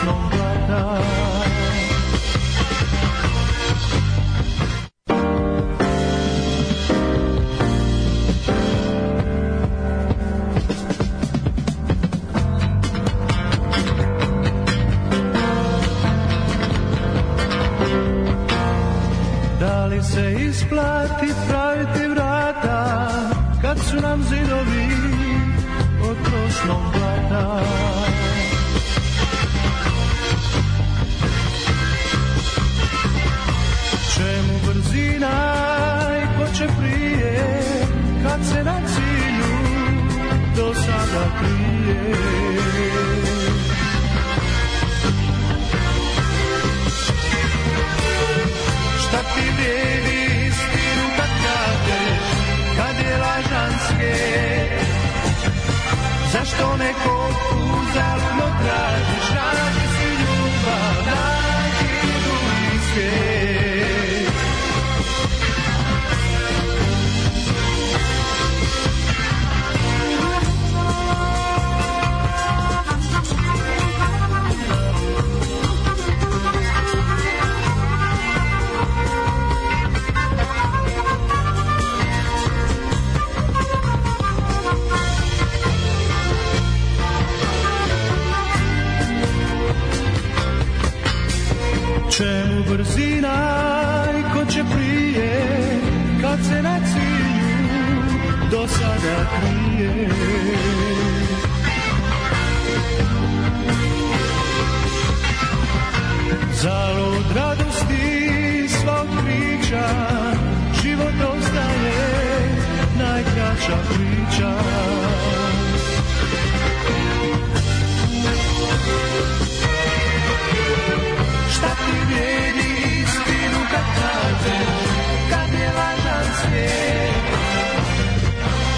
trošnom blata. Da li se isplati praviti vrata kad su nam zidovi od trošnog blata? Čemu brzina i ko će prije kad se na cilju do sada krije? Šta ti vrijedi istinu kad kažeš, kad je lažan svijet? Zašto neko uzaludno tražiš? Nađi si ljubav, nađi drugi svijet. Čemu brzina i ko će prije kad se na cilju do sada krije? Zalud radosti svog priča, život ostaje najkraća priča. Šta ti vrijedi istinu kad kažeš, kad je lažan svijet?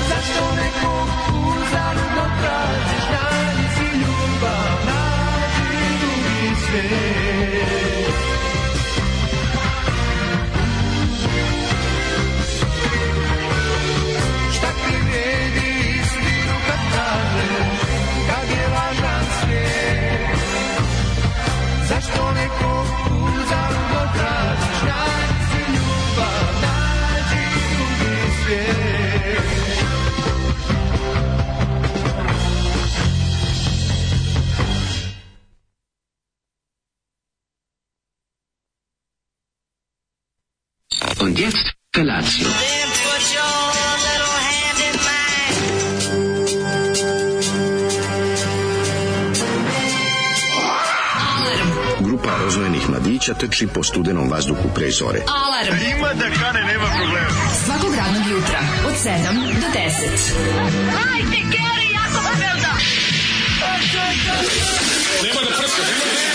Zašto nekog uzaludno tražiš? Nađi si ljubav, nađi drugi svijet. Šta ti vrijedi istinu kad kažeš, kad je lažan svijet? Zašto nekog uzaludno tražiš? Nađi si ljubav, nađi drugi svijet. Und jetzt Felatio. Grupa rozvojenih mladića trči po studenom vazduhu pre zore. Alarm! Ima da kane, nema problema. Svakog radnog jutra, od 7 do 10. Hajde, Geri, jako se velda! Nema da prska, nema da prska.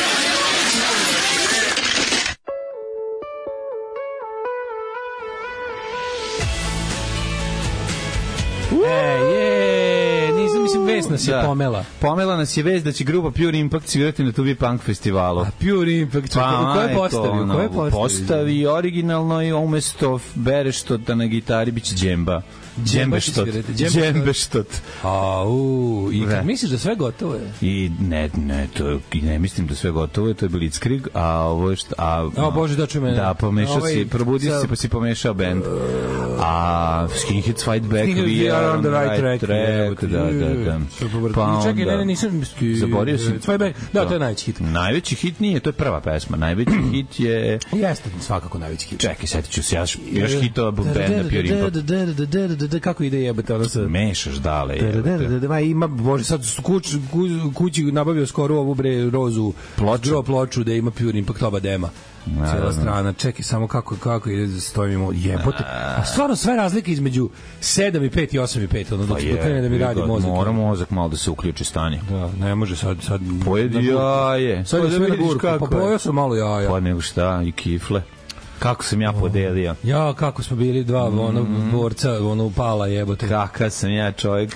Mislim, vest nas je pomela. Pomela nas je vest da će grupa Pure Impact svirati na Tubi Punk festivalu. A Pure Impact, ko je postavio? Ko je postavio? Postavi originalno i umesto Bereštota na gitari biće džemba. Džembeštot. I misliš da sve gotovo je? I ne mislim da sve gotovo je, to je Blitzkrieg, a ovo je Bože, da čujem. Da, pomešao si, probudi se pa si pomešao band. A Skinheads Fight Back, We Are on the Right Track. Da. Pa čekaj, ne, nisam... Zaborio sam. Fight Back, da, to je najveći hit. Najveći hit nije, to je prva pesma. Najveći hit je... Jeste, svakako najveći hit. Čekaj, setit ću se, još hitova benda Pure Impact. Kako ide jebate ono sa... Mešaš dale jebate. Ima, bože, sad kući nabavio skoro ovu rozu ploču da ima Pure Impact oba dema. Cijela strana, čekaj samo kako ide, stojimo jebote. A stvarno sve razlike između 7 i 5 i 8 i 5, ono dok krene da mi radi mozak. Mora mozak malo da se uključi stanje. Da, ne može sad pojedi jaje. Sad je sve na burku, pa pojeo sam malo jaja. Pa nego šta, i kifle. Kako sam ja podelio. Ja, kako smo bili dva borca, upala jebote. Kakav sam ja čovjek.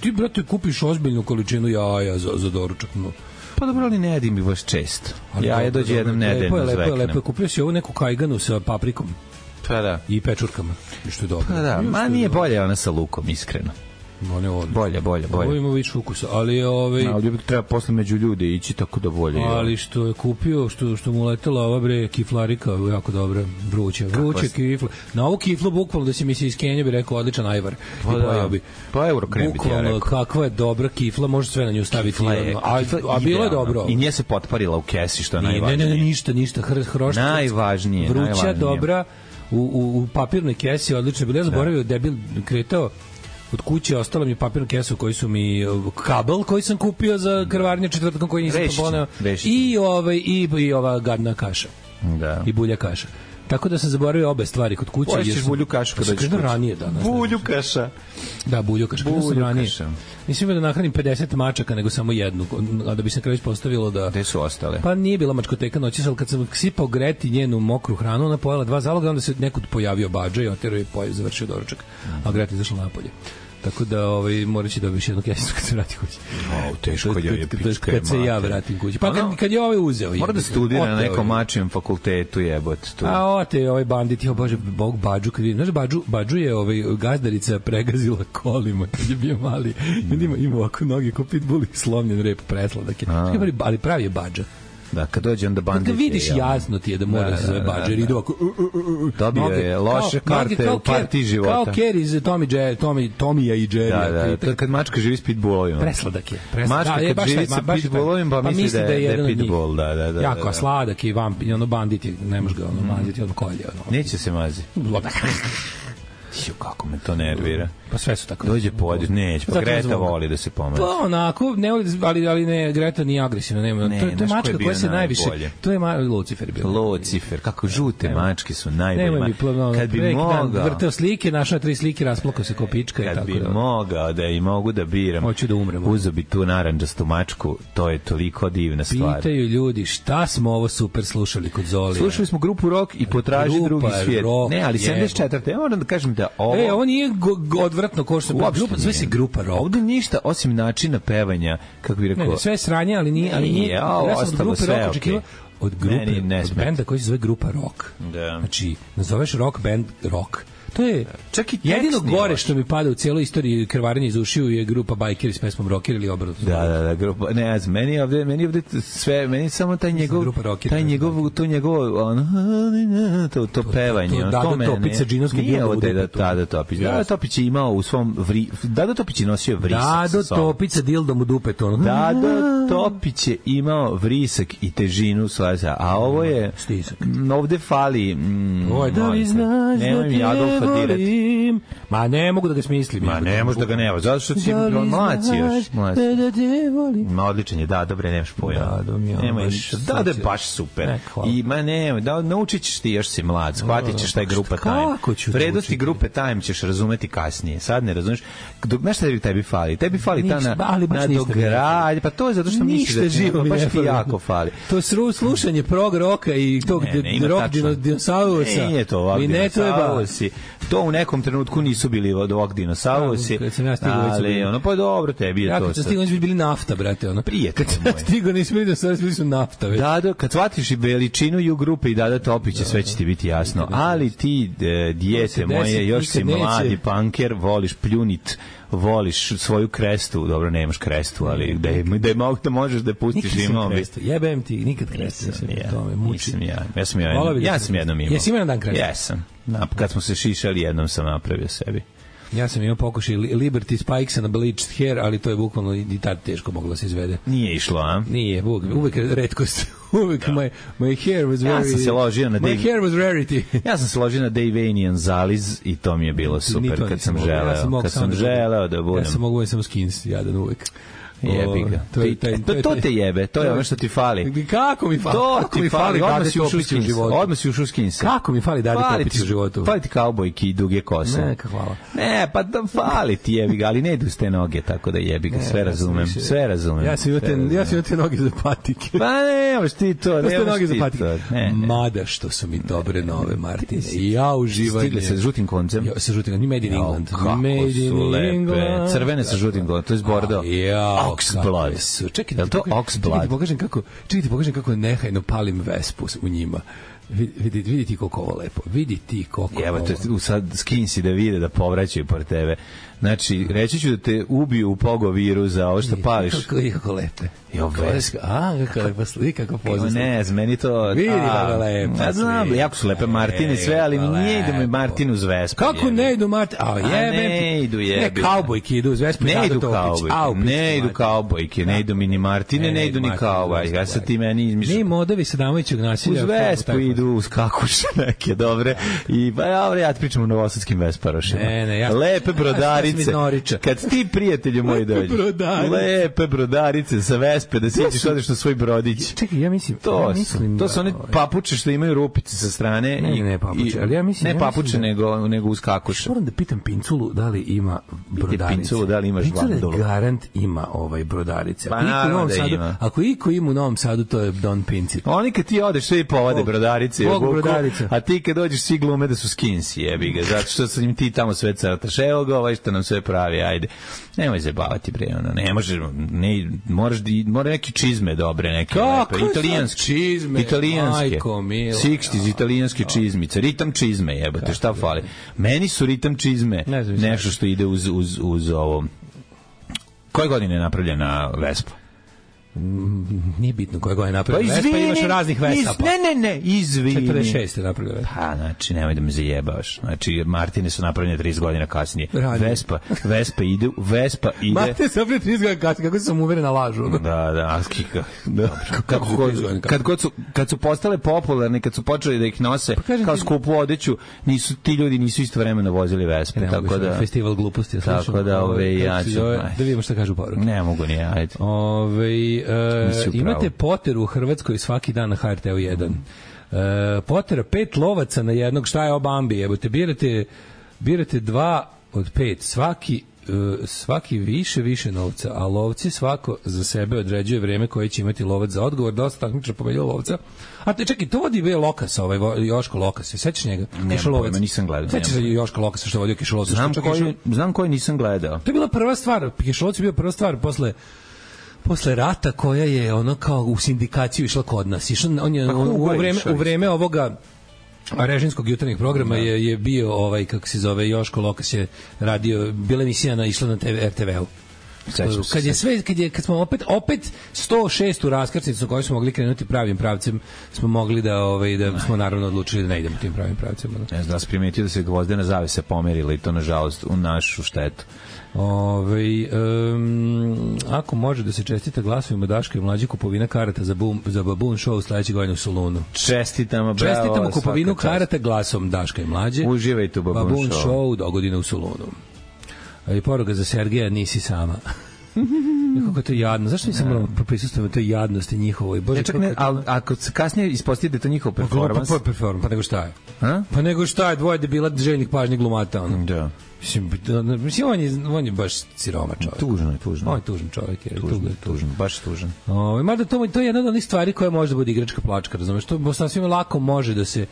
Ti, brate, kupiš ozbiljnu količinu jaja za doručak. Pa dobro, ali ne jedim ih baš često. Jaja dođe jednom nedeljno zveknem. Lepo, kupio si ovu neku kajganu sa paprikom. Pa da. I pečurkama. I što je dobro. Pa da, ma nije bolje ona sa lukom, iskreno. Bolje. Ovo ima više ukusa, ali ali treba posle među ljude ići tako da bolje. Ali što je kupio, što mu letela ova kiflarika, jako dobra, vruće kifla. Na ovu kiflu bukvalno da se mi se iz Kenije bi rekao odličan ajvar. Pa Eurokrem bi ti ja rekao. Kakva je dobra kifla, može sve na nju staviti. A bilo je dobro. I nije se potparila u kesi, što je najvažnije. Ne, ništa, hrošta. Najvažnije. Vruća, dobra, u papirnoj kesi, odlično. Bilo ja zaboravio, debil kretao od kuće, ostalo mi je papirnu kesu koji su mi kabel koji sam kupio za krvarnje četvrtkom koji nisam poneo i ova gadna kaša. Da. I bulja kaša. Tako da sam zaboravio obe stvari kod kuće. Poješćeš bulju kašu kada dođeš kuće. Ranije danas. Bulju kaša. Da, bulju kaša. Nisam imao da nahranim 50 mačaka, nego samo jednu. A da bi se kraj ispostavilo da... Gde su ostale? Pa nije bila mačkoteka noći, ali kad sam sipao Greti njenu mokru hranu, ona pojela 2 zaloga, onda se nekud pojavio badža i oterao i završio doručak. A Greta izašla napolje. Tako da morat će dobiti jednu kesicu kad se vrati kući. Teško je pička. Kad se ja vratim kući. Pa kad je uzeo. Mora da studira na nekom mačijem fakultetu, jebote. A bandit, bože, bog Badžu, kad vidim. Znaš, Badžu je gazdarica pregazila kolima kad je bio mali. Ima ovako noge ko pitbull i slomljen rep presladak je. Ali pravi je Badža. Da, kad dođe onda bandit. Kad vidiš jasno ti je da mora se zove Badžer. Idu ovako... Dobio je loše karte u partiji života. Kao Kerry iz Tomija i Jerrya. Da, kad mačka živi s pitbullovima. Presladak je. Mačka kad živi sa pitbullovima, pa misli da je pitbull. Jako sladak i bandit je, ne može ga maziti od kolje. Neće se mazi. Kako me to nervira. Pa sve su tako. Dođe pođe, neće. Pa Greta voli da se pomaže. Pa onako, ne voli, ali ne, Greta nije agresivna, nema. To je mačka koja se najviše. To je Lucifer bio. Lucifer, kako žute mačke su najbolje. Kad bi mogao vrteo slike, našao 3 slike, rasplakao se ko pička i tako. Kad bi mogao da i mogu da biram. Hoću da umrem. Uzeo bi tu narandžastu mačku, to je toliko divna stvar. Pitaju ljudi, šta smo ovo super slušali kod Zolija? Slušali smo grupu Rock i Potraži drugi svijet. Ne, ali 74. Ja moram da kažem da ovo nije odvratno ko što sve se grupa Rock. Ovde ništa osim načina pevanja, kako bih rekao. Ne, sve sranje, ali nije. Ostalo sve okej. Od benda koji se zove grupa Rock. Znači, nazoveš rock band Rock. To je čak i jedino gore što mi pada u cijeloj istoriji krvarenja iz ušiju je grupa Bajkeri s pesmom Rocker ili obrnuto. Da, grupa. Ne, meni ovde sve, meni samo taj njegov to pevanje, to mene. Topica džinovske nije ovde da Topić. Da, Topić je imao u svom Topić je nosio vrisak. Da, Topica dildom u dupetu. Da, Topić je imao vrisak i težinu svoja, a ovo je stisak. Ovde fali da li znaš da te volim. Ma ne mogu da ga smislim. Ma ne može da ga nema, zato što si mlaci još. Ma odličan je, da, dobre, nemaš pojma. Da, je baš super. I ma ne, da naučit ćeš ti, još si mlad, shvatit ćeš taj grupa Time. Vrednosti grupe Time ćeš razumeti kasnije. Sad ne razumeš. Znaš šta tebi fali? Tebi fali ta nadogradnja. Pa to je zato što misliš da baš ti jako fali. To je slušanje prog roka i tog rock dinosaurusa. Nije to ovak dinosaurusi. To u nekom trenutku nisu bili od ovog dinosaurusi. Ali ono, pa dobro, tebi je to. Kad sam stigao, nisu bili nafta, brate. Prijatelj moj. Kad sam stigao, nisu bili dinosaurusi, bili su nafta. Da, kad shvatiš i veličinu i u grupe i Dada Topića, sve će ti biti jasno. Ali ti, dijete moje, još si mladi punker, voliš pljunit, voliš svoju krestu, dobro, nemaš krestu, ali da možeš da pustiš imao bi. Jebem ti, nikad krestu. Ja sam jednom imao. Jesi imao dan krestu? Jesam. Kad smo se šišali, jednom sam napravio sebi. Ja sam imao pokušaj Liberty Spikes and Bleached Hair, ali to je bukvalno i tad teško moglo se izvede. Nije išlo, a? Nije, uvek retkost. Uvek my hair was very... Ja sam se ložio na my hair was rarity. Ja sam se ložio na Davanian Zaliz i to mi je bilo super kad sam želeo. Kad sam želeo da budem. Ja sam mogu samo skins, jadan uvek. Jebi ga. To te jebe, to je ono što ti fali. Kako mi fali? To ti fali, odmah si ušao u skinsa. Kako mi fali Dadi Topić u životu? Fali ti kaubojki i duge kose. Neka, hvala. Ne, pa da fali ti jebi ga, ali ne idu s te noge, tako da jebi ga, sve razumem. Ja sam imao te noge za patike. Pa nemaš ti to, nemaš ti to. Mada što su mi dobre nove, Martine. Ja uživanje. Stigle sa žutim koncem. Sa žutim koncem, Made in England. Kako su lepe. Crvene sa žutim koncem, to je Bordeaux. Oxblood. Čekaj, to Oxblood. Čekaj ti pokažem kako nehajno palim Vespu u njima. Vidi ti koliko ovo lepo. Vidi ti koliko evo ovo. Evo te sad skinsi da vide da povraćaju por tebe. Znači, reći ću da te ubiju u pogoviru za ovo što pališ. Kako lepe. Jo, Vespa. Kako lepa slika, kako pozivno. Ne, meni to... Vidi kako lepa. Ja znam, jako su lepe Martine sve, ali ne idu mi Martin uz Vespa. Kako ne idu Martin? Ne idu jebe. Ne, kaubojke idu uz Vespa. Ne idu kaubojke. Ne idu kaubojke, ne idu mini Martine, ne idu ni kaubojke. Ja sad ti meni izmišljam. Ne modovi Sadamovićog nasilja. Uz Vespu idu, uz kakuše neke, dobre. I ja ti pričam o novosadskim Vesparošima. Lepe brodarice. Kad ti, prijatelju moji, dođeš. Lepe brodarice sa Vespe, da siđeš, odeš na svoj brodić. Čekaj, ja mislim... To su one papuče što imaju rupice sa strane. Ne papuče, ali ja mislim... Ne papuče, nego uz kakuše. Moram da pitam Pinculu da li ima brodarice. Pinculu da li imaš vandolu. Pincula garant ima brodarice. Pa naravno da ima. Ako iko ima u Novom Sadu, to je Don Pincil. Oni kad ti odeš, svi povade brodarice. Brodarice. A ti kad dođeš, svi glume da su skinsi, jebi ga. Zato što sam im ti tamo sve crtaš. Evo ga, ovaj što nam sve pravi, ajde. Nemoj zabavati, bre, ono, ne možeš, mora neki čizme dobre, neke lepe, italijanske čizme, majko mila, 60s italijanske čizmice, ritam čizme, jebote, šta fali? Meni su ritam čizme nešto što ide uz ovo. Koje godine je napravljena Vespa? Nije bitno koje godine je napravljena Vespa, imaš raznih Vespapa. Ne, izvini. 46 je napravljena Vespa. Pa, znači, nemoj da me zajebavaš. Znači, Martine su napravljene 30 godina kasnije. Vespa ide... Martine su napravljene 30 godina kasnije, kako sam uveren na lažu. Da, kad su postale popularne, kad su počeli da ih nose kao skupu odeću, ti ljudi nisu istovremeno vozili Vespe. Tako da... Festival gluposti. Tako da, da vidimo šta kažu poruke. Ne mogu ni, ajde. Imate Potteru u Hrvatskoj svaki dan na HRT-u 1. Pottera 5 lovaca na jednog, šta je o Bambi? Evo te birate 2 od 5, svaki više novca, a lovci svako za sebe određuje vreme koje će imati lovac za odgovor. Dosta takmičara pobedio lovca. A te čekaj, to vodi Lokas, Joško Lokas, sećaš njega? Pojma, nisam gledao. Sećaš Joška Lokasa što vodio Kišolovca? Znam koji nisam gledao. To je bila prva stvar, Kišolovac je bio prva stvar posle rata koja je ono kao u sindikaciju išla kod nas. On je u vreme ovoga režimskog jutarnjeg programa je bio kako se zove, Joško Lokas je radio, bila emisija išla na RTV-u. Kad smo opet 106. raskrsnicu koju smo mogli krenuti pravim pravcem, smo mogli da smo naravno odlučili da ne idemo tim pravim pravcem. Ne znam da se primetio da se gvozdena zavesa pomerila i to nažalost u našu štetu. Ako može da se čestita glasovima Daška i Mlađe kupovina karata za Baboon show sledeće godine u Solunu. Čestitamo kupovinu karata glasom Daška i Mlađe. Uživajte u Baboon show dogodine u Solunu. I poruga za Sergeja, nisi sama. Kako je to jadno. Zašto nisam morao prisustvovati toj jadnosti njihovoj? Ali ako se kasnije ispostavi da je to njihov performans... Pa nego šta je? Pa nego šta je, dvoje debila željnih pažnjih glumata. Da. Mislim, on je baš siroma čovjek. Tužno. On je tužan čovjek. Tužan, baš tužan. Mada to je jedna od onih stvari koja može da bude igračka plačka, razumeš? To sasvim lako može da se...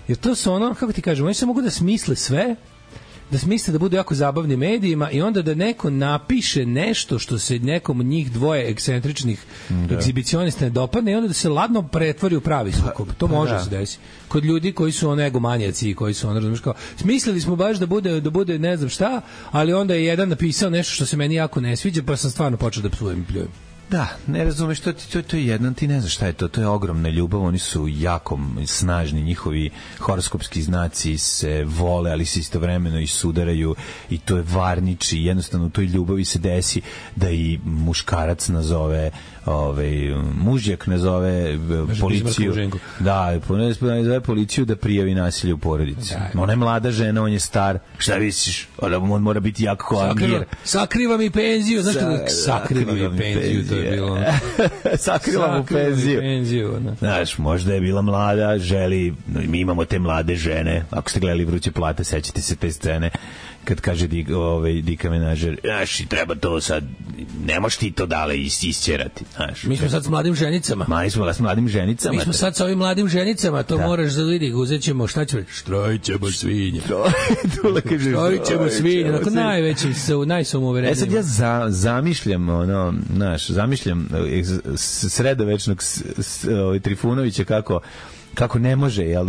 Jer to su ono, kako ti kažem, oni se mogu da smisle sve, da smisle da budu jako zabavni medijima i onda da neko napiše nešto što se nekom od njih dvoje ekscentričnih egzibicionista ne dopadne i onda da se ladno pretvori u pravi sukob. To može se desiti. Kod ljudi koji su egomanijaci i koji su razumiješ kao, smislili smo baš da bude ne znam šta, ali onda je jedan napisao nešto što se meni jako ne sviđa, pa sam stvarno počeo da psujem i pljujem. Da, ne razumeš, to je jedan, ti ne znaš šta je to je ogromna ljubav, oni su jako snažni, njihovi horoskopski znaci se vole, ali se istovremeno i sudaraju i to je varniči, jednostavno u toj ljubavi se desi da i muškarac nazove mužjak nazove policiju. Nazove policiju da prijavi nasilje u porodici. Ona je mlada žena, on je star. Šta misliš? On mora biti jako angir. Sakriva mi penziju. Znaš kada sakriva mi penziju, to je bilo. Sakrila mu penziju. Znaš, možda je bila mlada, mi imamo te mlade žene. Ako ste gledali Vruće plate, sećate se te scene kad kaže Dika Menažer, znaš, treba to sad ne možeš ti to dale isćerati, znaš. Mi smo sad s mladim ženicama. Mi smo s mladim ženicama. Mi smo sad sa ovim mladim ženicama, to moraš da vidi, uzet ćemo, šta ćemo, štrojćemo svinje. Štrojćemo svinje, onako najveći, najsamouvereniji. Sad ja zamišljam, zamišljam sredovečnog Trifunovića kako ne može, jel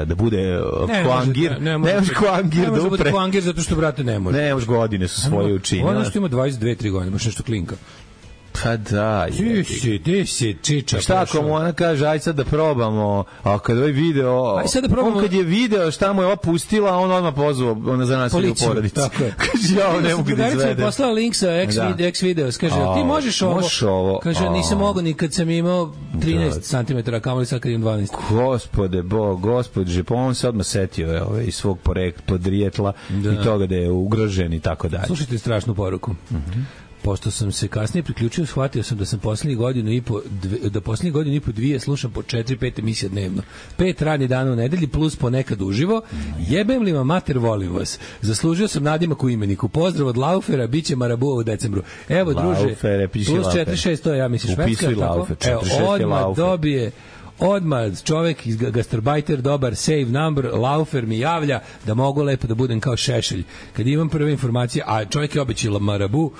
da bude Koangir. Ne može Koangir da bude Koangir zato što, brate, ne može. Ne može, godine su svoje učinile. Ono što ima 22-3 godine, baš nešto klinka. Pa da. Ti si čiča. Šta ako mu ona kaže, aj sad da probamo, a kad ovaj video, on kad je video šta mu je opustila, on odmah pozvao za nasilje u porodici. Kaže, ja ne mogu da izvedem. Je poslao link sa X videos, kaže, ti možeš ovo? Kaže, nisam mogao ni kad sam imao 13 cm, kamoli sad kad imam 12. Gospode Bog, gospodže, pa on se odmah setio iz svog podrijetla i toga da je ugrožen i tako dalje. Slušajte strašnu poruku. Pošto sam se kasnije priključio, shvatio sam da sam poslednjih godinu i po dvije slušam po 4-5 emisija dnevno. 5 radnih dana u nedelji plus ponekad uživo. Jebem li vam mater, volim vas. Zaslužio sam nadimak u imeniku. Pozdrav od Laufera, bit će Marabua u decembru. Evo, druže, plus 4-6, to je, ja mislim, švedska. Evo, odmah dobije... Odmah čovek iz Gastarbajter, dobar save number, Laufer mi javlja da mogu lepo da budem kao Šešelj. Kad imam prve informacije, a čovjek je obećao Marabu.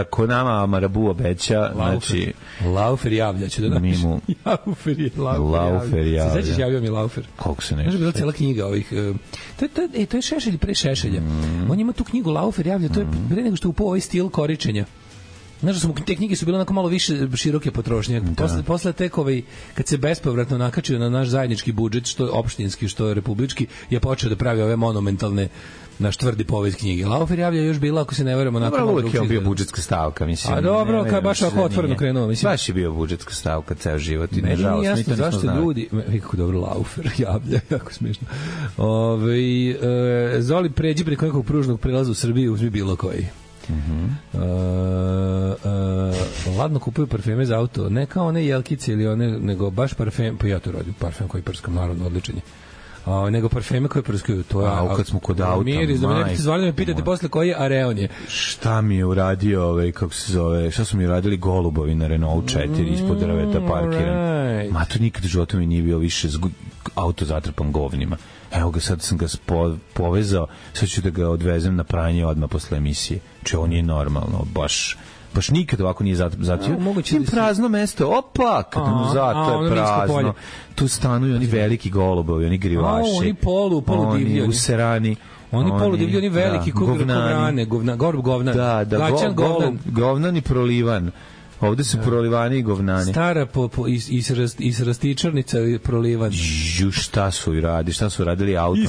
Ko nama Marabu obeća, znači... Laufer javlja, će da napiš. Laufer javlja. Se sećaš, javio mi Laufer. Koliko se nešto. Znaš, bila cijela knjiga ovih... To je Šešelj pre Šešelja. On ima tu knjigu Laufer javlja, to je pre nego što je upao ovaj stil koričenja. Znaš da te knjige su bile onako malo više široke potrošnje. Posle tek kad se bespovratno nakačio na naš zajednički budžet, što opštinski, što republički, je počeo da pravi ove monumentalne naš tvrdi povijest knjige. Laufer javlja još bila, ako se ne verujemo, onako malo uvijek je bio budžetska stavka, mislim. A dobro, kad baš ako otvoreno krenuo, mislim. Baš je bio budžetska stavka ceo život i nažalost mi to nismo znali. Zašto ljudi, kako dobro Laufer javlja, jako smiješno. Zoli, pređi preko nekog pružnog prelaza u Srbiji, uzmi bilo koji. Ladno kupuju parfeme za auto, ne kao one jelkice ili one, nego baš parfem, pa ja to radim, parfem koji prskam, naravno, odličan je. Nego parfeme koje prskaju, to je... kad smo kod auta, miris, da me ne biste zvali da me pitate posle koji je Areon je. Šta mi je uradio, kako se zove, šta su mi uradili golubovi na Renault 4 ispod drveta parkiran. Ma to nikad u životu mi nije bio više auto zatrpan govnima. Evo ga, sad sam ga povezao, sad ću da ga odvezem na pranje odmah posle emisije. Če on je normalno, baš nikad ovako nije zatio. Tim prazno mesto, opa, kad mu zato je prazno. Tu stanuju oni veliki golubovi, oni grivaši. Oni polu divlji. Oni userani. Oni polu divlji, oni veliki govnani. Govnan. Da, govnan i prolivan. Ovde su prolivani i govnani. Stara israstičarnica prolivan. Šta su radili auto?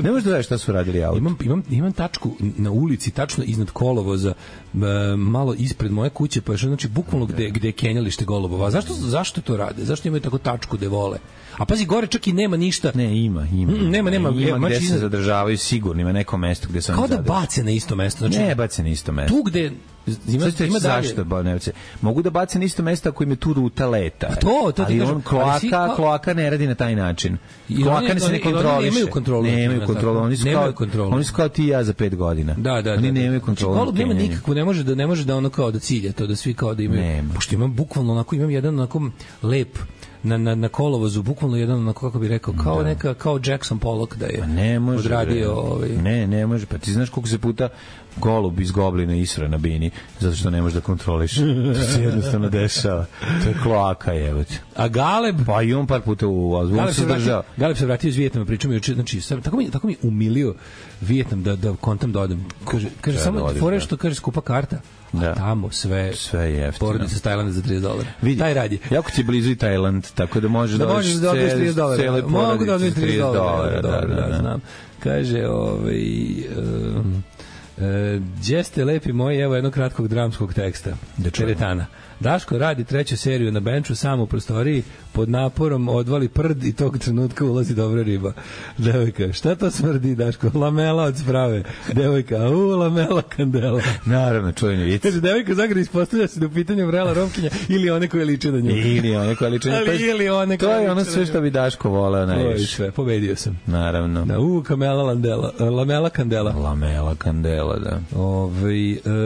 Ne možeš da znaš šta su radili auto. Imam tačku na ulici, tačno iznad kolovoza, malo ispred moje kuće, pa je znači bukvalno gde je kenjalište golubova. Zašto to rade? Zašto imaju tako tačku gde vole? A pazi, gore čak i nema ništa. Ne, ima. Nema gde se zadržavaju sigurno, ima neko mesto gde se oni zadržavaju. Kao da bace na isto mesto. Znači, ne bace na isto mesto. Tu gde... Ima zašto mogu da bace na isto mesto ako im je tu ruta leta. Ali on kloaka ne radi na taj način. Kloaka se ne kontroliše. Nemaju kontrolu. Oni su kao ti i ja za 5 godina. Oni nemaju kontrolu. Golub nema nikakvu, ne može da ono kao da cilja to, da svi kao da imaju. Pošto imam bukvalno onako, imam jedan onako lep na kolovozu, bukvalno jedan onako, kako bi rekao, kao Jackson Pollock da je odradio. Ne može, pa ti znaš koliko se puta golub iz Goblina isra na bini, zato što ne možeš da kontroliš. To se jednostavno dešava. To je kloaka, jebote. A Galeb? Pa i on par puta u Azbuku se držao. Galeb se vratio iz Vijetnama, pričamo juče, znači, tako mi umilio Vijetnam da kontam dodam. Kaže samo fore što kaže skupa karta. A tamo sve jeftino. Porodica iz Tajlanda za $30. Taj radi. Jako ti je blizu i Tajland, tako da možeš da odeš $30. Mogu da odeš $30. Da, znam. Kaže, gdje ste lepi moji, evo jednog kratkog dramskog teksta. Teretana. Daško radi 3. seriju na benču sam u prostoriji, pod naporom odvali prd i tog trenutka ulazi dobra riba. Devojka, šta to smrdi, Daško? Lamela od sprave. Devojka, lamela kandela. Naravno, čuveni vic. Kaže, devojka zagrada ispostavlja se da u pitanju vrela romkinja ili one koje liče na nju. Ili one koje liče na nju. To je ono sve što bi Daško voleo najviše. Sve, pobedio sam. Naravno. Lamela kandela. Lamela kandela, da.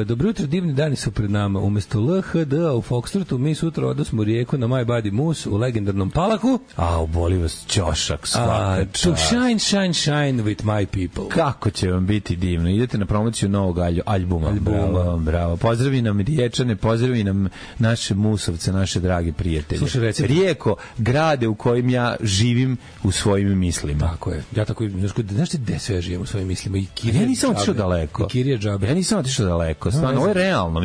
Dobro jutro, divni dani su pred nama. Umesto LHD-a u Foxtrotu mi sutra odosmo u Rijeku na My Body Moose u legendarnom Palaku. Boli vas ćošak svaka čast. To shine with my people. Kako će vam biti divno. Idete na promociju novog albuma. Bravo. Pozdravi nam Riječane, pozdravi nam naše Musovce, naše drage prijatelje. Slušaj, Rijeko, grade u kojim ja živim u svojim mislima. Tako je. Ja tako, znaš ti gde sve živim u svojim mislima? I Kirija ja nisam otišao daleko. I Kirija džabe. Ja nisam otišao daleko. Stvarno, ovo je realno.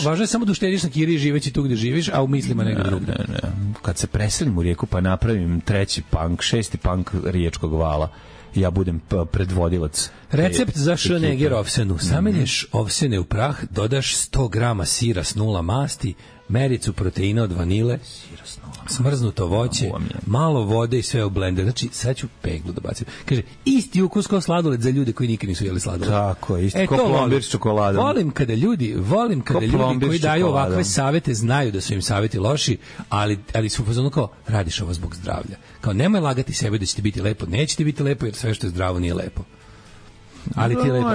Važno je samo da uštediš na Kiriji živeći tu gde živiš, a u mislima negdje drugdje. Kad se preselim u Rijeku pa napravim 3. punk, 6. punk Riječkog vala, ja budem predvodilac. Recept za šneger ovsenu. Samelješ ovsene u prah, dodaš 100 grama sira s 0 masti, mericu proteina od vanile, smrznuto voće, malo vode i sve u blender. Znači, sad ću peglu da bacim. Kaže, isti ukus kao sladoled za ljude koji nikad nisu jeli sladoled. Tako, isti kao plombir s čokoladom. Volim kada ljudi koji daju ovakve savete znaju da su im saveti loši, ali su fazonu kao, radiš ovo zbog zdravlja. Kao, nemoj lagati sebe da će ti biti lepo. Neće ti biti lepo jer sve što je zdravo nije lepo. Ali ti je lepo.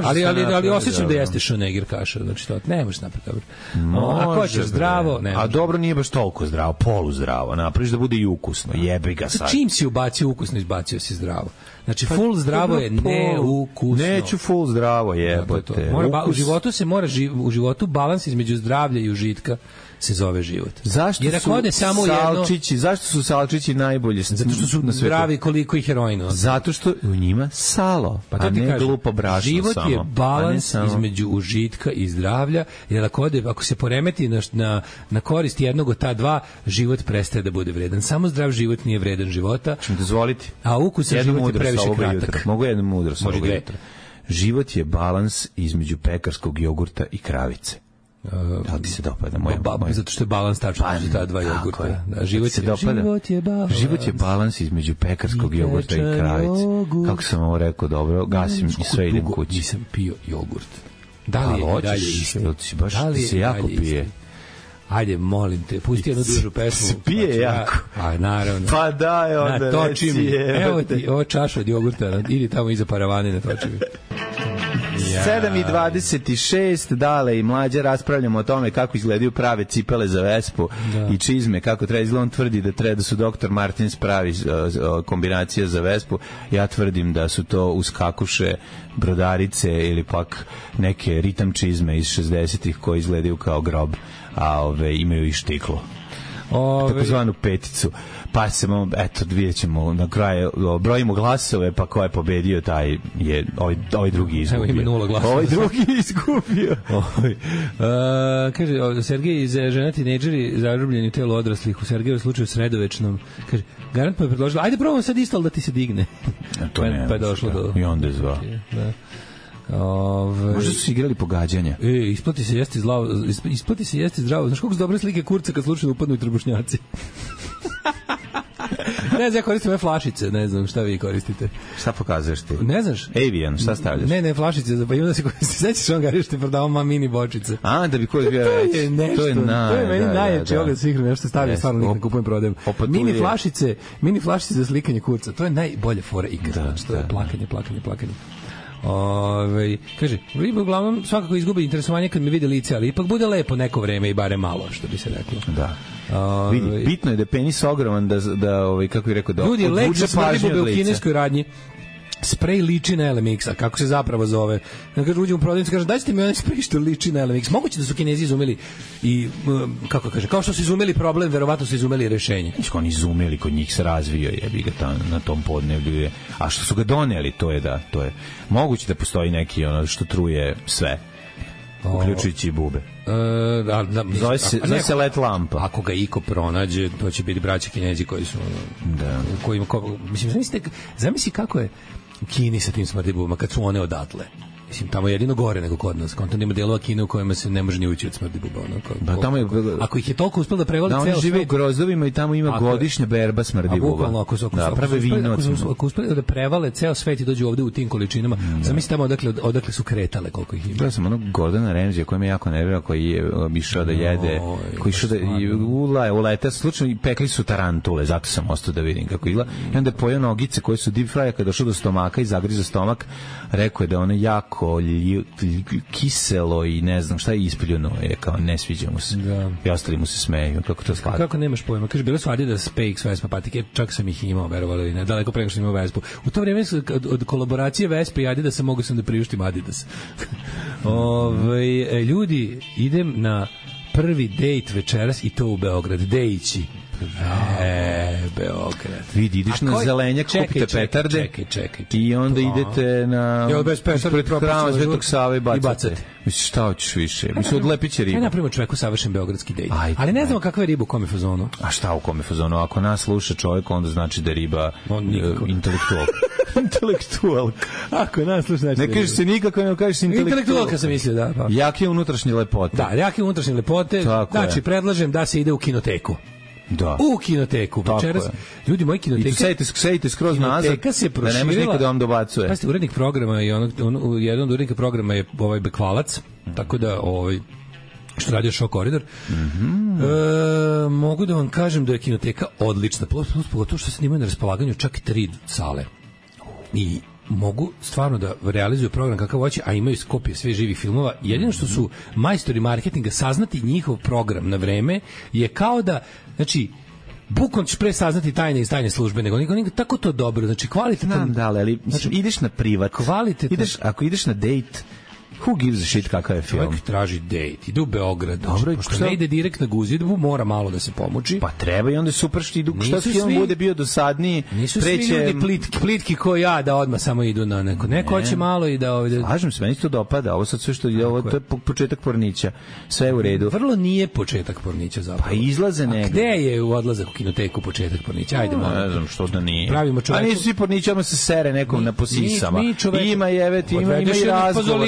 Ali osjećam da jeste šneger kaša, znači to ne možeš napraviti dobro. Ako hoćeš zdravo, ne. A dobro nije baš toliko zdravo, poluzdravo. Napraviš da bude i ukusno. Jebi ga sad. Čim si ubacio ukusno, izbacio si zdravo. Znači full zdravo je neukusno. Neću full zdravo, jebote. U životu balans između zdravlja i užitka se zove život. Zašto su salčići najbolji? Zato što su zdravi koliko i heroina. Zato što u njima salo, a ne glupo brašno. Život je balans između užitka i zdravlja, jer ako se poremeti na korist jednog od ta dva, život prestaje da bude vredan. Samo zdrav život nije vredan života. Ću mi dozvoliti? A ukusan život je previše kratak. Mogu jednu mudrost ovog jutra. Život je balans između pekarskog jogurta i kravice. Da ti se dopada moja zato što je balans tačno između ta dva jogurta. Život je balans između pekarskog jogurta i kravice. Kako sam ovo rekao, dobro, gasim i sve idem kući. Nisam pio jogurt. Da li je dalje isti? Baš se jako pije. Ajde, molim te, pusti jednu dužu pesmu. Se pije jako. A, naravno. Pa daj onda, natoči mi. Evo ti, ovo čaša od jogurta, idi tamo iza paravane, natoči mi. 7:26, Dale i Mlađa raspravljamo o tome kako izgledaju prave cipele za Vespu i čizme, kako treba izgleda. On tvrdi da su Dr. Martins pravi kombinacija za Vespu. Ja tvrdim da su to uskakuše, brodarice ili pak neke ritam čizme iz 60-ih koji izgledaju kao grob, a imaju i štiklo. Takozvanu peticu. Pa ćemo, vidjet ćemo na kraju, brojimo glasove, pa ko je pobedio, taj je ovaj drugi izgubio. Evo ima 0 glasova. Ovaj drugi izgubio. Kaže, Sergej iz žena tinejdžeri zarobljeni u telu odraslih, u Sergeju slučaju sredovečnom. Kaže, garant pa je predložila, ajde probamo sad isto da ti se digne. Pa je došlo do... I onda je zvao. Da. Možda su igrali pogađanja. Isplati se jesti zdravo. Znaš koliko su dobre slike kurca kad slučajno upadnu i trbušnjaci? Ne znam, ja koristim ove flašice, ne znam šta vi koristite. Šta pokazuješ ti? Ne znaš? Avian, šta stavljaš? Ne, flašice, pa ima da se koristi. Sećaš on gari što je prodavao mini bočice. A, da bi koji bio reći. To je meni najjače ogled svih nešto stavljaju, stvarno nikad ne kupujem, prodajem. Mini flašice za slikanje kurca, to je najbolje fora ikad. To je plakanje. Kaže, riba uglavnom svakako izgubi interesovanje kad mi vide lice, ali ipak bude lepo neko vreme i bare malo, što bi se reklo. Da. Vidi, bitno je da je penis ogroman, da kako bih rekao, da ljudi, lek za smrdibube u kineskoj radnji. Sprej liči na LMX, a kako se zapravo zove? Kaže, uđem u prodavnicu, kaže, dajte mi onaj sprej što liči na LMX. Moguće da su Kinezi izumeli i, kako kaže, kao što su izumeli problem, verovatno su izumeli rešenje. Oni izumeli, kod njih se razvio, jebi ga na tom podneblju. A što su ga doneli, to je moguće da postoji neki što truje sve, uključujući i bube. Zove se let lampa. Ako ga iko pronađe, to će biti braća Kinezi koji su mislim, zamisli kako je u Kini sa tim smrdibubama kad su one odatle. Mislim, tamo je jedino gore nego kod nas. Kontam ima delova Kine u kojima se ne može ni ući od smrdi buba. Ako ih je toliko uspelo da prevale ceo svet... Da, oni žive u grozovima i tamo ima godišnja berba smrdi buba. Ako uspeli da prevale ceo svet i dođu ovde u tim količinama, zamisli tamo odakle su kretale, koliko ih ima. Ja sam onog Gordona Ramsaya koji me jako nervira, koji je išao da jede, koji išao da ulete, slučajno i pekli su tarantule, zato sam ostao da vidim kako izgleda. I onda je pojeo nogice koje su deep fry, kada došao do stomaka i zagriza stomak, rekao je da ono jako kiselo i ne znam šta je ispljuno, je kao ne sviđa mu se. I ostali mu se smeju, kako to sklada. Kako nemaš pojma? Kaže, bile su Adidas, PX, Vespa patike, čak sam ih imao, verovali ili ne, daleko preko što imao Vespu. U to vreme od kolaboracije Vespa i Adidasa mogu sam da priuštim Adidas. Ljudi, idem na prvi dejt večeras i to u Beograd. Dejići. Beograd. Vidi, ideš na Zelenjak, kupite petarde i onda idete na ispred hrama Svetog Save i bacate. Misliš, šta hoćeš više? Misliš, odlepit će ribu. Ja napravimo čoveku savršen beogradski dejt. Ali ne znamo kakva je riba u kome fazonu. A šta u kome fazonu? Ako nas sluša čovjek, onda znači da je riba intelektualka. Intelektualka. Ako nas sluša, znači ne kažeš se nikako, ne kažeš se intelektualka sam mislio, da. Jake unutrašnje lepote. Da, jake unutrašnje lepote. Znači, predlažem da se ide u kinoteku. Da. U kinoteku. Večeras, ljudi, moji kinoteka... I sejte skroz nazad, da nemaš nikada da vam dobacuje. Pazite, urednik programa i jedan od urednika programa je ovaj Bekvalac, tako da što radio Show Koridor. Mogu da vam kažem da je kinoteka odlična, pogotovo što se imaju na raspolaganju čak 3 sale. I mogu stvarno da realizuju program kakav hoće, a imaju kopije sve živih filmova. Jedino što su majstori marketinga saznati njihov program na vreme je kao da, znači, bukvalno ćeš pre saznati tajne iz tajne službe, nego tako to dobro, znači kvalitetan. Znam, da, ali znači, ideš na privat, ako ideš na dejt, who gives a shit kakav je film? Čovjek traži dejt, ide u Beograd. Dobro, pošto ne ide direkt na Guzidbu, mora malo da se pomoći. Pa treba i onda je super što idu, šta film bude bio dosadniji. Nisu svi ljudi plitki ko ja da odmah samo idu na neko. Neko hoće malo i da ovdje... Slažem se, meni to dopada, ovo sad sve što je, ovo to je početak pornića. Sve u redu. Vrlo nije početak pornića zapravo. Pa izlaze negdje. Gde je u odlazak u kinoteku početak pornića? Ajde malo. Ne znam što da nije. Pravimo čoveku. A nisu svi pornići, odmah se sere nekom na posisama. Ima i razgovor.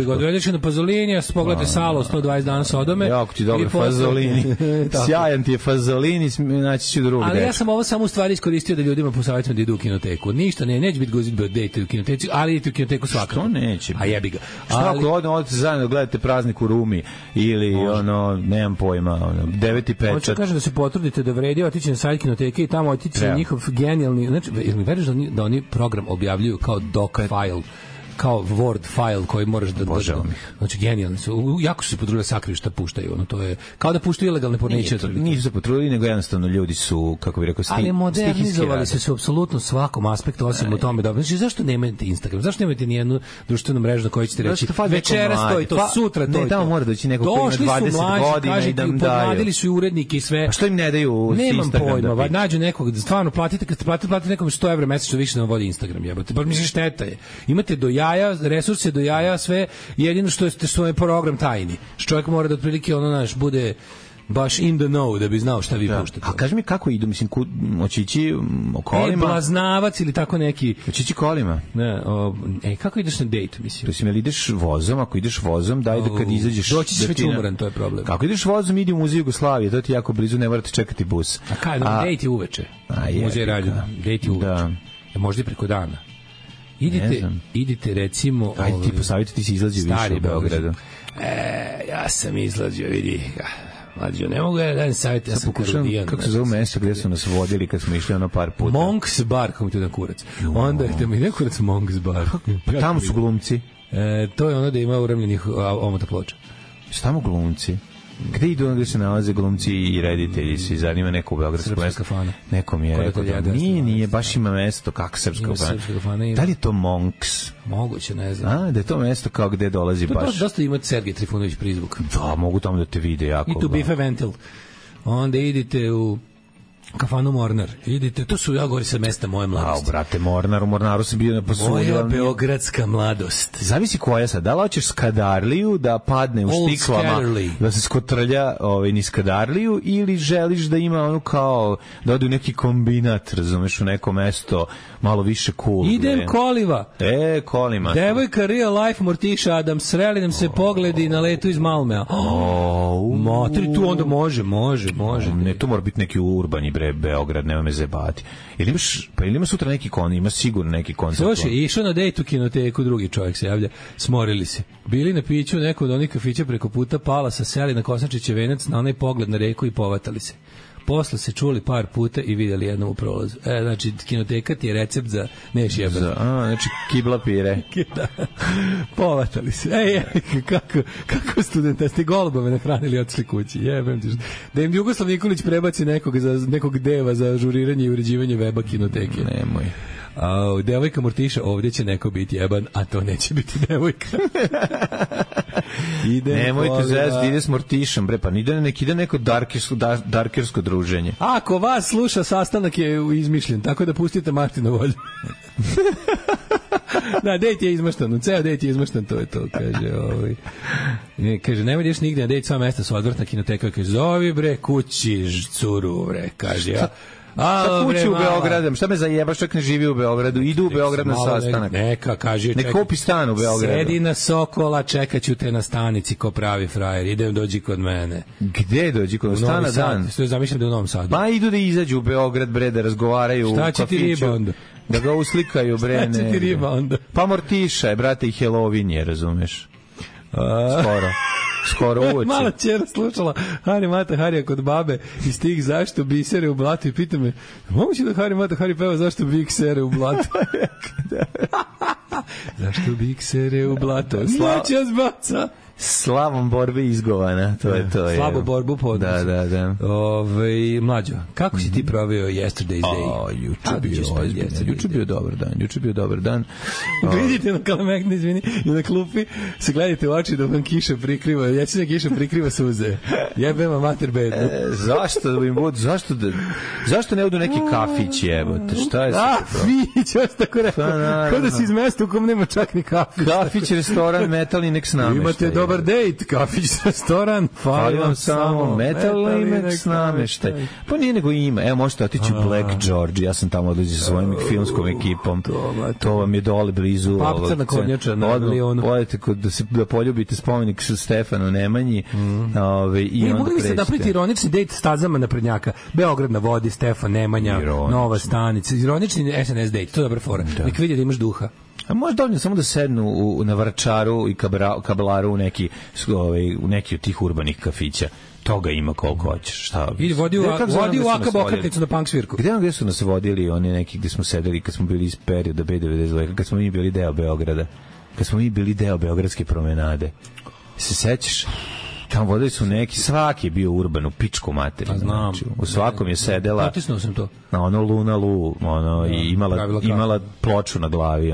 Odvedeš na Pazolinija, pogledajte Salo, 120 dana Sodome. Jako ti dobro Fazolini. Sjajan ti je Fazolini, naći ću drugi. Ali ja sam ovo samo u stvari iskoristio da ljudima posavjetujem da idu u kinoteku. Ništa, neće biti Guzidbe dejte u kinoteci, ali idete u kinoteku svakako. Što neće? A jebi ga. Šta ako odete zajedno gledate Praznik u Rumi ili nemam pojma, 9.5. Hoću kažem da se potrudite da vredi otići na sajt kinoteke i tamo otići na njihov genijalni, znači, jel mi veriš da oni program objavljuju kao doc file, kao Word file koji moraš da znači genijalni su, jako su se potrudili da sakriju šta puštaju, to je kao da puštaju ilegalne porniće. Nisu se potrudili, nego jednostavno ljudi su, kako bih rekao, ali modernizovali su apsolutno svakom aspektu, osim u tome da, znači zašto nemate Instagram, zašto nemate ni jednu društvenu mrežu na kojoj ćete reći večeras to i to, sutra to. Ne, tamo mora doći neko koji ima 20 godina i da im daju. Podmladili su i urednike i sve. A što im ne daju Instagram? Nemam pojma, nađu nekog, stvarno platite, kad platite nekom 100 evra mesečno više da vam vodi Instagram, jebote. Baš mislim šteta je. Imate do jaja, resurse do jaja, sve, jedino što je program tajni. Što čovjek mora da otprilike bude baš in the know da bi znao šta vi puštate. A kaži mi kako idu, mislim, hoće ići kolima? Blaznavac ili tako neki. Hoće ići kolima? Ne, kako ideš na dejt, mislim? Mislim, jel ideš vozom, ako ideš vozom, daj da kad izađeš... Doći ćeš već umoran, to je problem. Kako ideš vozom, idi u Muzej Jugoslavije, to ti jako blizu, ne morate čekati bus. A kaj, dejt je uveče. Muzej Rađana, dejt je uveče. Možda i preko dana. Idite recimo... Ajde ti posavite, ti si izlađio više u Beogradu. Ja sam izlađio, vidi. Mlađo, ne mogu ja da savjet, ja sam Karudijan. Kako se zove mesto gdje su nas vodili kad smo išli par puta? Monks Bar, kako mi to jedan kurac. Onda je mi nekurac Monks Bar. Tamo su glumci. To je ono da ima uremljenih omota ploča. Tamo glumci. Gde idu gde se nalaze glumci i reditelji, se zanima neko u Beogradskom mestu? Nekom je rekao da nije, baš ima mesto, kako srpska kafana. Da li je to Monks? Moguće, ne znam. Da je to mesto kao gde dolazi baš. To dosta ima Sergej Trifunović prizvuk. Da, mogu tamo da te vide jako. I tu Bife Ventil. Onda idite u Kafanu Mornar. Idite, to su ja govori sa mesta moje mladosti. Brate, Mornar, u Mornaru sam bio na posudu. Moja beogradska mladost. Zavisi koja sad. Da li hoćeš Skadarliju da padne u Old štiklama, Skadarli. da se skotrlja ni Skadarliju, ili želiš da ima ono kao da ode u neki kombinat, razumeš, u neko mesto malo više cool. Idem Koliva. Kolima. Devojka Real Life Mortiša Adam, sreli nam se pogledi na letu iz Malmea. Matri, tu onda može. Ne, to mora biti neki urbani Beograd, nema me zebati. Ili ima sutra neki ima sigurno neki koncert. Slušaj, išao na dejt u kinoteku, drugi čovjek se javlja, smorili se. Bili na piću neko od onih kafića preko puta Palasa, seli na Kosančiće venac na onaj pogled na reku i povatali se. Posle se čuli par puta i vidjeli jednom u prolazu. Znači, kinoteka ti je recept za neš jebati. Znači, kibla pire. Da. Povatali se. Kako studenta ste golubove nahranili i otišli kući. Jebem ti. Da im Jugoslav Nikolić prebaci nekog deva za žuriranje i uređivanje weba kinoteke. Nemoj. Devojka Mortiša, ovdje će neko biti jeban, a to neće biti devojka. Nemojte zezati, ide s Mortišom, bre, pa ide neko darkersko druženje. Ako vas sluša, sastanak je izmišljen, tako da pustite Martinu volju. Da, dejt je izmaštan, ceo dejt je izmaštan, to je to, kaže. Kaže, nemoj ideš nigde na dejt, sva mesta su odvrtna kinoteka, kaže, zovi bre kući curu, bre, kaže, ja. Šta kući u Beogradu? Šta me zajebaš, čak ne živi u Beogradu? Idu u Beograd na sastanak. Neka, kaže, ne kupi stan u Beogradu. Sedi na Sokola, čekaću te na stanici ko pravi frajer. Idem, dođi kod mene. Gde dođi kod stana dan? Što je zamišljam da je u Novom Sadu. Pa idu da izađu u Beograd, bre, da razgovaraju u kafiću. Šta će ti riba onda? Da ga uslikaju, bre. Šta će ti riba onda? Pa Mortiša je, brate, i Halloween je, razumeš? Skoro uoči. Mala ćera slušala Hari Mata Harija kod babe i stih zašto bisere u blatu i pita me, moguće da Hari Mata Hari peva zašto biksere u blatu? Zašto biksere u blatu? Slača zbaca. Slavom borbe izgovana, to je to. Slabo borbu podnosi. Da. Mlađo, kako si ti proveo Yesterday's Day? Juče bio dobar dan. Vidite na Kalemegni, izvini, i na klupi se gledajte u oči da vam kiša prikriva, jećina kiša prikriva suze. Jebema mater bednu. Zašto da im budu, zašto ne odu neki kafić, jebote, šta je sad to? Kafić, ja sam tako rekao, kao da si iz mesta u kom nema čak ni kafić. Kafić, restoran, metalni, nek s nameštaj. Imate dobar dejt, kafić, restoran, fali vam samo metal i nek s nameštaj. Pa nije nego ima, evo možete otići u Black George, ja sam tamo odlazi sa svojim filmskom ekipom, to vam je dole blizu. Papca na konjača na milionu. Odete da poljubite spomenik sa Stefanu Nemanji i onda mogli pređete. Mogli napraviti ironični dejt stazama naprednjaka, Beograd na vodi, Stefan Nemanja, Nova stanica, ironični SNS dejt, to je dobra fora, nek vidi da imaš duha. A može dovoljno samo da sednu na Vračaru i Kablaru u neki od tih urbanih kafića. Toga ima koliko hoćeš. I vodi u Aka Bokatnicu na punk svirku. Gde su nas vodili oni neki gde smo sedeli kad smo bili iz perioda B92, kad smo mi bili deo Beograda, kad smo mi bili deo Beogradske promenade. Se sećaš? Tamo vodili su neki, svaki je bio urban u pičku materiju. Znam. U svakom je sedela. Natisnuo sam to. Na ono Luna Lu, i imala ploču na glavi,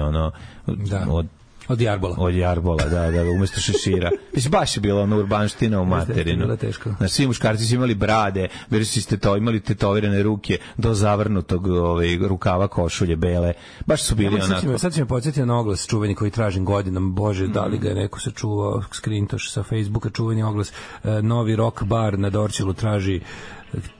od Jarbola. Od Jarbola, da, umesto šešira. Mislim, baš je bila ona urbanština u materinu. Znači, svi muškarci su imali brade, bili su imali tetovirane ruke do zavrnutog rukava košulje bele. Baš su bili onako. Sad si me podsjetio na oglas čuveni koji tražim godinama. Bože, da li ga je neko sačuvao, skrintoš sa Facebooka, čuveni oglas. Novi rock bar na Dorćolu traži.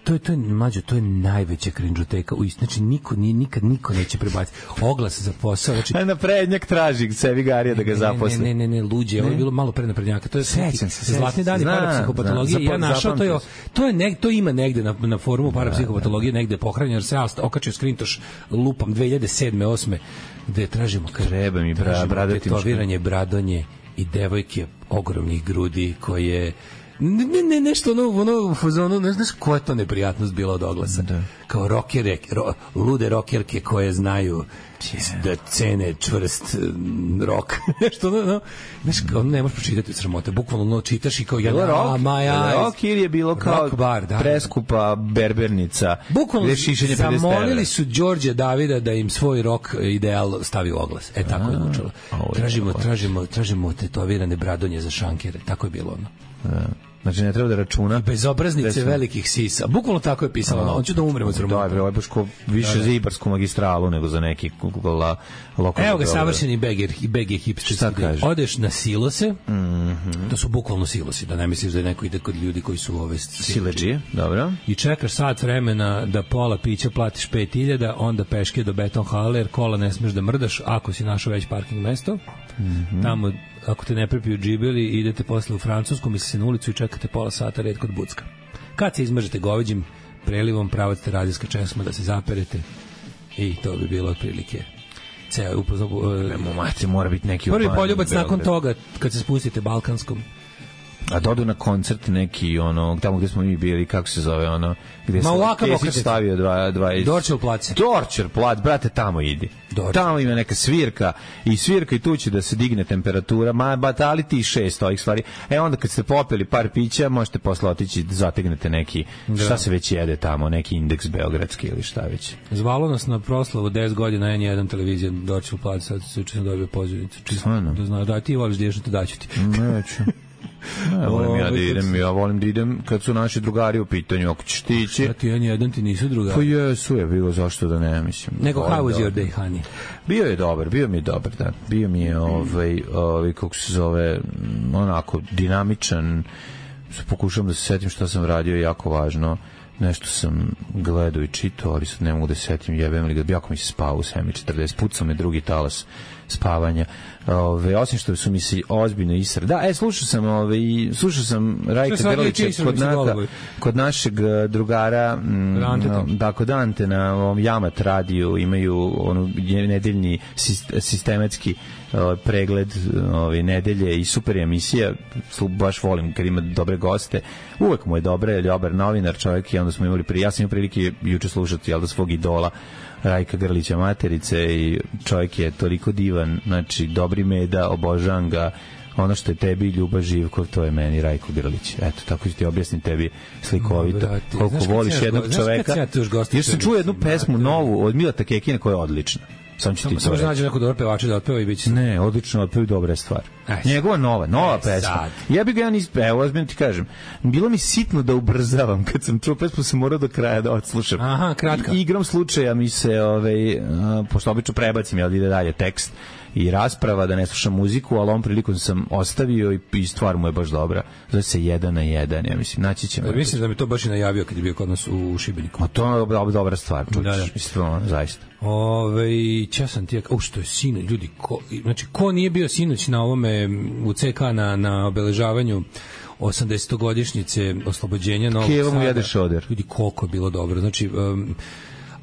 To je mlađo, to je najveća krinđoteka. Znači niko neće prebaciti oglas za posao. Znači naprednjak traži sebi Garija da ga zaposli. Ne, luđe, ovo je bilo malo pre naprednjaka. To je zlatni dani parapsihopatologije. Ja našao to ima negde na forumu parapsihopatologije, negde pohranjeno, jer se okačio skrintoš lupam 2007. 2008. gde tražimo tetoviranje bradonje i devojke ogromnih grudi koje ne nešto u fazonu, ne znaš koja je to neprijatnost bila od oglasa. Da. Kao rockere, lude rockerke koje znaju da cene čvrst rock. Nešto, znaš, ne možeš pročitati od sramote. Bukvalno čitaš i kao rock ili je bilo kao preskupa berbernica. Bukvalno zamolili su Đorđe Davida da im svoj rock ideal stavi u oglas. Tako je zvučalo. Tražimo tetovirane bradonje za šankere. Tako je bilo ono. Znači ne treba da računa. Bezobraznice velikih sisa. Bukvalno tako je pisalo. On će da umre od sramota. Da, ovo je baš više za Ibarsku magistralu nego za neki lokalni. Evo ga savršeni beg je hipsterski. Šta kaže? Odeš na silose, to su bukvalno silosi, da ne misliš da je neko ide kod ljudi koji su ove siledžije, dobro. I čekaš sat vremena da pola pića platiš 5.000, onda peške do beton hale, jer kola ne smeš da mrdaš ako si našao već parking mesto. Tamo, ako te ne prepiju džibeli, idete posle u Francusku, misli se na ulicu i čekate pola sata red kod Bucka. Kad se izmržete goveđim prelivom, pravate radijska česma da se zaperete i to bi bilo otprilike ceo mati mora biti neki prvi poljubac nakon toga kad se spustite Balkanskom. A dodu na koncert neki ono tamo gde smo mi bili, kako se zove ono gde se stavio dva Dorčel plac. Dorčel plac, brate, tamo idi. Tamo ima neka svirka i tu će da se digne temperatura, batali ti 6 ovih stvari. Onda kad ste popili par pića, možete posle otići da zategnete neki, šta se već jede tamo, neki indeks beogradski ili šta već. Zvalo nas na proslavu 10 godina N1 televizija Dorčel plac, sad se učinu dobio pozivnicu. Da znaš, da ti voliš da ješ, daću ti. Neću. Ja volim da idem kad su naši drugari u pitanju, ako ćeš ti ići. A ti N1 ti nisu drugari? Pa jesu, je bilo, zašto da ne, mislim. Nego how was your day, honey? Bio mi je dobar, da. Bio mi je kako se zove, onako dinamičan. Pokušavam da se setim šta sam radio, jako važno. Nešto sam gledao i čitao, ali sad ne mogu da se setim, jebem li ga, jako mi se spao u 7:40, pucao me drugi talas spavanja. Osim što su mi se ozbiljno isra. Da, slušao sam Rajka Grlića kod našeg drugara kod Ante na ovom Jamat radiju imaju nedeljni sistematski pregled nedelje i super emisija, baš volim kad ima dobre goste, uvek mu je dobar novinar čovjek i onda smo imali ja sam imao prilike juče slušati svog idola Rajka Grlića materice i čovjek je toliko divan, znači dobri meda, obožavam ga, ono što je tebi Ljuba Živkov, to je meni Rajko Grlić. Eto, tako ću ti objasnim tebi slikovito koliko voliš jednog čoveka. Još sam čuo jednu pesmu novu od Milata Kekina koja je odlična. Samo što nađe neko dobar pevača da otpeva i biće. Ne, odlično otpeva, dobra stvar. Njegova nova pesma. Ja bih ga ozbiljno ti kažem. Bilo mi sitno da ubrzavam kad sam čuo pesmu, sam morao do kraja da odslušam. Aha, kratka. Igram slučaja mi se pošto obično prebacim, jel ide dalje tekst i rasprava, da ne slušam muziku, ali ovom prilikom sam ostavio i stvar mu je baš dobra. Zove se 1 na 1, ja mislim, naći ćemo. Mislim da mi to baš i najavio kad je bio kod nas u Šibeniku. A to je dobra stvar, čučiš, mislim, zaista. Ća sam ti, što je sinoć, ljudi, ko nije bio sinoć na ovome u CK na obeležavanju 80-godišnjice oslobođenja Novog Sada. Keva mu jede šoder. Ljudi, koliko je bilo dobro. Znači,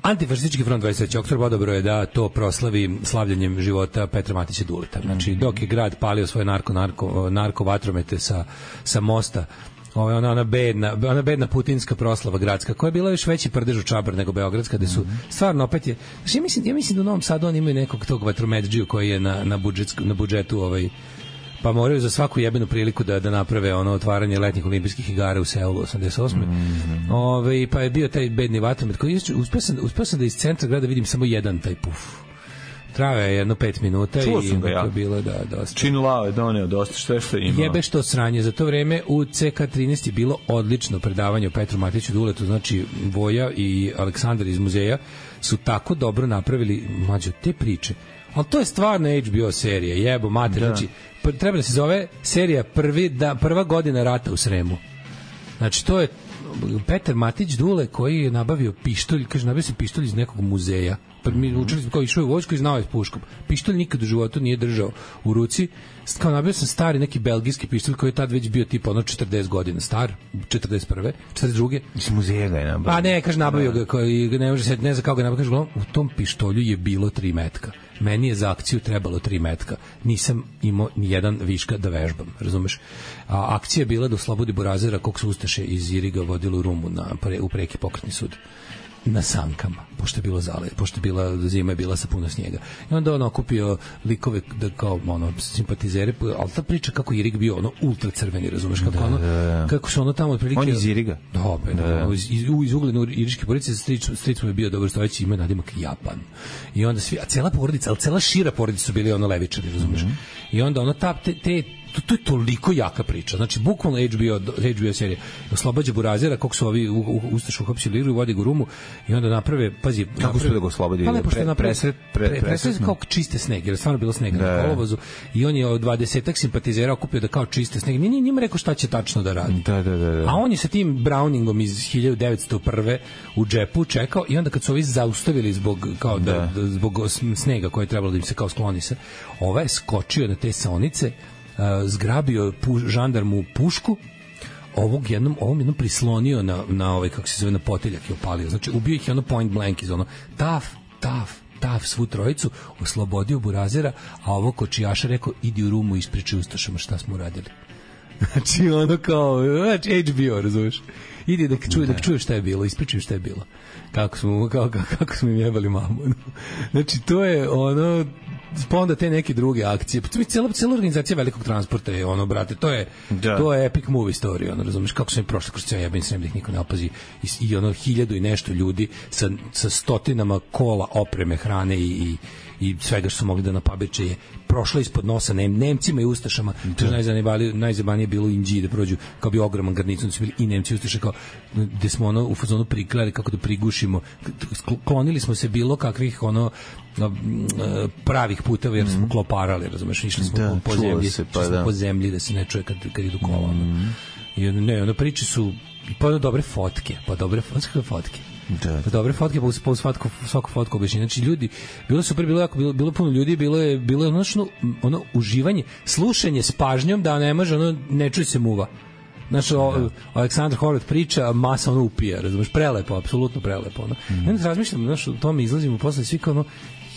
Antifašistički front 23. oktobar odobro je da to proslavi slavljanjem života Petra Matića Duleta. Znači, dok je grad palio svoje narko vatromete sa mosta, ona bedna putinska proslava gradska, koja je bila još veći prdež u Čabar nego beogradska, gde su stvarno opet je... Znači, ja mislim da u Novom Sadu oni imaju nekog tog vatrometđiju koji je na budžetu pa moraju za svaku jebenu priliku da naprave otvaranje letnjih olimpijskih igara u Seulu 88. Pa je bio taj bedni vatromet koji uspeo sam da iz centra grada vidim samo jedan taj puf. Trajao je jedno 5 minuta. Čuo sam ga ja. Bilo da dosta. Čin Lao je doneo dosta što ima. Jebe što sranje. Za to vreme u CK13 je bilo odlično predavanje o Petru Matiću Duletu, znači Voja i Aleksandar iz muzeja su tako dobro napravili mlađe te priče. Ali to je stvarno HBO serija, jebo mater, znači treba da se zove serija prva godina rata u Sremu. Znači to je Petar Matić Dule koji je nabavio pištolj, kaže nabavio se pištolj iz nekog muzeja. Pa mi učili smo kao išao u vojsku i znao je s puškom. Pištolj nikad u životu nije držao u ruci. Kao nabavio sam stari neki belgijski pištolj koji je tad već bio tipa 40 godina star, 41. 42. Iz muzeja ga je nabavio. Pa ne, kaže nabavio ga koji ne može se ne znam kako ga nabavio, kaže u tom pištolju je bilo 3 metka. Meni je za akciju trebalo 3 metka. Nisam imao ni jedan viška da vežbam, razumeš? A akcija je bila da oslobodi Burazera kog su Ustaše iz Iriga vodili u Rumu u preki pokretni sud na sankama, pošto je bila zima je bila sa puno snijega. I onda on okupio likove da kao simpatizere, ali ta priča kako Irig bio ultra crveni, razumeš kako kako su tamo otprilike. On iz Iriga. Iz Uglene iriške porodice, stric mu je bio dobrostojeći, ima nadimak Japan. I onda cela porodica, ali cela šira porodica su bili levičari, razumeš. I onda to je toliko jaka priča. Znači, bukvalno HBO serija oslobađa burazera, kako su ovi ustašu uhapsili igru i vodi ga u Rumu i onda naprave, pazi... Kako su da ga oslobodi? Pa lepo što je naprave, presred kao čiste sneg, jer je stvarno bilo snega na kolovozu i on je od 20-ak simpatizera okupio da kao čiste sneg. Nije njima rekao šta će tačno da radi. Da. A on je sa tim Browningom iz 1901. u džepu čekao i onda kad su ovi zaustavili zbog snega koje je trebalo da im se kao skloni se, ovaj je skočio na te saonice, zgrabio žandarmu pušku, ovom jednom prislonio na ovaj, kako se zove, na poteljak i opalio. Znači, ubio ih je point blank iz taf, svu trojicu, oslobodio burazera, a ovo kočijaša rekao, idi u Rumu i ispričaj ustašama šta smo uradili. Znači, ono kao, HBO, razumiješ? Idi da čuješ šta je bilo, ispričaj šta je bilo. Kako smo im jebali mamu. Znači, to je ono... pa onda te neke druge akcije. Cijela organizacija velikog transporta je ono, brate, to je epic movie story, ono, razumiješ, kako su im prošli kroz cijel jebeni srem da ih niko ne opazi i ono 1000 i nešto ljudi sa stotinama kola opreme, hrane i svega što su mogli da napabeče je prošlo ispod nosa Nemcima i ustašama. To je najzabanije bilo u Inđiji da prođu kao bi ogroman garnicon, su bili i Nemci i ustaše, kao gde smo ono u fazonu priklali kako da prigušimo, klonili smo se bilo kakvih ono pravih puteva jer smo kloparali, razumeš, išli smo po zemlji da se ne čuje kad idu kola. I ne, priče su pa dobre fotke. Dobre fotke, pa svaku fotku objašnjenja. Znači, ljudi, bilo super, bilo puno ljudi, bilo je ono uživanje, slušanje s pažnjom da ne može, ono, ne čuje se muva. Znači, Aleksandar Horvat priča, masa ono upija, razumeš, prelepo, apsolutno prelepo. Ono. Ja onda razmišljam, znaš, o tome izlazimo posle svi kao ono,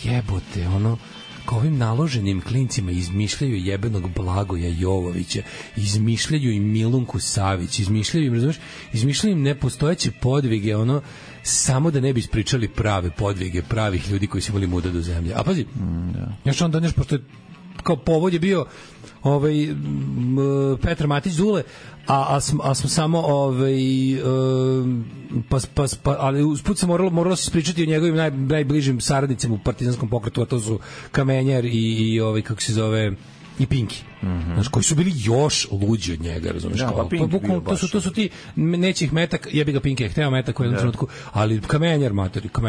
jebote, ono, kao ovim naloženim klincima izmišljaju jebenog Blagoja Jovovića, izmišljaju im Milunku Savić, izmišljaju im nepostojeće podvige, ono, samo da ne bi ispričali prave podvige pravih ljudi koji su imali muda do zemlje. A pazi, još onda nešto, pošto je kao povod je bio Petar Matić Zule, a smo samo ali usput se moralo se ispričati o njegovim najbližim saradnicima u partizanskom pokretu, a to su Kamenjar i kako se zove, i Pinki. Znaš, koji su bili još luđi od njega, razumiješ? To su ti, neće ih metak, jebi ga Pinki je hteo metak u jednom trenutku, ali Kamenjar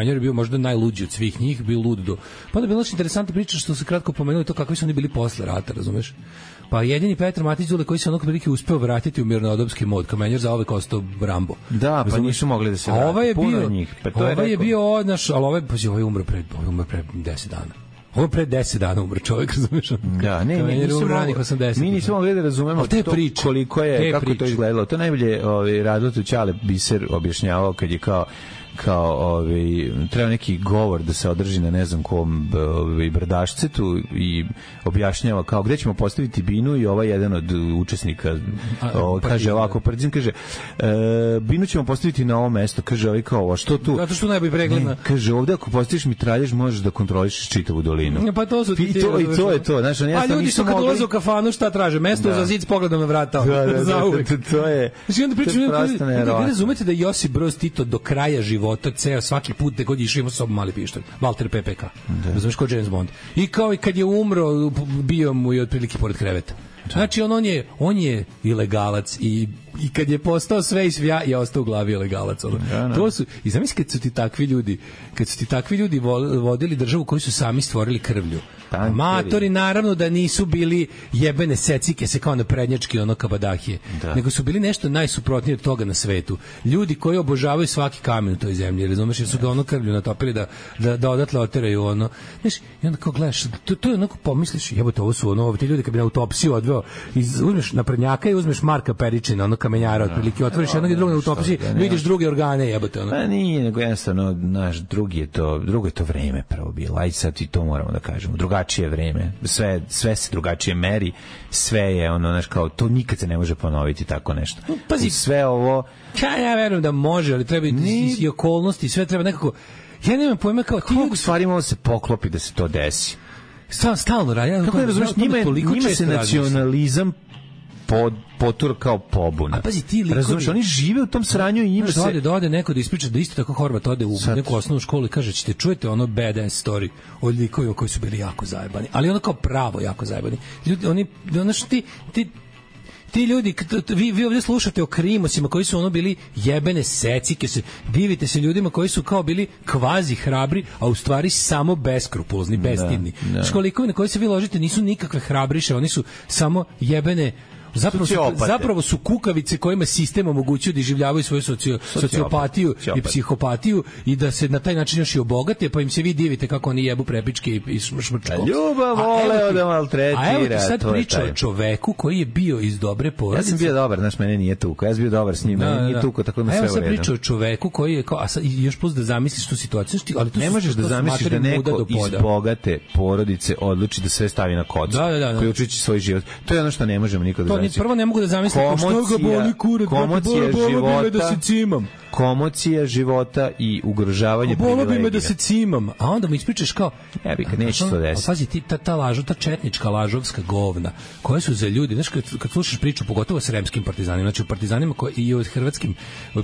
je bio možda najluđi od svih njih, bio lud do... Pa da je bilo nešto interesantna priča što se kratko pomenuli to kakvi su oni bili posle rata, razumiješ? Pa jedini Petar Matić Zule koji se onog prilike uspeo vratiti u mirnodopski mod, Kamenjar za ovek ostao Rambo. Da, pa nisu mogli da se vrati, puno njih. Ovaj je bio odnaš, ali ovaj je umro pre 10 dana. Ovo je pre 10 dana umro čovjek, razumiješ? Da, mi nismo mogli da razumemo to koliko je, kako to izgledalo. To najbolje Radotu Ćale Biser objašnjavao kad je kao treba neki govor da se održi na ne znam kom brdašcetu i objašnjava kao gde ćemo postaviti binu i ovaj jedan od učesnika kaže ovako, Prdzin kaže binu ćemo postaviti na ovo mesto, kaže ovaj kao, a što tu? Zato što najbolji pregledna. Kaže ovde ako postaviš mitraljež možeš da kontrolišeš čitavu dolinu. Pa to su i to je to. Znači, a ljudi su kad ulaze u kafanu šta traže? Mesto za zid s pogledom na vrata. To je. Znači onda pričamo, razumete da Josip Broz Tito do kraja života ceo svaki put da god išao imao sa sobom mali pištolj, Walter PPK, razumiješ, kao James Bond. I kao i kad je umro, bio mu je otprilike pored kreveta. Znači on je ilegalac i kad je postao sve i svja je ostao u glavi ilegalac. To su, i zamisli kad su ti takvi ljudi vodili državu koju su sami stvorili krvlju. Amatori naravno da nisu bili jebene secike se kao na prednjački ono kabadahije, nego su bili nešto najsuprotnije od toga na svetu. Ljudi koji obožavaju svaki kamen u toj zemlji, razumeš, jer su ga ono krvlju natopili da odatle oteraju ono. Znaš, i onda kao gledaš, to je onako pomisliš, jebote, ovo su ono, ti ljudi kad bi na autopsiju odveo, uzmeš naprednjaka i uzmeš Marka Peričina, ono kamenjara, otprilike, otvoriš jednog i drugog na autopsiji, vidiš druge organe, jebote, ono. Pa nije, nego jednostavno, naš drugo je to vreme prvo bilo, aj sad i to moramo da kažemo, drugačije vreme, sve se drugačije meri, sve je ono, znaš, kao, to nikad se ne može ponoviti tako nešto. Pazi, sve ovo... Ja verujem da može, ali treba i okolnosti, sve treba nekako... Ja nemam pojma kao... Koliko stvari može se poklopi da se to desi? Stalno radi. Kako ne razumiješ, njima se nacionalizam potur kao pobuna. A pazi, ti likovi... Razumiješ, oni žive u tom sranju i njima se... Da ode neko da ispriča da isto tako Horvat ode u neku osnovnu školu i kaže, ćete čujete ono badass story od likovima koji su bili jako zajebani. Ali ono kao pravo jako zajebani. Ljudi, ono što ti ljudi, vi ovdje slušate o krimosima koji su ono bili jebene secike, divite se ljudima koji su kao bili kvazi hrabri, a u stvari samo beskrupulozni, bestidni. Školikovi na koji se vi ložite nisu nikakve hrabriše, oni su samo jebene. Zapravo su kukavice kojima sistem omogućuje da iživljavaju svoju sociopatiju i psihopatiju i da se na taj način još i obogate, pa im se vi divite kako oni jebu prepičke i šmrčko. Ljubav voleo da maltretira. A evo ti sad priča o čoveku koji je bio iz dobre porodice. Ja sam bio dobar, znaš, mene nije tuko. Ja sam bio dobar s njim, nije tuko, tako da sve u redu. A evo sad priča o čoveku koji je, a sad još plus da zamisliš tu situaciju, ali ne možeš da zamisliš da neko iz bogate porodice odluči da sve stavi na kocku, koji učići svoj život. To je ono što ne možemo nikad da zamisliti. Prvo ne mogu da zamislim što ga boli kurac, boli da se cimam. Komocija života i ugrožavanje privilegija. Bolo bi me da se cimam, a onda mi ispričaš kao... Ja bih, neće to desiti. Pazi, ta četnička lažovska govna, koje su za ljudi, znaš, kad slušaš priču, pogotovo o sremskim partizanima, znači o partizanima i o hrvatskim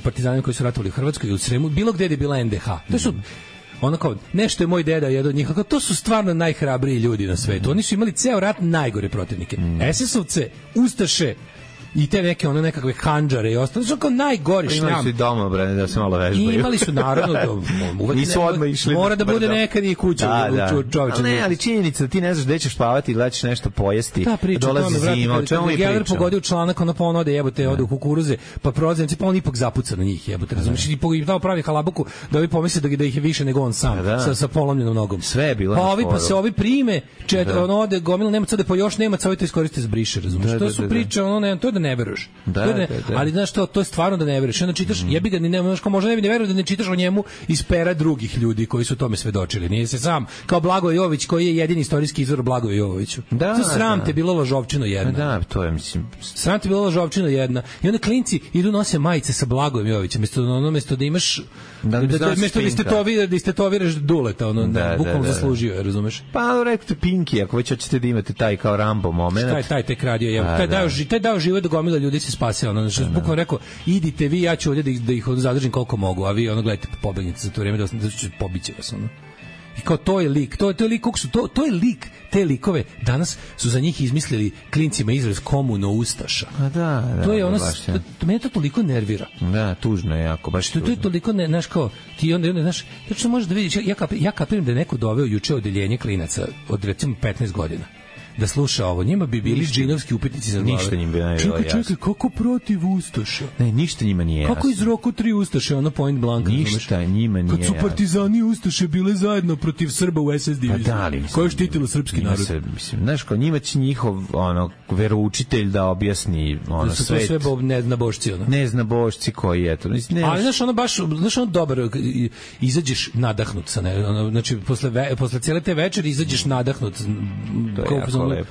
partizanima koji su ratovali u Hrvatskoj i u Sremu, bilo gde je bila NDH. To su... ono kao, nešto je moj deda jedan od njih, kao, to su stvarno najhrabriji ljudi na svetu. Oni su imali ceo rat najgore protivnike. SS-ovce, ustaše i te neke nekakve handžare i ostalo, su kao najgori šljam. Imali su i domobrane da se malo vežbaju. Imali su naravno nisu odmah išli. Mora da bude nekad i kuća čovječa. Ne, ali činjenica da ti ne znaš gde ćeš spavati ili da ćeš nešto pojesti. Dolazi zima, o čemu mi pričamo? Geller pogodio članak, ono pa on ode jebote, ode u kukuruze, pa prozemci, pa on ipak zapuca na njih, jebote, razumiješ? I tamo pravi halabuku da ovi pomisle da ih je više nego on sam, sa polomljenom nogom. Sve je bilo. Pa se ovi prime, ono ode gomila Nemaca, ode po još Nemaca, ovi to iskoriste za briše, razumiješ? To su priče, to je da ne veruješ. Ali znaš to je stvarno da ne veruješ. Onda čitaš, jebi ga, možda ne bi ne verovao da ne čitaš o njemu iz pera drugih ljudi koji su tome svedočili. Nije se sam, kao Blagoje Jovović koji je jedini istorijski izvor Blagoje Jovoviću. Sram te bilo lažovčino jedna. Da, to je, mislim. Sram te bilo lažovčino jedna. I onda klinci idu nose majice sa Blagojem Jovovićem, mesto da imaš mesto da istetoviraš duleta, bukvalno zaslužio je, razumeš? Pa rekao Pinki, ako već hoćete da imate taj kao Rambo moment. Taj tek radio, taj dao život da gomila ljudi se spase, bukvalno rekao, idite vi, ja ću ovdje da ih zadržim koliko mogu, a vi gledajte, pobegnite za to vrijeme da ću pobiće vas, I kao to je lik, to je lik, to je lik, te likove danas su za njih izmislili klincima izraz komuno ustaša. To je mene to toliko nervira. Da, tužno je jako, baš tužno. To je toliko, znaš kao, ti onda, znaš, što možeš da vidiš, ja kapiram da je neko doveo juče odeljenje klinaca od recimo 15 godina. Da sluša ovo, njima bi bili džinovski upitnici za glave. Ništa njim bi najbolje jasno. Čekaj, kako protiv Ustaša? Ne, ništa njima nije jasno. Kako iz Roku 3 Ustaše, point blank? Ništa njima nije jasno. Kad su partizani i Ustaše bile zajedno protiv Srba u SS diviziji, koja je štitila srpski narod. Znaš, kao njima će njihov veroučitelj da objasni svet. Da su to sve neznabošci. Neznabošci koji je to. Ali znaš, dobar, izađeš nadahnut. Znači, posle cijele te večeri izađeš nadahnut.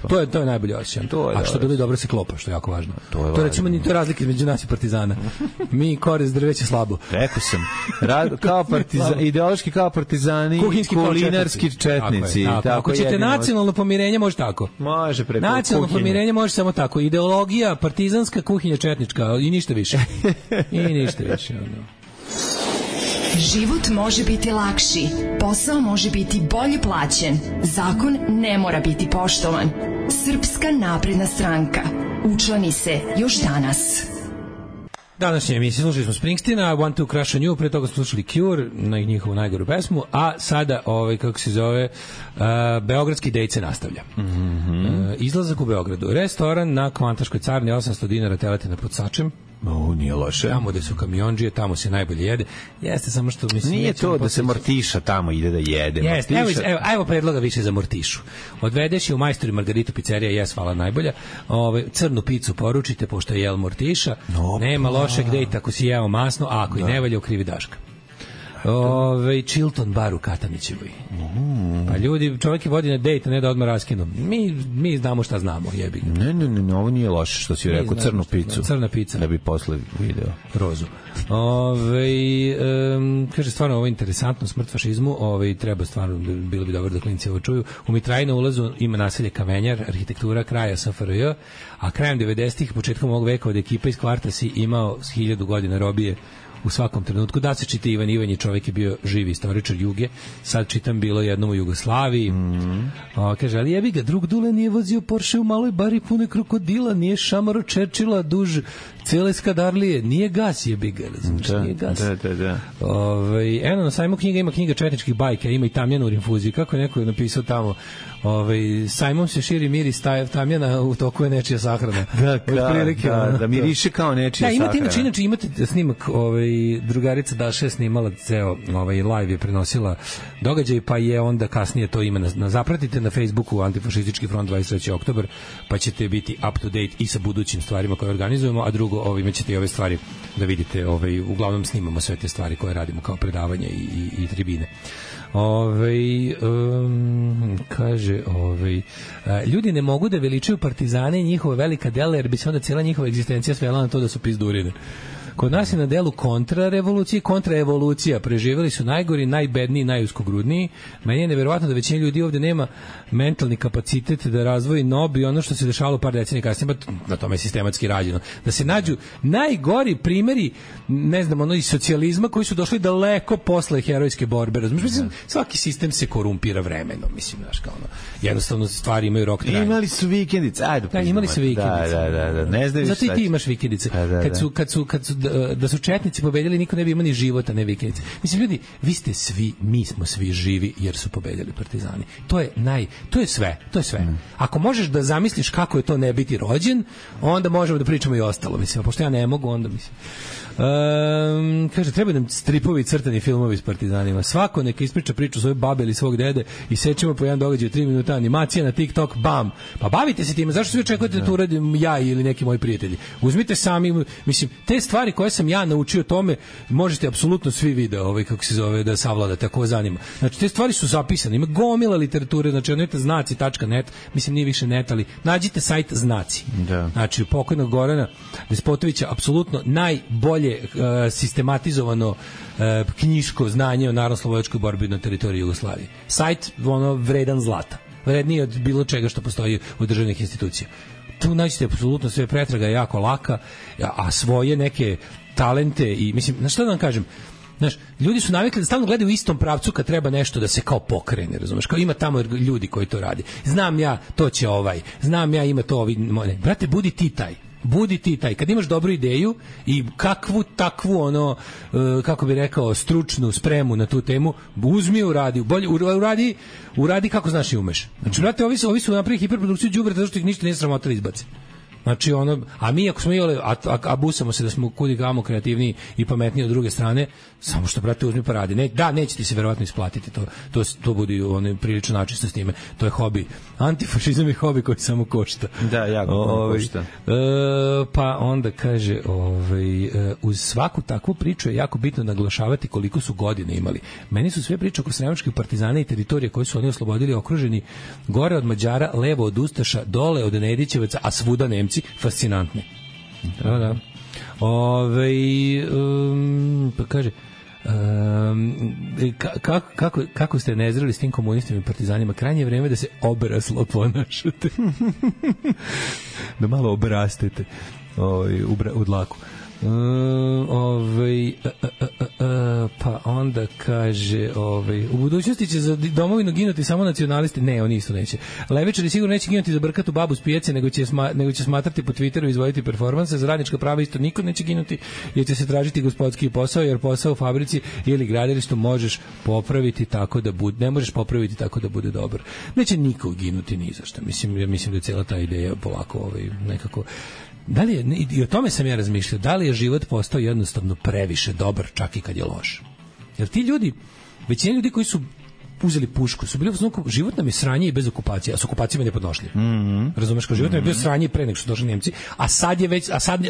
To je najbolje osjećaj. A što bilo dobro se klopa, što je jako važno. To recimo ni to razlike između nas i partizana. Mi korez drveće slabo. Rekao sam, kao partizani, ideološki kao partizani, kulinarski četnici. Ako ćete nacionalno pomirenje, može tako. Može preko kuhinje. Nacionalno pomirenje može samo tako. Ideologija, partizanska, kuhinja četnička i ništa više. Život može biti lakši, posao može biti bolje plaćen, zakon ne mora biti poštovan. Srpska napredna stranka. Učlani se još danas. Današnje emisije slušali smo Springsteena, Want to Crush on You, pre toga smo slušali Cure na njihovu najgoru pesmu, a sada, kako se zove, Beogradski dejt se nastavlja. Izlazak u Beogradu. Restoran na Kvantaškoj carni, 800 dinara teletina pod Sačem. Nije loše. Tamo gde su kamionđije, tamo se najbolje jede. Jeste samo što mislim... Nije to da se Mortiša tamo ide da jede. Jeste, evo predloga više za Mortišu. Odvedeš je u Majstori Margaritu pizzerija, hvala najbolja. Crnu picu poručite, pošto je jel Mortiša. Nema lošeg dejta ako si jeo masno, a ako i ne valja, ukrivi Daška. Chilton bar u Katanićevoj. Pa ljudi, čovjek je vodi na dejt, ne da odmah raskinu. Mi znamo šta znamo, jebi ga. Ne, ovo nije loše što si rekao, crnu picu. Crna pica. Da bi posle video. Rozu. Kaže, stvarno ovo je interesantno, smrt fašizmu, treba stvarno, bilo bi dobro da klinci ovo čuju. U Mitraji na ulazu ima naselje Kamenjar, arhitektura kraja SFRJ, a krajem 90-ih, početkom ovog veka od ekipa iz kvarta si imao 1000 godina robije u svakom trenutku. Da se čita Ivan Ivanje, čovjek je bio živi istoričar Juge, sad čitam bilo jednom u Jugoslaviji. Kaže, ali jebi ga, drug Dule nije vozio Porsche u maloj bari pune krokodila, nije šamaro Čerčila duž cele Skadarlije, nije gas, jebi ga, nije gas. Da. Eno, na sajmu knjiga ima knjiga četničkih bajka, ima i tamjana u rinfuziji, kako je neko napisao tamo, sajmom se širi miris tamjana, u toku je nečija sahrana. Da miriše kao nečija sahrana. Imate snimak, drugarica Daša je snimala ceo live, je prenosila događaj, pa je onda kasnije to ima zapratite na Facebooku Antifašistički front 23. oktobar, pa ćete biti up to date i sa budućim stvarima koje organizujemo, a drugo, imaćete i ove stvari da vidite, uglavnom snimamo sve te stvari koje radimo kao predavanja i tribine. Kaže, ljudi ne mogu da veličaju partizane i njihova velika dela, jer bi se onda cijela njihova egzistencija svela na to da su pizdurine. Kod nas je na delu kontrarevolucija i kontraevolucija. Preživjeli su najgori, najbedniji, najuskogrudniji. Meni je neverovatno da većina ljudi ovde nema mentalni kapacitet da razvoji nob i ono što se dešavalo par decenija kasnije, na tome je sistematski rađeno. Da se nađu najgori primjeri, ne znam, iz socijalizma koji su došli daleko posle herojske borbe. Mislim, svaki sistem se korumpira vremenom, mislim, znaš, kao ono. Jednostavno stvari imaju rok trajanja. Imali su vikendice, ajde. Da, imali su vikendice. Da. Ne znaš šta. Zato i ti imaš vikendice. Kad su da su četnici pobedili, niko ne bi imao ni života, ne vikendice. Mislim, ljudi, vi ste svi, mi smo svi živi jer su pobedili partizani. To je sve. Ako možeš da zamisliš kako je to ne biti rođen, onda možemo da pričamo i ostalo, mislim, pošto ja ne mogu, onda mislim. Kaže, treba nam stripovi, crtani filmovi s partizanima. Svako neka ispriča priču svoje babe ili svog dede i sećemo po jedan događaj 3 minuta, animacija na TikTok, bam. Pa bavite se time, zašto svi očekujete da to uradim ja ili neki moji prijatelji? Uzmite sami, mislim, te stvari koje sam ja naučio tome, možete apsolutno svi video, kako se zove, da savladate, ako vas zanima. Znači, te stvari su zapisane, ima gomila literature, znači, onete znaci.net, mislim, nije više net, ali nađite sajt Znaci. Da. Znači, pokojnog Gorana Despotovića, apsolutno najbolje sistematizovano knjiško znanje o narodnooslobodilačkoj borbi na teritoriji Jugoslavije. Sajt vredan zlata. Vredniji od bilo čega što postoji u državnih institucija. Tu nađete apsolutno sve, pretraga je jako laka, a svoje neke talente i, mislim, znaš šta da vam kažem, znaš, ljudi su navikli da stalno gledaju u istom pravcu kad treba nešto da se kao pokrene, razumeš, kao ima tamo ljudi koji to radi. Znam ja, to će znam ja, ima to brate, budi ti taj, kad imaš dobru ideju i kakvu takvu kako bi rekao, stručnu spremu na tu temu, uzmi, uradi kako znaš i umeš. Znači, brate, ovi su napravili hiperprodukciju đubreta zato što ih ništa nije sramota da izbaci. Znači, a mi ako smo a busamo se da smo kudi kamo kreativniji i pametniji od druge strane, samo što, brate, uzmi pa radi. Neće ti se verovatno isplatiti, to bude prilično načisto s time. To je hobi. Antifašizam je hobi koji samo košta. Da, jako košta. Pa onda kaže, uz svaku takvu priču je jako bitno naglašavati koliko su godine imali. Meni su sve priče oko sremačkih partizana i teritorije koje su oni oslobodili okruženi gore od Mađara, levo od Ustaša, dole od Nedićevaca, a svuda Nemci, fascinantne. Da. Pa kaže, kako ste nezreli s tim komunistima i partizanima? Krajnje je vreme da se obraslo ponašate. Da malo obrastete u dlaku. Pa onda kaže, u budućnosti će za domovinu ginuti samo nacionalisti. Ne, oni isto neće. Levičari sigurno neće ginuti za brkatu babu s pijace, nego će smatrati po Twitteru i izvoditi performanse. Za radnička prava isto niko neće ginuti, jer će se tražiti gospodski posao, jer posao u fabrici ili gradilištu možeš popraviti tako da bude, ne možeš popraviti tako da bude dobar. Neće niko ginuti ni za šta. Mislim da je cijela ta ideja polako nekako. Da li je, i o tome sam ja razmišljao, da li je život postao jednostavno previše dobar čak i kad je loš? Jer ti ljudi, većina ljudi koji su uzeli pušku su bili u život nam je sranje i bez okupacije, a s okupacijama ne podnošljiv. Razumeš, kao život nam je bio sranje pre nego što došli Nemci, a sad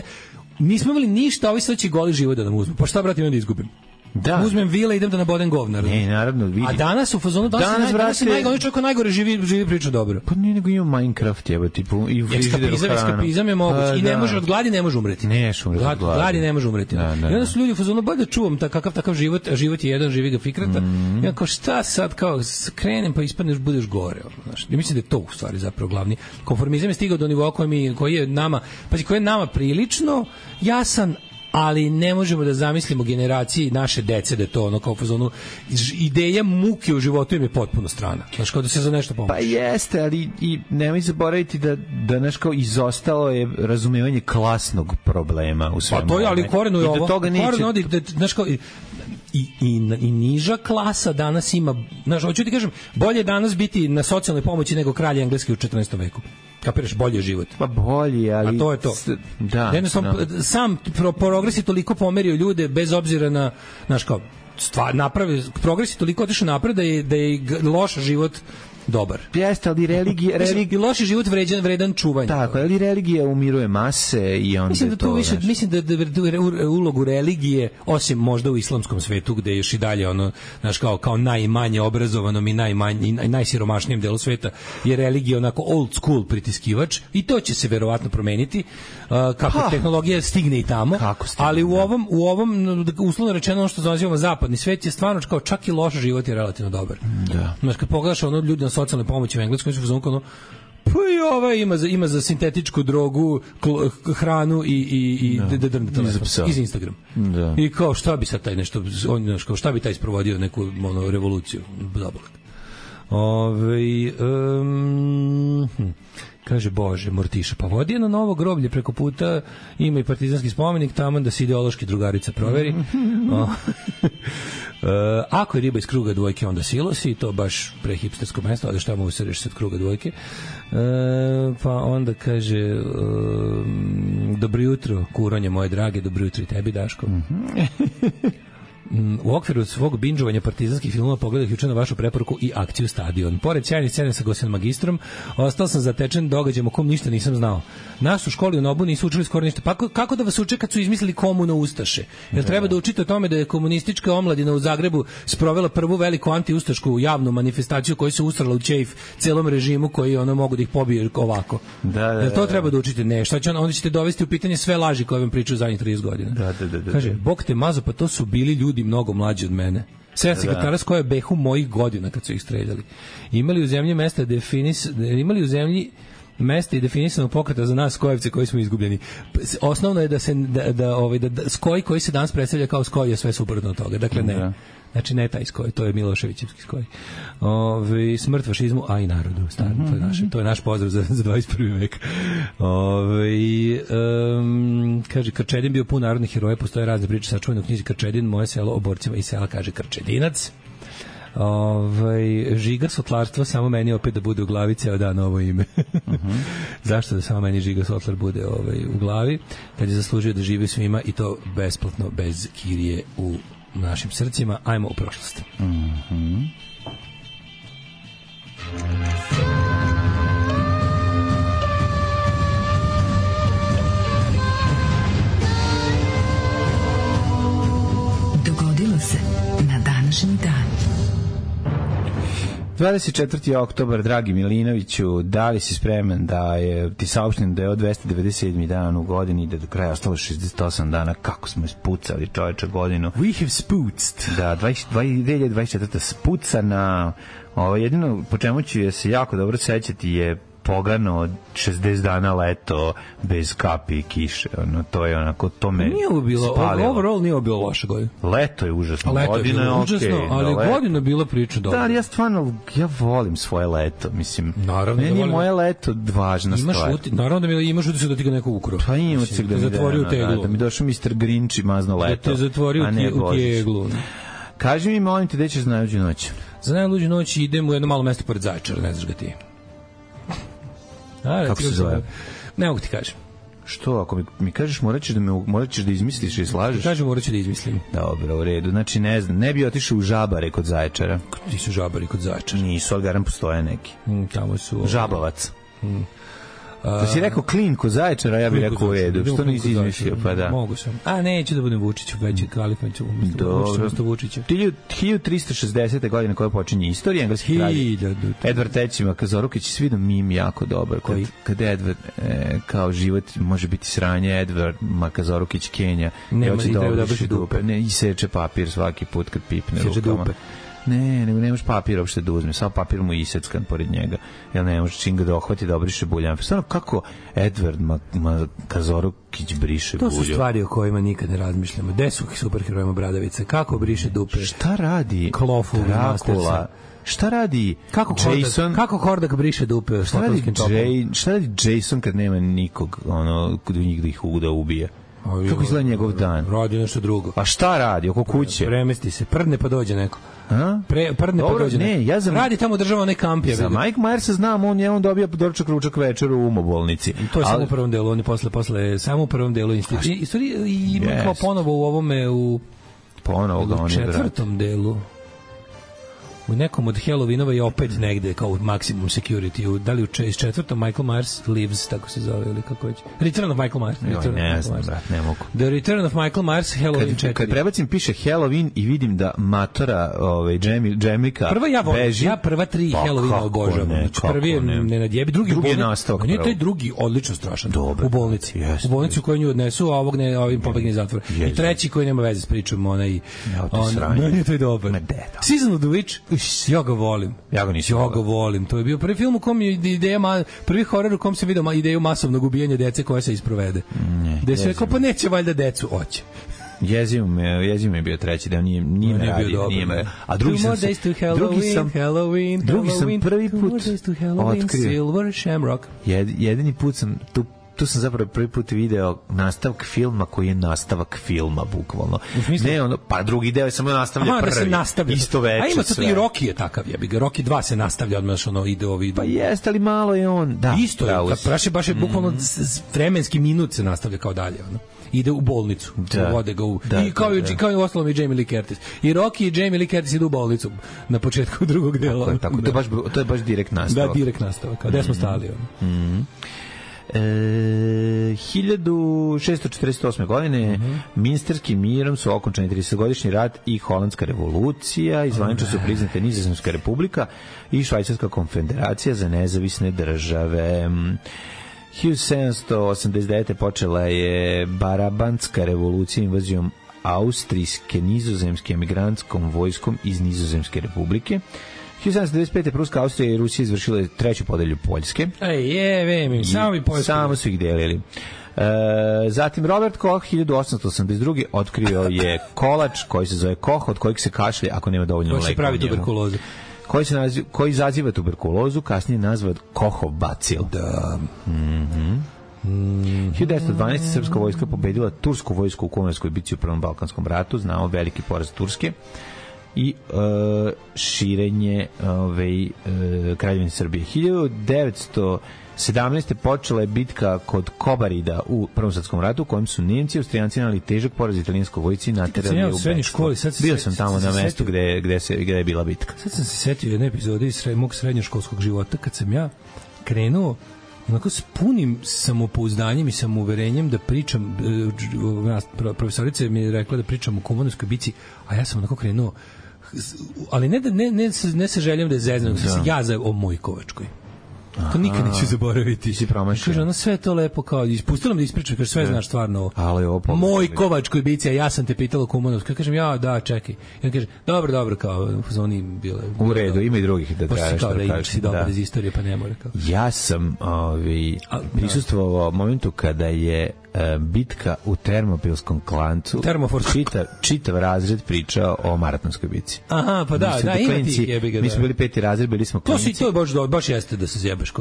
nismo imali ništa, ovi sad će goli život da nam uzmu. Pa šta, brate, imam da izgubim? Da. Uzmem vile, idem da nabodem govnar. Ne, naravno, vidi. A danas u fazonu danas najgore čovjek najgore živi priča dobro. Pa ne, nego ima Minecraft, jebo, tipu i frižideru hranu. Eskapizam je moguć. I ne može od gladi ne može umreti. Ne umreti od gladi ne može umreti. I onda su ljudi u fazonu bolje da čuvam kakav život, a život je jedan, živi ga fikrata. Ja kao šta sad, kao krenem pa ispadneš, budeš gore. Znaš, ja mislim da je to u stvari zapravo glavni. Konformizam je stigao do nivoa koji je nama prilično jasan, ali ne možemo da zamislimo generaciji naše dece da je to ono kao fazonu ideja muke u životu im je potpuno strana. Znaš, kao da se za nešto pomoći. Pa jeste, ali i nemoj zaboraviti da znaš kao izostalo je razumevanje klasnog problema u svemu. Pa to je, ali korenu je ovo. I do toga neće... Znaš kao... I niža klasa danas ima, znaš, hoću ti kažem, bolje je danas biti na socijalnoj pomoći nego kralj engleski u 14. veku. Kapiraš, bolje je život. Pa bolje, ali... A to je to. Da. Sam progres je toliko pomerio ljude bez obzira na, znaš kao, progres je toliko otišao napred da je loš život dobar. Jeste, ali i loši život vredan čuvanja. Tako, ali religija umiruje mase i onda mislim da to više, mislim da ulogu religije, osim možda u islamskom svetu gde je još i dalje ono, znaš, kao najmanje obrazovanom i najsiromašnijem delu sveta je religija onako old school pritiskivač i to će se verovatno promeniti kako tehnologija stigne i tamo, ali u ovom uslovno rečeno ono što nazivamo zapadni svet je stvarno kao čak i loš život je relativno dobar. Da. Znaš, kad pogledaš ono ljudi na socijalnoj pomoći u Engleskoj su ono pa i ovaj ima za sintetičku drogu, hranu i iz Instagram. Da. I kao šta bi sad taj nešto, kao šta bi taj sprovodio neku revoluciju. Zabolak. Kaže Bože, Mortiša, pa vodi je na novo groblje preko puta, ima i partizanski spomenik, tamo da se ideološki drugarica proveri. Ako je riba iz kruga dvojke, onda silosi, to baš prehipstersko mesto, ali šta mogu se reći sad kruga dvojke. Pa onda kaže dobro jutro, kuronje moje drage, dobro jutro i tebi, Daško. U okviru svog binđovanja partizanskih filmova pogledao juče na vašu preporuku i akciju Stadion. Pored sjajnih scene sa Gosenom magistrom, ostao sam zatečen događajem o kom ništa nisam znao. Nas u školi u Nobu nisu učili skoro ništa. Pa kako da vas uče kad su izmislili komuno ustaše? Jer treba da učite o tome da je komunistička omladina u Zagrebu sprovela prvu veliku antiustašku javnu manifestaciju koja se usrala u ćejf celom režimu koji ono mogu da ih pobije ovako. Jer to treba da učite. Ne, šta će onda ćete dovesti u pitanje sve laži koje vam pričaju zadnjih 30 godina. Kaže, Bog te mazo, pa to su bili ljudi mnogo mlađi od mene. 7 sekretara s koje behu mojih godina kad su ih streljali. Imali u zemlji mesta i definisanog pokreta za nas skojevce koji smo izgubljeni. Osnovno je da skoj koji se danas predstavlja kao skoj je sve suprotno od toga. Dakle, ne. Znači, ne taj skoj, to je Miloševićevski skoj. Smrt fašizmu, a i narodu. To je naš pozdrav za 21. vek. Kaže, Krčedin bio pun narodnih heroja, postoje razne priče, sačuvane u knjizi Krčedin, moje selo o borcima iz sela, kaže Krčedinac. Žiga Sotlarstvo, samo meni opet da bude u glavi ceo dan ovo ime. Zašto da samo meni Žiga Sotlar bude u glavi, kad je zaslužio da živi svima i to besplatno, bez kirije u našim srcima. Ajmo u prošlost. Dogodilo se na današnji dan. 24. oktobar, dragi Milinoviću, da li si spreman da ti saopštim da je od 297. dan u godini, da do kraja ostalo 68 dana, kako smo ispucali čoveče godinu. We have spuced. Da, 2024. spucana, jedino po čemu ću se jako dobro sećati je pogano od 60 dana leto bez kapi i kiše. To je onako, to me nije bilo, overall nije bilo loše godine. Leto je užasno. Leto je bilo užasno, ali godina je bila priča dobra. Da, ali ja volim svoje leto, mislim. Naravno, meni je moje leto važna stvar. Naravno da imaš utisak da ti ga neko ukro. Pa ima utisak da mi zatvorio teglu. Da mi došao Mr. Grinch i mazno leto. Da te zatvorio u teglu. Kaži mi, molim te, gde ćeš za najluđu noć? Za najluđu noć idem u jedno malo mesto pored Zaječara, ne znaš ga ti. Kako se zove? Ne mogu ti kažem. Što, ako mi kažeš morat ćeš da izmisliš i slažeš? Kažem, morat ću da izmislim. Dobro, u redu. Znači, ne znam, ne bi otišao u Žabare kod Zaječara. Nisu Žabari kod Zaječara. Nisu, ali garam postoje neki. Tamo su... Žabavac. Da si rekao klinku Zaječara, ja bih rekao u redu. Što nisi izmislio, pa da. Mogu sam. A neću da budem Vučić, već je Kalifanić umesto Vučića. 1360. godine koja počinje istorija, engleski kralj Edvard III. Makazorukić, svi da mim jako dobar. Kad Edvard, kao život može biti sranje, Edvard Makazorukić Kenja, nema i treba da brši dupe. Ne, i seče papir svaki put kad pipne seče rukama. Dupe. Ne možeš papir uopšte da uzme, samo papir mu iseckan pored njega, jer ne može čim ga da ohvati da obriše buljan. Stvarno, kako Edvard Makazorukić briše bulju? To su stvari o kojima nikad ne razmišljamo. Gde su superherojima Bradavice? Kako briše dupe? Šta radi Dracula? Šta radi Jason? Kako Hordak briše dupe? Šta radi Jason kad nema nikog, kod njih da ih ubije? Kako izgleda njegov dan? Radi nešto drugo. A šta radi? Oko kuće? Premesti se, prdne pa dođe neko. Prdne pa dođe neko. Radi tamo država onaj kamp. Za Mike Myersa znam, on dobija doručak, ručak, večeru u umobolnici. I to je samo u prvom delu, on je posle samo u prvom delu institucije. I ima kao ponovo u ovome, u četvrtom delu. U nekom od Halloweenova je opet negde kao maximum security. Da li u četvrtom Michael Myers Lives, tako se zove, ili kako već? Return of Michael Myers. Ne znam, brat, ne mogu. The Return of Michael Myers, Halloween 4. Kad prebacim piše Halloween i vidim da matora Džemika beži. Ja prva 3 Halloweena obožavam. Prvi je nenadjebi, drugi je nastavak. Nije taj drugi odlično strašan. U bolnici. U bolnici u kojoj nju odnesu, a ovim pobegne iz zatvora. I treći koji nema veze s pričom, onaj... Meni to je dobar. Season of the Witch. Ja ga volim. Ja ga volim. To je bio prvi film u kom je prvi horor u kom se vidio ideju masovnog ubijanja dece koja se isprovede. Gde se rekao, pa neće valjda decu, oće. Jezivo mi je bio treći deo, nije me radio. A drugi sam prvi put otkrio. Jedini put sam tu sam zapravo prvi put video nastavak filma koji je nastavak filma, bukvalno. Ne, pa drugi deo je samo nastavlja prvi. Da se nastavlja. Isto veče. A ima sad i Rocky je takav, Rocky 2 se nastavlja odmah, ide ovi... Pa jeste, ali malo je on... Da, isto je, baš je bukvalno vremenski minut se nastavlja kao dalje, ide u bolnicu, vode ga u... I kao i ostalom i Jamie Lee Curtis. I Rocky i Jamie Lee Curtis idu u bolnicu na početku drugog dela. Tako, to je baš direkt nastavak. Da, direkt nastavak, gde smo stali. 1648. godine Minsterskim mirom su okončani 30-godišnji rat i Holandska revolucija, izvanično su priznate Nizozemska republika i Švajcarska konfederacija za nezavisne države. 1789. počela je Barabantska revolucija invazijom austrijske nizozemske emigrantskom vojskom iz Nizozemske republike. 1795. Pruska, Austrija i Rusija izvršile treću podelju Poljske. Samo su ih delili. Zatim Robert Koch 1882. otkrio je kolač koji se zove Koch, od kojeg se kašlje ako nema dovoljno leka. Koji se pravi tuberkulozu. Koji izaziva tuberkulozu, kasnije nazvat Kochov bacil. Da. 1912. Srpska vojska pobedila tursku vojsku u Kumarskoj bici u Prvom Balkanskom ratu, znao veliki poraz Turske i širenje Kraljevine Srbije. 1917. počela je bitka kod Kobarida u Prvom svetskom ratu, u kojem su Nemci i Austrijanci imali težak poraz italijanskoj vojsci naterali u bekstvo. Bio sam tamo na mestu gde je bila bitka. Sad sam se setio jedne epizode iz mog srednjoškolskog života, kad sam ja krenuo onako s punim samopouzdanjem i samouverenjem da pričam, profesorica mi je rekla da pričam o Kumanovskoj bici, a ja sam onako krenuo, ali ne sa željom da je zezno, sam ja za o Mojkovačkoj. To nikad neću zaboraviti. Si promašio. Kaže, ono sve to lepo kao, ispustila me da ispričam, kaže, sve znaš stvarno o Mojkovačkoj bici, a ja sam te pitala o Kumanovskoj. Kažem, čekaj. I on kaže, dobro, kao, oni bile... U redu, ima i drugih da trajaš. Kao da imaš si dobro iz istorije, pa ne mora kao. Ja sam prisustvovao momentu kada je bitka u Termopilskom klancu, čitav razred pričao o Maratonskoj bici. Aha, pa da, ima tih jebiga. Mi smo bili 5. razred, bili smo klinci. To je baš jeste da se zjebeš,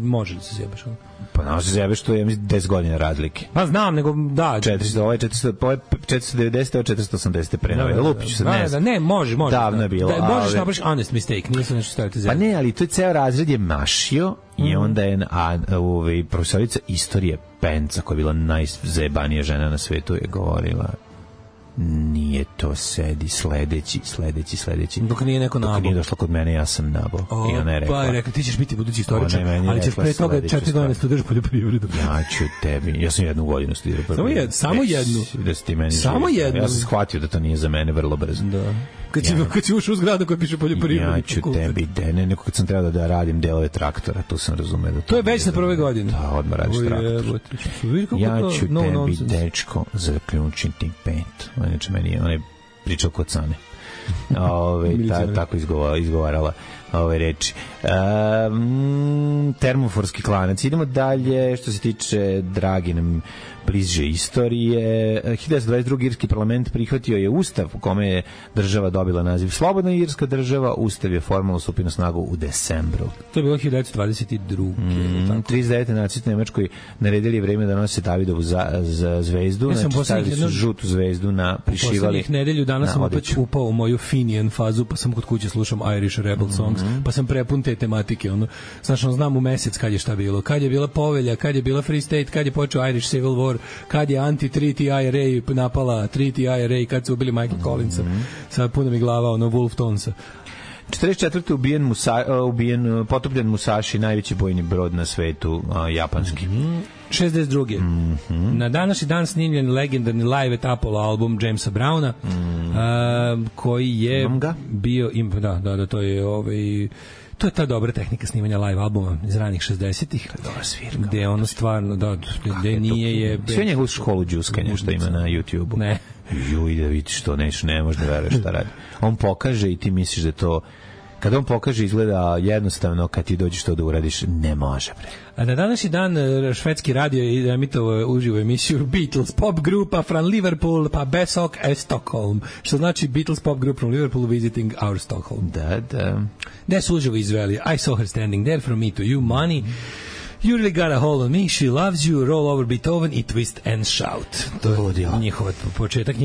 može da se zjebeš. Pa ne može se zjebeš, to je 10 godina razlike. Pa znam, nego da. 490, ovo je 480 prenove. Lupiću se, ne znam. Ne, može. Davno je bilo. Možeš napraviš honest mistake, nije se nešto staviti zjebeš. Pa ne, ali to je ceo razred je mašio i onda je profesorica istorije Penca, koja je bila najzajebanija žena na svetu, je govorila Nije to sedi, sledeći. Dok nije neko nabao. Dok nije došlo kod mene, ja sam nabao. I ona je rekla... Pa je rekla, ti ćeš biti budući istoričar, ali ćeš pre toga 4 godine studiraš poljoprivredu. Ja ću tebi. Ja sam 1 godinu studirao poljoprivredu. Samo jednu. Da si ti meni samo jednu. Ja sam shvatio da to nije za mene vrlo brzo. Da. Kad si ušao u zgradu koja piše poljoprivredu. Ja ću tebi, neko kad sam trebao da radim delove traktora, tu sam razumeo da to je već na prve godine. Da, odmah radiš traktor. Ja ću tebi, dečko, zaključiti pet. Znači, meni je onaj pričao kod Sane. Tako izgovarala ove reči. Termoforski klanac. Idemo dalje, što se tiče dragi nam bliže istorije. 1922. irski parlament prihvatio je ustav u kome je država dobila naziv Slobodna irska država. Ustav je formalno stupio na snagu u decembru. To je bilo 1922. 39. nacisti Nemačkoj naredili vreme da nose Davidovu zvezdu. Ja znači stavili su žutu zvezdu na prišivali. U poslednjih nedelju danas sam opet upao u moju Finian fazu, pa sam kod kuće slušam Irish Rebel Songs, pa sam prepun te tematike. Znači, znam u mesec kad je šta bilo. Kad je bila povelja, kad je bila Free State, kad je počeo Irish Civil War, kad je anti-treaty IRA napala treaty IRA, kad su ubili Michael Collinsa. Sad puno mi glava Wolf Tonesa. 44. potopljen Musashi, najveći bojni brod na svetu, japanski. 62. Na današnji dan snimljen legendarni live at Apollo album Jamesa Browna, koji je bio... Da, to je to je ta dobra tehnika snimanja live albuma iz ranih 60-ih. Gde je ono stvarno, gde nije je... Sve njegovu školu džuskanja što ima na YouTube-u. Ne. Juj, da vidiš to, ne možeš da veruješ šta radi. On pokaže i ti misliš da to... Kada on pokaže izgleda jednostavno, kad ti dođeš to da uradiš, ne može. A na današnji dan švedski radio je emitovao uživo emisiju Beatles pop grupa from Liverpool pa Besok Stockholm, što znači Beatles pop group from Liverpool visiting our Stockholm. Da. Gde su uživo izveli I saw her standing there from me to you, money. You really got a hold on me, she loves you, roll over Beethoven i twist and shout. To je njihova početak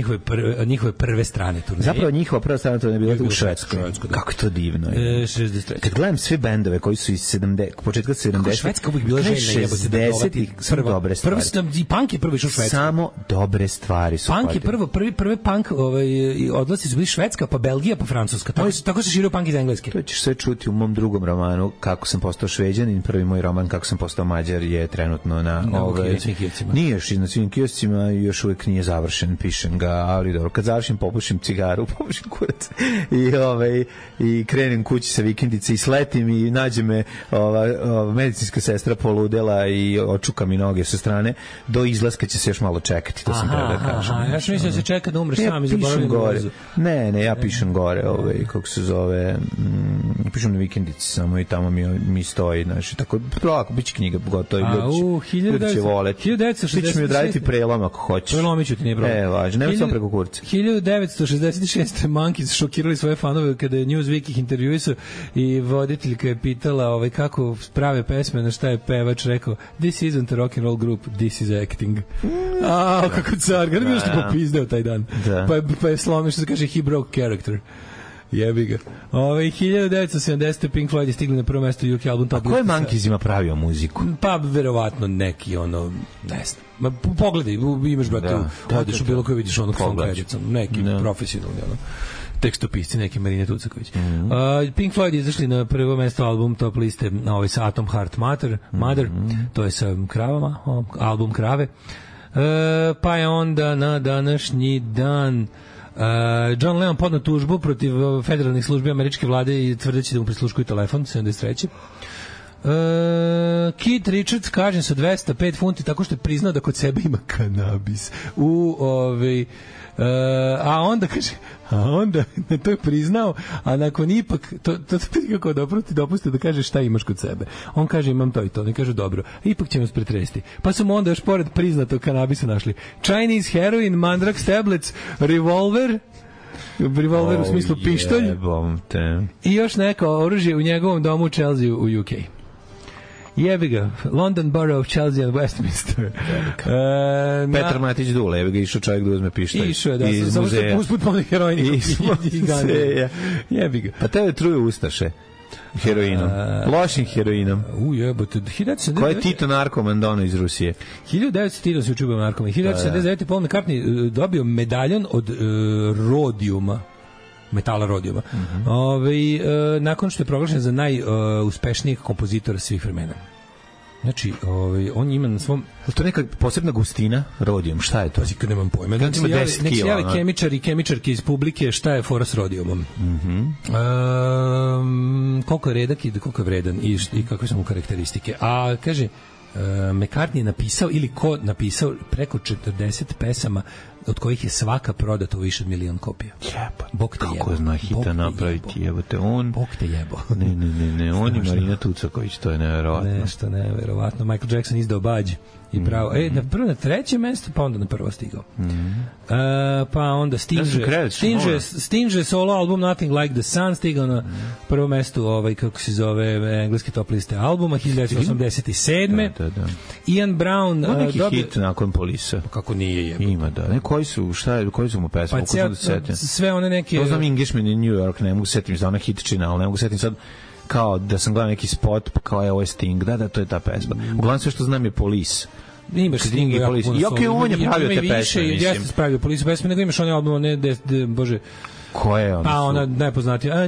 njihove prve strane turneje. Zapravo njihova prva strana turneje je bila u Švedskoj. Kako to divno je. 63. Kad gledam sve bendove koji su iz početka 70. Švedska uvijek bila željna jebote da dovati dobre stvari. I punk je prvo išao u Švedsku. Samo dobre stvari su. Punk je prvi punk odlasci su bili Švedska, pa Belgija, pa Francuska. Tako se širio punk iz Engleske. To ćeš sve čuti u mom drugom romanu Kako sam postao Šveđanin, prvi moj roman Kako sam postao Mađar je trenutno na nije još na svim kioscima i još uvijek nije završen, pišem ga, ali dobro, kad završim popušim cigaru, popušim kurac i krenem kući sa vikendice i sletim i nađe me medicinska sestra poludela i očuka mi noge sa strane, do izlaska će se još malo čekati, to sam treba da kažem. Ja što mislim da se čeka da umreš sam i zaboravim gore. Ne, ja pišem gore, kako se zove, pišem na vikendici samo i tamo mi stoji, znači, tako, polako, bit će knjiga gotovo, ljudi će voleti. Ti ćeš mi odraditi prelom ako hoćeš. Prelomit ću ti, nije problem. Važno, nema samo preko kurca. 1966. Monkeys šokirali svoje fanove kada je Newsweek ih intervjuisao i voditeljka je pitala kako prave pesme, na šta je pevač rekao, this isn't a rock and roll group, this is acting. Kako car, kada bi još ti popizdeo taj dan. Pa je slomio, što se kaže, he broke character. Jebi ga. 1970. Pink Floyd je stigli na prvo mesto UK album Top. A ko je Monkeysima pravio muziku? Pa verovatno neki ne znam. Pogledaj, imaš brate, odeš u bilo koji vidiš onog song edicom, neki profesionalni tekstopisci, neki Marina Tucaković. Pink Floyd je izašli na prvo mesto album Top liste sa Atom Heart Mother, to je sa kravama, album Krave. Pa je onda na današnji dan John Lennon podneo tužbu protiv federalnih službi američke vlade i tvrdeći da mu prisluškuju telefon 73. Keith Richards kažnjen sa 205 funti tako što je priznao da kod sebe ima kanabis. A onda to je priznao, a nakon ipak to kako dopusti da kaže šta imaš kod sebe. On kaže imam to i to, ne kaže dobro. Ipak ćemo se pretresti. Pa su mu onda još pored priznatog kanabisa našli Chinese heroin, Mandrax tablets, revolver u smislu pištolj i još neko oružje u njegovom domu u Chelsea u UK. Jebi ga, London Borough of Chelsea and Westminster. Petar Matić Dule, jebi ga, išao čovjek da uzme pištolj išao je, samo što usput pomni heroin i gane. Jebi ga. Pa tebe truju ustaše. Heroinom. Lošim heroinom. Jebote. Ko je Tito narkoman dono iz Rusije? 1900 se učubio narkoman. 1979. Paul McCartney dobio medaljon od rodijuma. Metala rodijuma. Nakon što je proglašen za najuspešnijeg kompozitora svih vremena. Znači, on ima na svom... Je to neka posebna gustina rodijum? Šta je to? Kad nemam pojma. Nek se javi kemičar i kemičarki iz publike šta je fora s rodijumom. Koliko je redak i koliko je vredan i kakve su mu karakteristike. A kaže, McCartney je napisao ili ko napisao preko 40 pesama od kojih je svaka prodata u više od 1.000.000 kopija. Bog te jebo. Kako zna hita napraviti, jebote, on... Bog te jebo. Ne, on i Marina Tucaković, to je neverovatno. Nešto neverovatno. Michael Jackson izdao bađ i pravo. Prvo na treće mesto, pa onda na prvo stigao. Pa onda Stinge solo album Nothing Like the Sun stigao na prvo mesto, kako se zove, engleske top liste albuma 1987. Da. Ian Brown neki hit nakon Polisa. Kako nije jebo. Ima, da. Koji su mu pesme? Sve one neke... To znam Englishman in New York, ne mogu setim za ona hitčina, ali ne mogu setim sad kao da sam gledao neki spot, pa kao je ovo Sting, da, to je ta pesma. Uglavnom sve što znam je Police. Imaš Sting i Police. I on je pravio te pesme, mislim. Jeste spravio Police pesme, nego imaš one album, bože... Koje je ono? Pa ona najpoznatija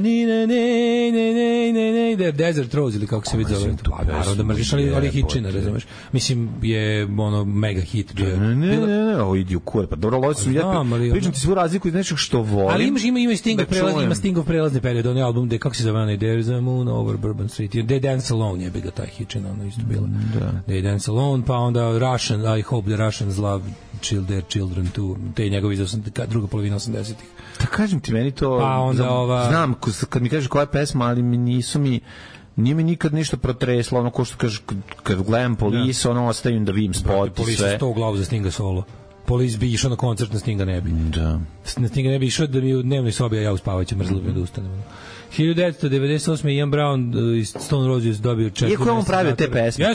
Desert Rose ili kako se vidi zove. Pa naravno da mrziš, ali hitčina, razumeš. Mislim, je ono mega hit. Ne, ovo idi u kur. Pa dobro, pričam ti svu razliku iz nečeg što volim. Ali ima Stingov prelazni period, onaj album gde, kako se zove, There's a Moon Over Bourbon Street, They Dance Alone je bi ga taj hitčina, ono isto bila. They Dance Alone, pa onda Russian, I Hope the Russians Love Their Children Too, te njegovi iz druga polovina 80-ih. Da kažem ti, meni to... Pa onda znam, kad mi kažeš koja je pesma, ali nije mi nikad ništa protreslo, ono ko što kažeš, kad gledam Police, ono ostavim da vidim spot i sve. Police 100 glavu za Stinga solo. Police bi išao na koncert, na Stinga ne bi. Da. Na Stinga ne bi išao da mi u dnevnoj sobi, a ja uspavajući mrzlo bi da ustanem. 1998. Ian Brown iz Stone Roses dobio 4 Iako je on pravio te pesme,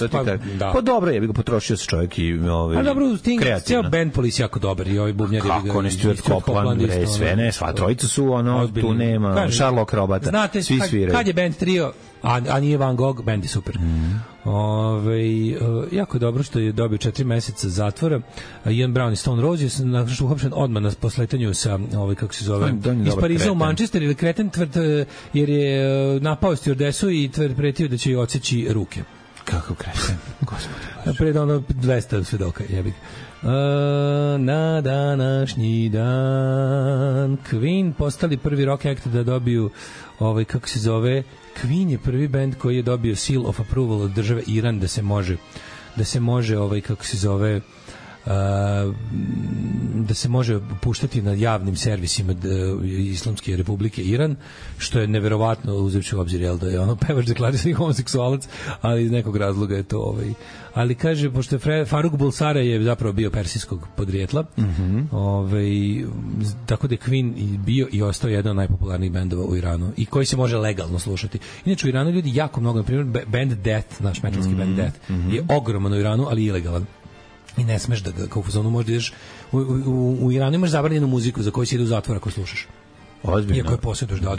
pa dobro je, bi ga potrošio se čovjek i a dobro, cijel band Police jako dobar i ovi bubnjari. Kako ne Stuart Copeland, sve ne, sva trojica su, tu nema, Sherlock Robata, znate, svi sviraju. Kad je band trio, a nije Van Gogh, band je super. Jako je dobro što je dobio 4 meseca zatvora. Ian Brown i Stone Roses nakon što uhapšen odmah na posletanju sa kako se zove iz Pariza u Manchester ili kreten jer je napao stjuardesu i pretio da će joj odseći ruke. Kako kreten, gospode. Pred 200 svedoka, jebi ga. Na današnji dan Queen postali prvi rock act da dobiju kako se zove, Queen je prvi band koji je dobio seal of approval od države Iran da se može kako se zove da se može puštati na javnim servisima Islamske republike Iran, što je neverovatno uzevši u obzir da je pevač deklarisani homoseksualac, ali iz nekog razloga je to ali kaže, pošto je Faruk Bulsara je zapravo bio persijskog podrijetla, tako da je Queen bio i ostao jedan od najpopularnijih bendova u Iranu i koji se može legalno slušati. Inače u Iranu ljudi jako mnogo, na primjer band Death, naš metalski band Death je ogroman u Iranu, ali ilegalan. I ne smeš da ga kao u fazonu možda ideš u Iranu imaš zabranjenu muziku za koju si ide u zatvor ako slušaš. Ozbiljno. Iako je posjeduš, da.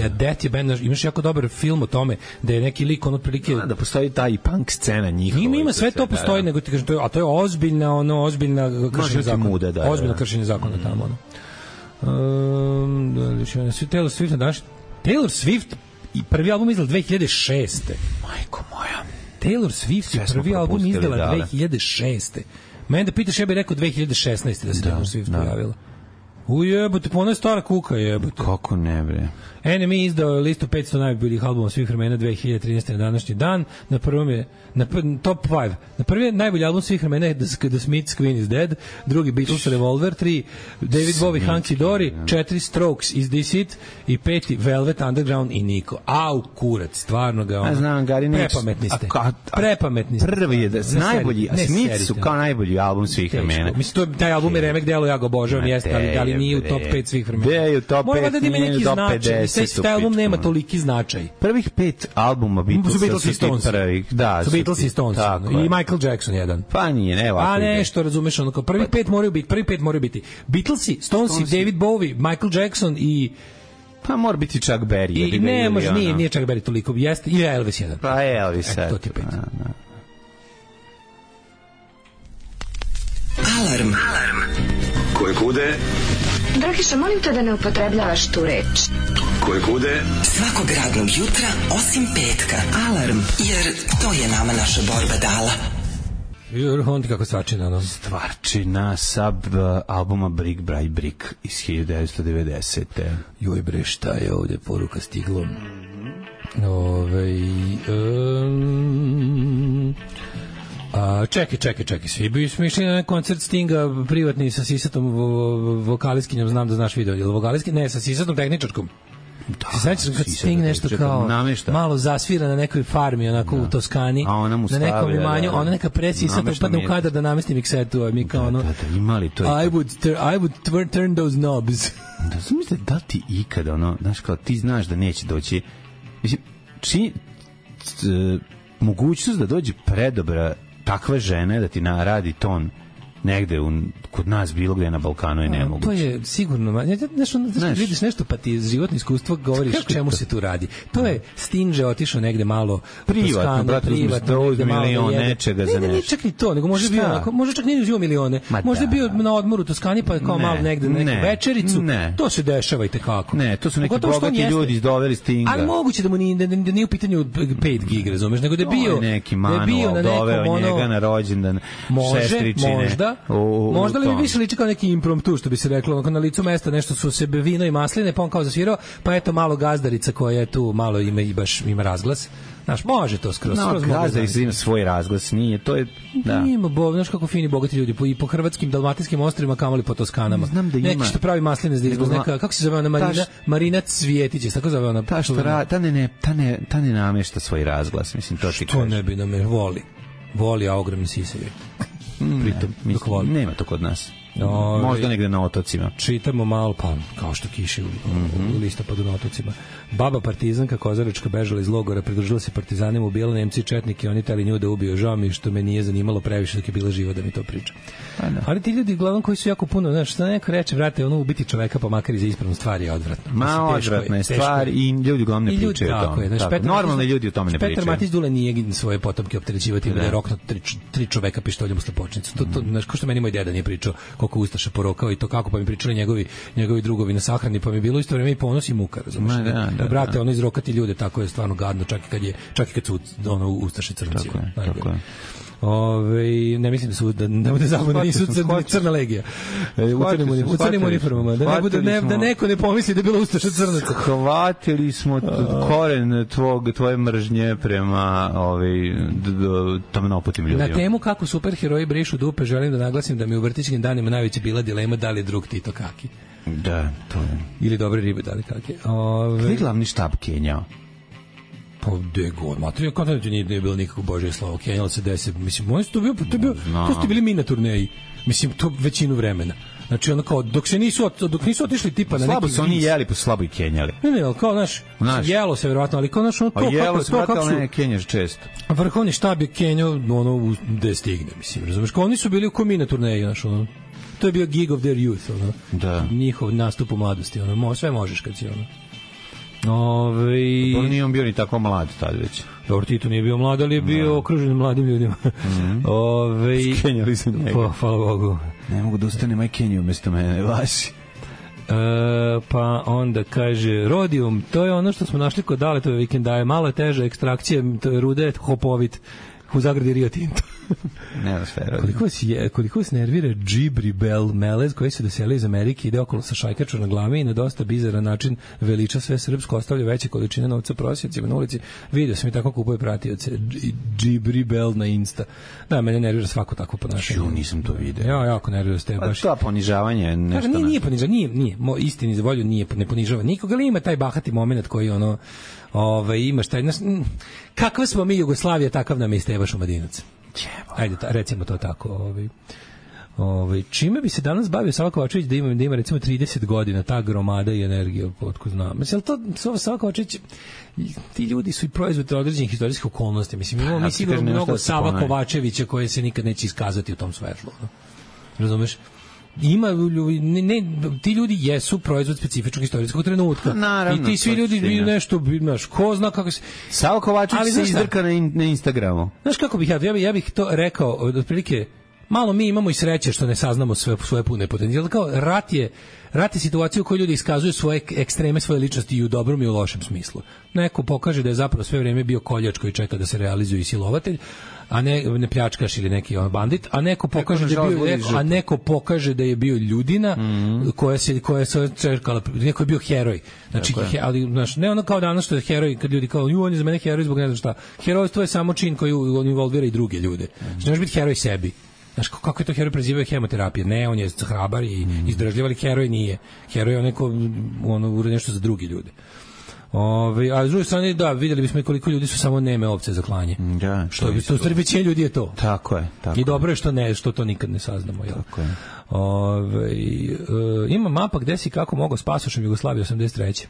Death je band, imaš jako dobar film o tome da je neki lik otprilike da postoji ta i punk scena njihova. Ima sve to postoji, nego ti kažem to je ozbiljna kršenje zakona. Ozbiljno kršenje zakona tamo. Taylor Swift daš. Taylor Swift i prvi album izdala 2006. Majko moja. Taylor Swift je prvi album izdala 2006. Mene da pitaš, ja bih rekao 2016. da se Taylor Swift pojavila. Ujebote, pa ona je stara kuka, jebote. Kako ne, bre. NME izdao listu 500 najboljih albuma svih vremena 2013. na današnji dan. Na prvom je top 5. Na prvi je najbolji album svih vremena je The Smiths, Queen is Dead, drugi Beatles, Revolver, 3 David Bowie, Hunky Dory, 4 Strokes, Is This It i 5 Velvet Underground i Nico. Au, kurac, stvarno ga ono. Znam, Gari, prepametni ste. Prvi je da najbolji, a Smiths su kao najbolji album svih vremena. Mislim, taj album je remek delo, ja ga obožavam, jeste, ali nije u top 5 svih vremena. Gde je u top 5, nije u top 50. Taj album nema toliki značaj. Prvih 5 albuma Beatles i Stones. Da, su Beatles i Stones. I Michael Jackson jedan. Pa nije, ne ovako. A nešto, razumeš, ono kao prvi 5 moraju biti. Beatlesi, Stonesi, David Bowie, Michael Jackson i Pa mora biti Chuck Berry. I ne može, nije Chuck Berry toliko. Jeste, i Elvis jedan. Pa Elvis. To ti pet. Alarm. Koje kude? Dragiša, molim te da ne upotrebljavaš tu reč. Koje kude? Svakog radnog jutra, osim petka. Alarm, jer to je nama naša borba dala. On ti kako stvarčina, ono? Stvarčina sa albuma Brick by Brick iz 1990. Joj bre, šta je ovde poruka stiglo? Čekaj, svi smo išli na koncert Stinga privatni sa sisatom vokalistkinjom, znam da znaš video, ili vokalistkinjom, ne, sa sisatom tehničarkom. Da, sećaš kad Sting nešto kao malo zasvira na nekoj farmi, onako u Toskani, na nekom imanju, ona neka presisata upadne u kadar da namesti miksetu, a mi kao ono, imali to. I would turn those knobs. Da sam mislio, da ti ikada, ono, znaš, kao ti znaš da neće doći, mislim, mogućnost da dođe predobra takva žena da ti naradi ton negde kod nas bilo gde na Balkanu je nemoguće. To je sigurno, znaš, vidiš nešto pa ti životno iskustvo govoriš čemu se tu radi. To je Stinže otišao negde malo privatno, brate, uzme milion nečega za nešto. Ne, čak ni to, nego može bio onako, može čak nije uzio milione, možda je bio na odmoru u Toskani pa je kao malo negde na neku večericu, to se dešava i tekako. Ne, to su neki bogati ljudi izdoveli Stinga. Ali moguće da mu nije u pitanju 5 gig, razumeš, nego da je bio neki manual doveo njega na rođendan sestričine. Možda li mi više liči kao neki impromptu, što bi se reklo, onako na licu mesta nešto su se vino i masline, pa on kao zasvirao, pa eto malo gazdarica koja je tu malo ima razglas. Znaš, može to skroz. Gazdarica ima svoj razglas, nije, to je, da. Ima, znaš kako fini, bogati ljudi, i po hrvatskim, dalmatinskim ostrvima, kamoli po Toskanama. Znam da ima. Neki što pravi masline zdi izgleda, neka, kako se zove ona Marina Cvjetić, tako zove ona. Ta ne namešta svoj razglas, mislim, to ti kažeš. Što ne bi voli, a ogromni sisevi. Pritom, nema to kod nas. Možda negde na otocima. Čitamo malo, pa kao što kiše u listopadu na otocima. Baba partizanka Kozaračka bežala iz logora, pridružila se partizanima, ubijala Nemci i četnike, oni tali nju da ubiju. Žao mi što me nije zanimalo previše dok je bila živa da mi to priča. Ali ti ljudi uglavnom koji su jako puno, znaš, šta neko reče, vrate, ono ubiti čoveka pa makar i za ispravnu stvar je odvratno. Odvratna je stvar i ljudi uglavnom ne pričaju o tome. Normalni ljudi o tome ne pričaju. Petar Matić Dule nije svoje potomke opterećivati da je roknuo 3 čoveka pištoljem u slepočnicu. To, znaš, ko što meni moj deda nije pričao koliko ustaša porokao i to kako, pa mi pričali njegovi drugovi na sahrani, pa mi bilo isto vreme i ponos i muka, razumiješ? Brate, ono izrokati ljude, tako je stvarno gadno, čak i kad su ono ustaše crnci. Tako je. Ne mislim da ne bude zabavno, nisu crna legija. U crnim uniformama, da neko ne pomisli da je bila ustaša crnaca. Hvatili smo koren tvoje mržnje prema tamnoputim ljudima. Na temu kako superheroji brišu dupe, želim da naglasim da mi u vrtićkim danima najveća bila dilema da li je drug Tito Kaki. Da, to je. Ili dobre ribe da li kaki. Gde je glavni štab Kenjao? Pa gde god, materija, kao da nije bilo nikako Božje slovo, Kenjalo se 10, mislim, oni su to su bili mi na turneji, mislim, to većinu vremena. Znači, ono kao, dok nisu otišli tipa na neki... Slabo su oni jeli, pa slabo i kenjali. Ne, ali kao, znaš, jelo se verovatno, ali kao, znaš, ono to... Pa jelo se, vrata, ali ne kenjaš često. Vrhovni štab je kenjao, ono, gde stigne, mislim, razumeš, kao oni su bili u komi na turneji, znaš, ono, to je bio gig of their youth, ono, njihov nastup u mladosti, ono, sve možeš kad si, ono. Nije on bio ni tako mlad tad već. Dobro, Tito nije bio mlad, ali je bio okružen mladim ljudima. Skenjali se njega. Hvala Bogu. Ne mogu da ustane maj Kenju umjesto mene, vaši. Pa onda kaže Rodium, to je ono što smo našli kod Daletove vikendaje, malo je teža ekstrakcija, rude je hopovit u zagradi Rio Tinto. Nema sve. Koliko vas nervira Džibri Bel Melez koji se doselio iz Amerike, ide okolo sa šajkačom na glavi i na dosta bizaran način veliča sve srpsko, ostavlja veće količine novca prosjecima na ulici. Vidio sam i tako kupuje pratioce. Džibri Bel na Insta. Da, mene nervira svako tako ponašanje. Nisam to vidio. Ja, jako nervira ste baš. To ponižavanje je nešto. Nije ponižavanje, nije. Istini za volju ne ponižava nikoga, ali ima taj bahati momenat koji ono imaš taj kakva smo mi Jugoslavija, takav nam je Steva Šumadinac. Ajde, recimo to tako. Čime bi se danas bavio Sava Kovačević da ima recimo 30 godina, ta gromada i energija, otko znam. Mislim, to Sava Kovačević, ti ljudi su i proizvod određenih istorijskih okolnosti. Mislim, imamo mi sigurno mnogo Sava Kovačevića koje se nikad neće iskazati u tom svetlu. Razumeš? ima ti ljudi jesu proizvod specifičnog istorijskog trenutka. Naravno, i ti svi ljudi nešto, znaš, ko zna kako se... Savo Kovačić se izdrka na Instagramu. Znaš kako bih ja bih to rekao, otprilike, malo mi imamo i sreće što ne saznamo svoje pune potencijale. Kao rat je situacija u kojoj ljudi iskazuju svoje ekstreme, svoje ličnosti i u dobrom i u lošem smislu. Neko pokaže da je zapravo sve vreme bio koljač koji čeka da se realizuje i silovatelj, a ne pljačkaš ili neki bandit, a neko pokaže da je bio ljudina koja se čekala, neko je bio heroj. Znači, ali znaš, ne ono kao danas što je heroj, kad ljudi kao on je za mene heroj zbog ne znam šta. Herojstvo je samo čin koji involvira i druge ljude. Znači, ne može biti heroj sebi. Znaš, kako je to heroj prezivao hemoterapije? Ne, on je hrabar i izdržljiv, ali heroj nije. Heroj je neko uradi nešto za druge ljude. A s druge strane, da, vidjeli bismo i koliko ljudi su samo neme ovce za klanje. Da, što je to, u stvari većina ljudi je to. Tako je. I dobro je što to nikad ne saznamo. Jel? Tako je. Ima mapa gde si kako mogao s pasošem Jugoslavije 83.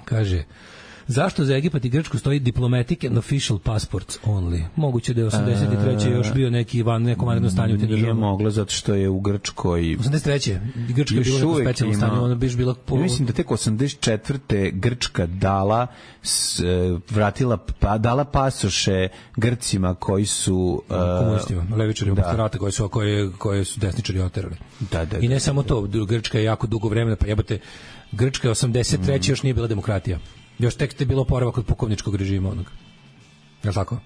Kaže... Zašto za Egipat i Grčku stoji diplomatic and official passports only? Moguće da je 83. još bio neko vanredno stanje u tim državama. Nije moglo, zato što je u Grčkoj... 83. Grčka je bilo neko specijalno stanje, ona biš bila... Mislim da tek 84. Grčka dala pasoše Grcima koji su... komunistima, levičari oboktorata koje su desničari oterali. I ne samo to, Grčka je jako dugo vremena, pa jebate, Grčka je 83. još nije bila demokratija. Još tek je bilo oporavak od pukovničkog režima onog. Je li tako?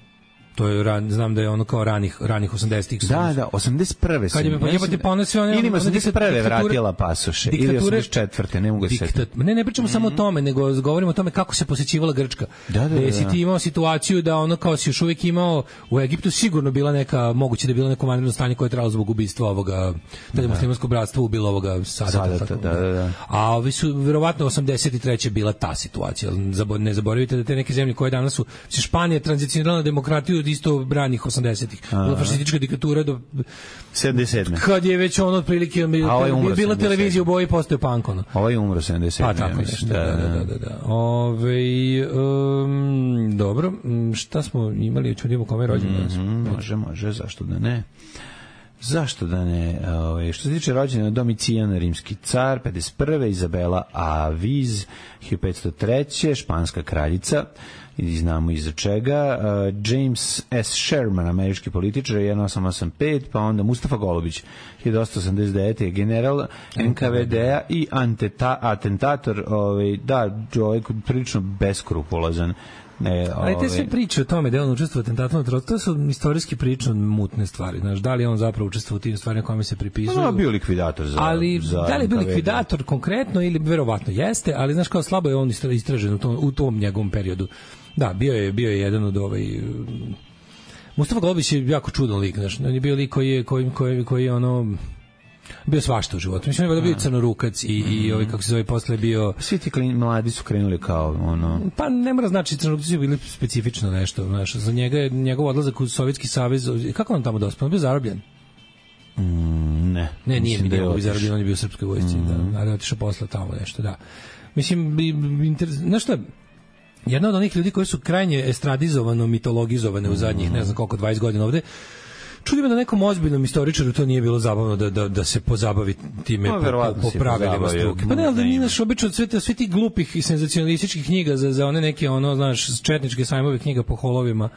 To je, znam da je ono kao ranih 80-ih. Da, 81. Kad je jebati pa one sve one... Ili 81. vratila pasoše, ili 84. ne mogu se... Ne pričamo samo o tome, nego govorimo o tome kako se posećivala Grčka. Da. Si ti imao situaciju da ono kao si još uvijek imao, u Egiptu sigurno bila neka, moguće da je bilo neko vanredno stanje koje je trajalo zbog ubistva ovoga, da je muslimansko bratstvo ubilo ovoga Sadata. Da. A ovi su, verovatno, 83. bila ta situacija. Ne zaboravite da te neke zemlje koje danas su, Španija tranzicionirala na demokratiju isto branih 80-ih. Bila fašistička diktatura do 77. Kad je već ono otprilike bila televizija u boji, postao punk ono. Ovaj umro 77. Pa tako nešto. Da. Dobro, šta smo imali, čudimo kome rođendan? Može, zašto da ne? Što se tiče rođena, Domicijan, rimski car, 51. Izabela Aviz, 1503. Španska kraljica, i znamo iza čega, James S. Sherman, američki političar, 1885, pa onda Mustafa Golubić, 1889. general NKVD-a i atentator, prilično beskrupulozan. Ali te sve priče o tome da je on učestvovao u atentatu, to su istorijski prilično mutne stvari. Znaš, da li je on zapravo učestvovao u tim stvarima kojima se pripisuju? Bio likvidator da li je bio likvidator konkretno ili verovatno jeste, ali znaš kao slabo je on istražen u tom njegovom periodu. Da, bio je jedan od Mustafa Golubić je jako čudan lik, znaš, on je bio lik koji je ono bio svašta u životu. Mislim da je bio crnorukac i kako se zove posle bio... Svi ti mladi su krenuli kao ono... Pa ne mora znači crnorukaci su bili specifično nešto, znaš, za njega je njegov odlazak u Sovjetski savez, kako on tamo dospao? On bio zarobljen? Ne, nije bio zarobljen, on je bio u srpskoj vojsci, da, ali otišao posle tamo nešto, da. Mislim, znaš šta, jedna od onih ljudi koji su krajnje estradizovano, mitologizovane u zadnjih, ne znam koliko, 20 godina ovde, čudi me da nekom ozbiljnom istoričaru to nije bilo zabavno da se pozabavi time po pravilima struke. Pa ne, ali da nije naš obično svi ti glupih i senzacionalističkih knjiga za one neke, znaš, četničke sajmove knjiga po holovima.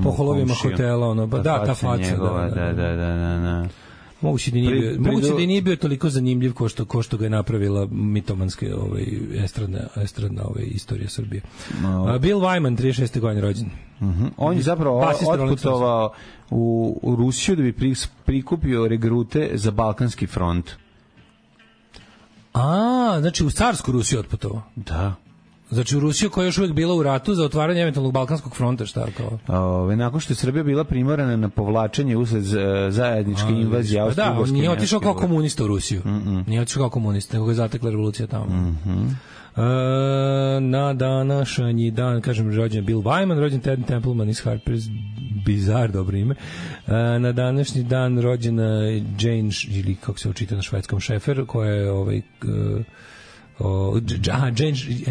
Po holovima hotela, ta faca. Da. Moguće da nije bio toliko zanimljiv ko što ga je napravila mitomanska estradna istorija Srbije. Bill Wyman, 36. godine rođen. On je zapravo otputovao u Rusiju da bi prikupio regrute za Balkanski front. Znači u carsku Rusiju otputovao? Da. Znači u Rusiju koja je još uvijek bila u ratu za otvaranje eventualnog Balkanskog fronta, šta kao? Nakon što je Srbija bila primorana na povlačenje usled zajedničke invazije Austro-Ugarske. Da, nije otišao kao komunista u Rusiju. Nije otišao kao komunista, nego ga je zatekla revolucija tamo. Na današnji dan, kažem, rođen Bill Wyman, rođen Ted Templeman iz Harper's Bazaar, dobro ime. Na današnji dan rođena Jane, ili kako se učita na švedskom, Šefer, koja je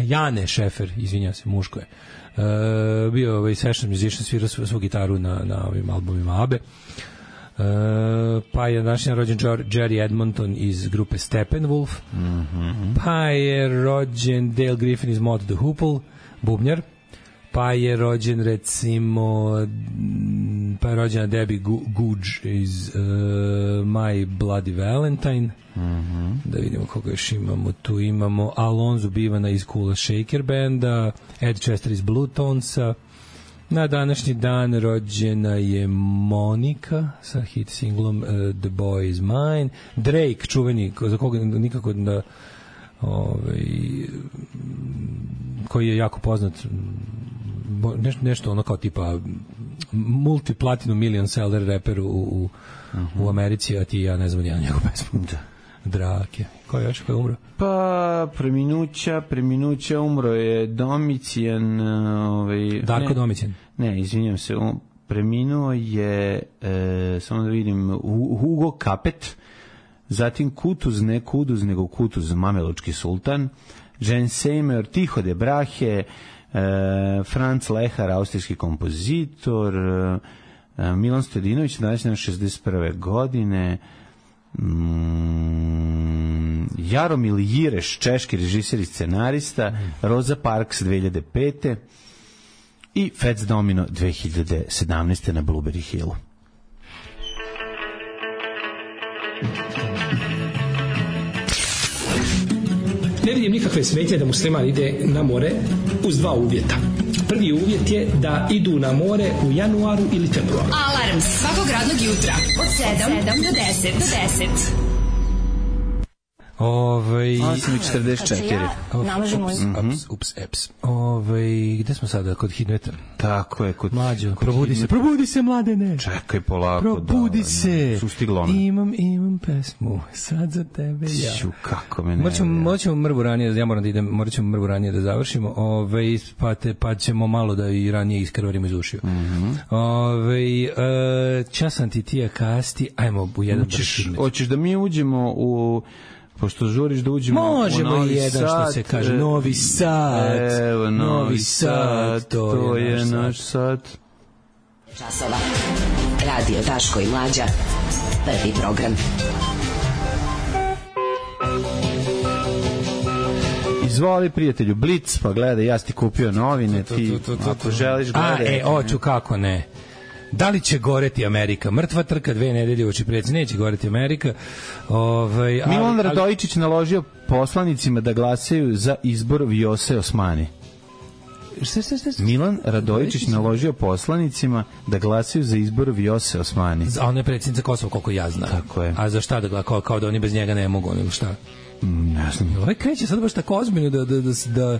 Jane Šefer, izvinja se, muško je. Bio session musician, svirao svu gitaru na ovim albumima ABBE. Pa je današnji rođen Jerry Edmonton iz grupe Steppenwolf. Pa je rođen Dale Griffin iz Mott the Hoople, bubnjar. Pa je rođen rođena Debbie Googe iz My Bloody Valentine. Da vidimo koga još imamo. Tu imamo Alonzo Bivana iz Kula Shaker benda, Ed Chester iz Blue Tonesa. Na današnji dan rođena je Monika sa hit singlom The Boy Is Mine. Drake, čuveni, za koga nikako da koji je jako poznat, nešto ono kao tipa multi-platinum million seller reper u Americi, a ti ja ne znam jedan njegov pesmu. Drake. Ko je još, ko je umro? Pa, preminuća umro je Domicijan. Darko Domicijan. Ne, izvinjam se, preminuo je, samo da vidim, Hugo Capet, zatim Kutuz, ne Kuduz, nego Kutuz, Mamelučki sultan, Jen Seymour, Tiho de Brahe, Franz Lehar, austrijski kompozitor, Milan Stojadinović, danas na 61. godine, Jaromil Jireš, češki režiser i scenarista, Rosa Parks 2005. i Fats Domino 2017. na Blueberry Hillu. Ne vidim nikakve smetnje da musliman ide na more uz dva uvjeta. Prvi uvjet je da idu na more u januaru ili februaru. Alarm svakog radnog jutra od 7 do 10. 8:44. Ups. Gde smo sada? Kod Hidmeta? Tako je, kod Mlađo. Probudi se, mladene. Čekaj polako. Probudi se. Sustiglo ona. Imam pesmu. Sad za tebe ja. Kako me ne. Morat ćemo mrvu ranije, ja moram da idem, morat ćemo mrvu ranije da završimo. Pa ćemo malo da i ranije iskrvarimo iz ušiju. Časan ti kasti, ajmo u jedan bršidnic. Hoćeš da mi uđemo u... Pošto žuriš da uđemo možemo u Novi jedan Sad, što se kaže Novi Sad. Evo Novi Sad, to je naš sad. Časova. Radio Daško i Mlađa. Prvi program. Izvoli prijatelju Blic, pa gledaj, ja ti kupio novine, ti ako želiš gledaj. Hoću, kako ne. Da li će goreti Amerika? Mrtva trka 2 nedelje uoči predsjednice, neće goreti Amerika. Milan Radojičić naložio poslanicima da glasaju za izbor Vjose Osmani. Milan Radojičić naložio poslanicima da glasaju za izbor Vjose Osmani. A ona je predsjednica Kosova, koliko ja znam. Tako je. A za šta da glasa? Kao da oni bez njega ne mogu, ili šta? Ne znam. Ovaj kreće sad baš tako ozbiljno da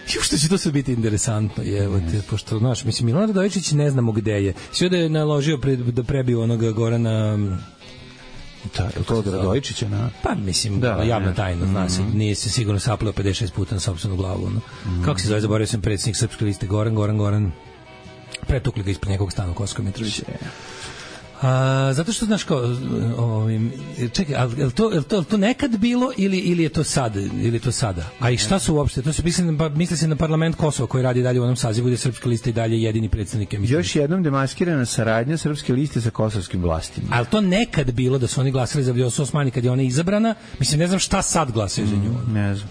što će to sve biti interesantno, pošto, znaš, mislim, Milan Radojičić ne znamo gde je. Sve da je naložio da prebiju onoga Gorana... To od Radojičića, na? Pa, mislim, javna tajna, zna se, nije se sigurno sapleo 56 puta na sopstvenu glavu. Kako se zove, zaboravio sam predsjednik Srpske liste, Goran, pretukli ga ispred njegovog stana u Kosovskoj Mitrovici. Zato što, znaš, kao, čekaj, je to nekad bilo ili je to sad, ili je to sada? A i šta su uopšte? To se misli se na parlament Kosova koji radi dalje u onom sazivu gde je Srpska lista i dalje jedini predstavnik. Još jednom demaskirana saradnja Srpske liste sa kosovskim vlastima. Ali to nekad bilo da su oni glasali za Vjosu Osmani kad je ona izabrana? Mislim, ne znam šta sad glasaju za nju. Ne znam.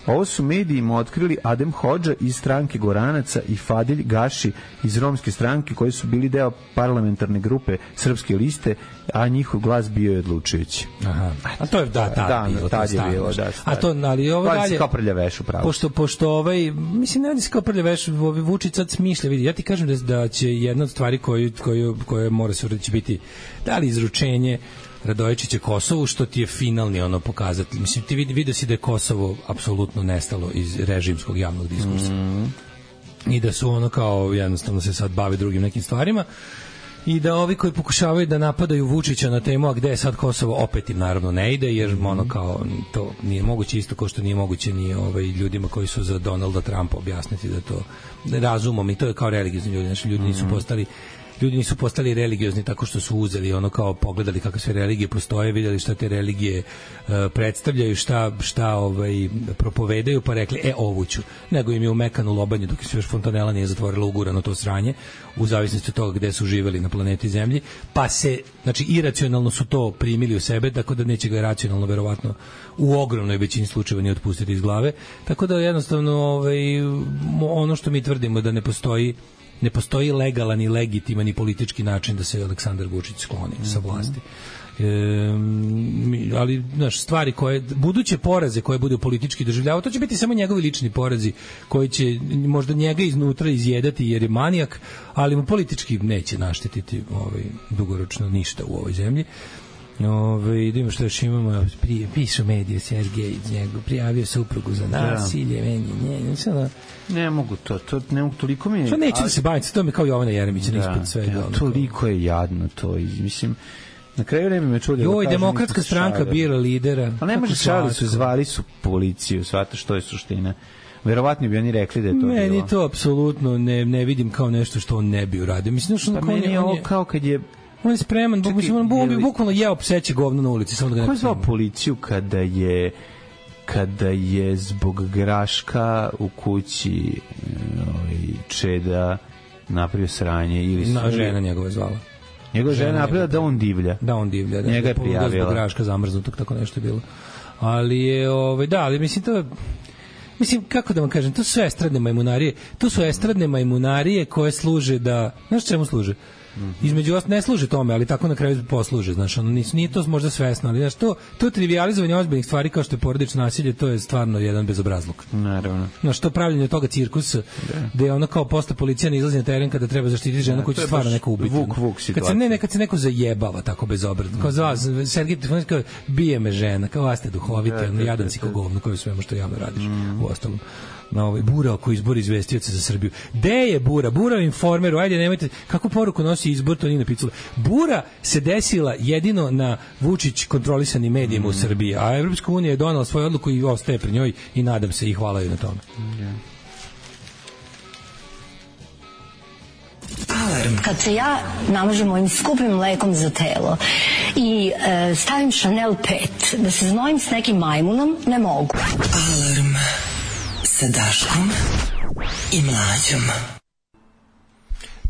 Ovo su medijima otkrili Adem Hodža iz stranke Goranaca i Fadilj Gaši iz romske stranke koji su bili deo parlamentarne grupe Srpske liste, a njihov glas bio je odlučujući. Aha. A to je tad je bilo. A to, ali ovo dalje... kao prljaveš upravo. Pošto mislim, ne se kao prljaveš, Vučić sad smišlja, vidi. Ja ti kažem da će jedna od stvari koje mora se uraditi biti da li izručenje Radojičića Kosovu, što ti je finalni pokazatelj. Mislim, ti vidio si da je Kosovo apsolutno nestalo iz režimskog javnog diskursa. I da su kao jednostavno se sad bave drugim nekim stvarima i da ovi koji pokušavaju da napadaju Vučića na temu, a gde je sad Kosovo, opet im naravno ne ide, jer kao to nije moguće, isto kao što nije moguće ni ljudima koji su za Donalda Trumpa objasniti da to razumom, i to je kao religiozni ljudi, znači ljudi nisu postali ljudi nisu postali religiozni tako što su uzeli ono kao pogledali kakve sve religije postoje, videli šta te religije predstavljaju, šta propovedaju, pa rekli ovu ću, nego im je umekano lobanju dok se još fontanela nije zatvorila, ugurano to sranje u zavisnosti od toga gde su živeli na planeti Zemlji, pa se, znači iracionalno su to primili u sebe, tako da neće ga racionalno verovatno u ogromnoj većini slučajeva ni otpustiti iz glave, tako da jednostavno ono što mi tvrdimo da ne postoji legalan i legitiman i politički način da se Aleksandar Vučić skloni sa vlasti. Ali stvari koje buduće poraze koje budu politički doživljavao, to će biti samo njegovi lični porazi koji će možda njega iznutra izjedati jer je manijak, ali mu politički neće naštetiti dugoročno ništa u ovoj zemlji. Idemo što još imamo, pišu medije, Sergej prijavio suprugu za nasilje, ne mogu ne mogu, toliko mi je... Što neće da se baviti, to mi kao Jovana Jeremića ispod sve. Toliko je jadno to, mislim, na kraju vreme me čuli... Demokratska stranka bira lidera. Pa ne može zvali su policiju, shvata što je suština. Verovatno bi oni rekli da je to bilo. Meni to apsolutno ne vidim kao nešto što on ne bi uradio. Mislim, pa meni je ovo kao kad je... On je spreman, on bi bukvalno jeo pseće govno na ulici. Ko je zvao policiju kada je zbog graška u kući Čeda napravio sranje? Žena njegova je zvala. Njegova žena napravila da on divlja. Da, on divlja. Njega je prijavila. Zbog graška zamrznutog, tako nešto je bilo. Ali je, ali mislim to... Mislim, kako da vam kažem, to su estradne majmunarije. To su estradne majmunarije koje služe da... Znaš čemu služe? Između vas ne služi tome, ali tako na kraju posluže, znaš, nije to možda svesno, ali znaš, to trivializovanje ozbiljnih stvari kao što je porodično nasilje, to je stvarno jedan bezobrazluk. Naravno. Znaš, to pravljenje toga cirkusa, gde je ono kao posle policija ne izlazi na teren kada treba zaštititi ženu koju će stvarno neko ubiti. Vuk situacija. Kad se neko zajebava tako bezobrazno, kao za vas, Sergej Trifunović kao, bije me žena, kao vas ste duhovite, jadan si ko govno, koji svema što javno radiš, u ostalom. Bura oko izbora izvestioca za Srbiju. Gde je Bura? Bura u Informeru, ajde nemojte, kakvu poruku nosi izbor, to nije napisalo. Bura se desila jedino na Vučić kontrolisanim medijima u Srbiji, a Evropska unija je donala svoju odluku i ostaje pri njoj i nadam se i hvala joj na tome. Alarm. Kad se ja namažem ovim skupim mlekom za telo i stavim Chanel 5, da se znojim s nekim majmunom, ne mogu. Alarm sa Daškom i Mlađom.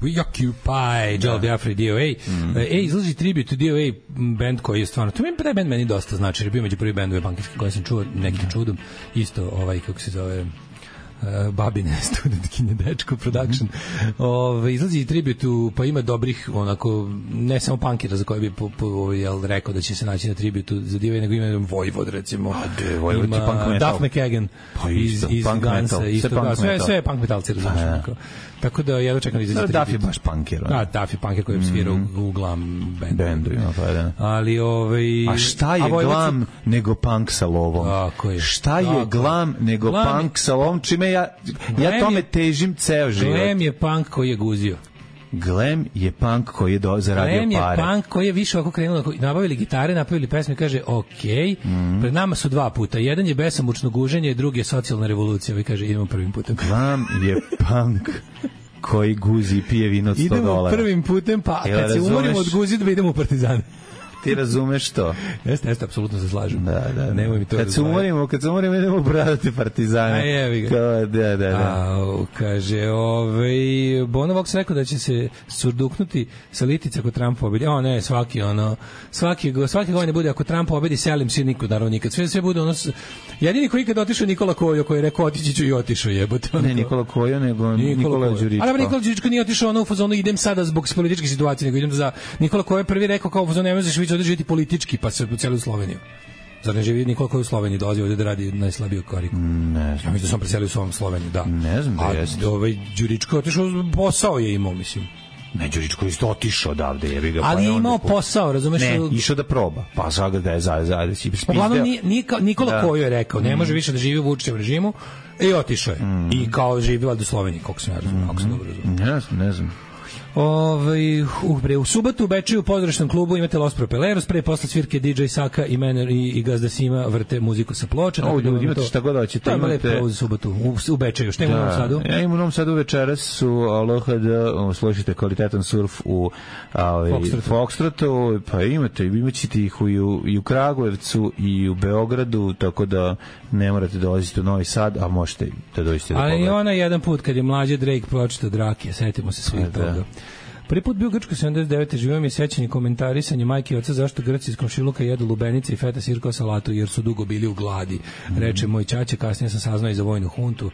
We Occupy, Joel Biafra DOA. Izlazi tribute to DOA, band koji je stvarno, to taj band meni dosta znači, jer je bio među prvi bendove bankarski koje sam čuo nekim čudom, isto kako se zove, babine studentkinje dečko production. Izlazi tributu, pa ima dobrih onako, ne samo punkera za koje bi rekao da će se naći na tributu za DOA, nego ima Vojvod recimo, ima Duff McKagan iz Gansa, sve je punk metalci, razumiješ. Tako da ja dočekam izaći tributu. Duff je baš punker. Da, Duff je punker koji je svirao u glam bendu. Ali a šta je glam nego punk sa lovom? Šta je glam nego punk sa lovom? Čime ja tome težim ceo život. Glam je punk koji je guzio. Glam je punk koji je zaradio pare. Glam je punk koji je više ovako krenuo, nabavili gitare, napravili pesme, kaže pred nama su dva puta. Jedan je besomučno guženje, drugi je socijalna revolucija. Vi kaže, idemo prvim putem. Glam je punk koji guzi i pije vino od $100. Idemo prvim putem, pa kad se umorimo od guzidba, idemo u Partizane. Ti razumeš to? Jeste, apsolutno se slažem. Da. Nemoj mi to kad se umorimo, idemo bradati Partizane. A jevi ga. Da. Kaže, Bono Vox rekao da će se surduknuti sa litica ako Trump pobedi. Ne, svake godine bude ako Trump pobedi, selim se naravno nikad. Sve bude ono... Jedini koji ikad otišao Nikola Kojo, koji je rekao otići ću i otišao jebote. Ne Nikola Kojo, nego Nikola Đuričko. Ali Nikola Đuričko nije otišao u fazonu idem sada zbog političke situacije, nego idem za... Nikola Kojo je prvi rekao kao u fazonu ne možeš ovdje živjeti politički, pa se u Sloveniju. Zar ne živi nikoliko koji u Sloveniji dolazi ovdje da radi najslabiju kariku? Ne znam. Ja mislim da sam preselio u svom Sloveniju, da. Ne znam da jeste. Đuričko je otišao, posao je imao, mislim. Ne, Đuričko je isto otišao odavde, jebi ga. Ali je imao posao, razumeš? Ne, išao da proba. Pa sada da je da si spizdeo. Uglavnom, Nikola Kojo je rekao, ne može više da živi u Vučićevom režimu, i otišao je. I kao živila do Slovenije, koliko sam ja razumio, ako sam dobro razumio. Ne znam. U subotu u Bečeju u pozorišnom klubu imate Los Propeleros, pre posle svirke DJ Saka i Mener i Gazda Sima vrte muziku sa ploča. Imate šta god hoćete. Tamo lepo u subotu u Bečeju. Šta ima u Novom Sadu? Ja imam u Novom Sadu večeras su LHD, slušajte kvalitetan surf u Foxtrotu, pa imaćete ih i u Kragujevcu i u Beogradu, tako da ne morate dolaziti u Novi Sad, a možete da dođete da pogledate. Ali ona jedan put kad je mlađe Drake pročitao Drake, setimo se svih toga. Prvi put bio u Grčkoj 79. živio mi je sećanje komentarisanje majke i oca zašto Grci iz komšiluka jedu lubenice i feta sirko salatu jer su dugo bili u gladi. Reče moj ćaća, kasnije sam saznao i za vojnu huntu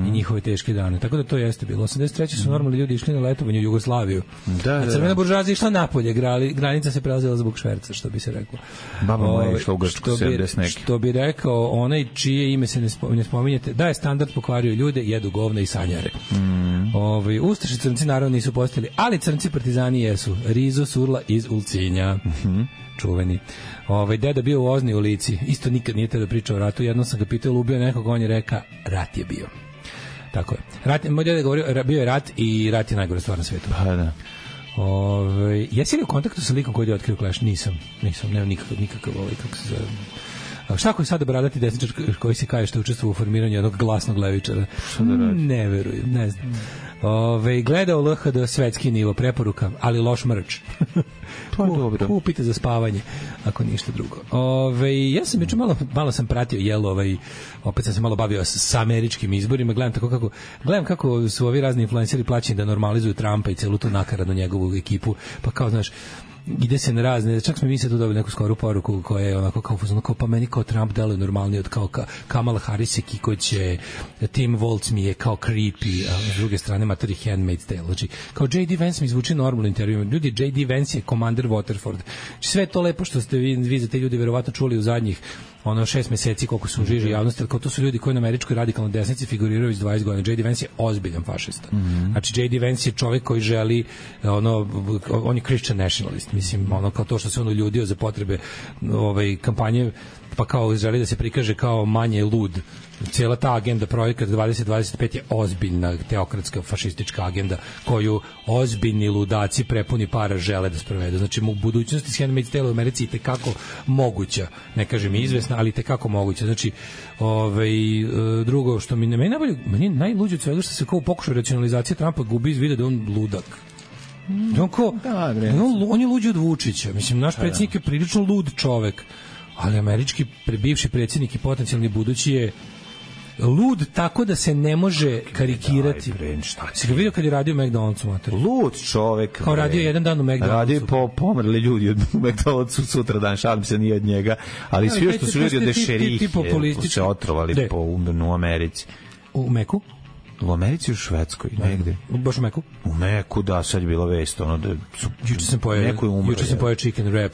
i njihove teške dane. Tako da to jeste bilo. 83. su normalni ljudi išli na letovanje u Jugoslaviju. A crvena buržoazija išla napolje, granica se prelazila zbog šverca, što bi se reklo. Baba moja išla u Grčku 70 neki. Što bi rekao onaj čije ime se ne spominjete, da je standard pokvario ljude, jedu govna i sanjare. Ustaši crnci naravno nisu postali, ali crnci partizani jesu. Rizo Surla iz Ulcinja. Čuveni. Deda bio u Ozni u Lici. Isto nikad nije te da priča o ratu. Jednom sam ga pitao, ubio nekog, on je reka, rat je bio. Tako je. Moj deda je govorio, bio je rat i rat je najgore stvar na svetu. Pa da. Jesi li u kontaktu sa likom koji je otkrio Clash? Nisam, nemam nikakav kako se zove. Šta ako je sada bradati desničar koji se kaje što je učestvovao u formiranju jednog glasnog levičara? Ne verujem, ne znam. Gledao LHD svetski nivo, preporuka, ali loš mrč. Pa dobro. Kupite za spavanje, ako ništa drugo. Ja sam juče malo sam pratio opet sam se malo bavio sa američkim izborima, gledam kako su ovi razni influenceri plaćeni da normalizuju Trumpa i celu tu nakaradnu njegovu ekipu, pa kao znaš, ide se na razne, čak smo mi se tu dobili neku skoru poruku koja je onako kao pa meni kao Trump deluje normalnije od kao Kamala Harris i Kikoće, Tim Walz mi je kao creepy, a s druge strane matori Handmaid's Tale. Znači, kao J.D. Vance mi zvuči normalno intervju. Ljudi, J.D. Vance je Commander Waterford. Sve to lepo što ste vi za te ljudi verovatno čuli u zadnjih 6 meseci koliko su u žiži javnosti, ali kao to su ljudi koji na američkoj radikalnoj desnici figuriraju već 20 godina. J.D. Vance je ozbiljan fašista. Znači, J.D. Vance je čovjek koji želi, on je Christian nationalist, mislim, kao to što se on uljudio za potrebe kampanje, pa kao želi da se prikaže kao manje lud. Cijela ta agenda projekat 2025 je ozbiljna teokratska fašistička agenda koju ozbiljni ludaci prepuni para žele da sprovedu. Znači, u budućnosti s Handmaid's Tale u Americi je tekako moguća, ne kažem izvesna, ali tekako moguća. Znači, drugo što meni najluđe od svega što se kao u pokušaju racionalizacije Trumpa gubi iz vida da on ludak. On je luđi od Vučića. Mislim, naš predsjednik je prilično lud čovek, ali američki bivši predsjednik i potencijalni budući je lud tako da se ne može karikirati. Si ga vidio kad je radio u McDonald'su, mater? Lud čovek. Kao radio jedan dan u McDonald'su. Radio pomrli ljudi od McDonald'su sutra dan, šalim se nije od njega, ali svi što su ljudi od dešerih se otrovali po u Americi. U Meku? U Americi, u Švedskoj, negde. Baš u Meku? U Meku, da, sad je bila vest. Juče sam pojao chicken wrap.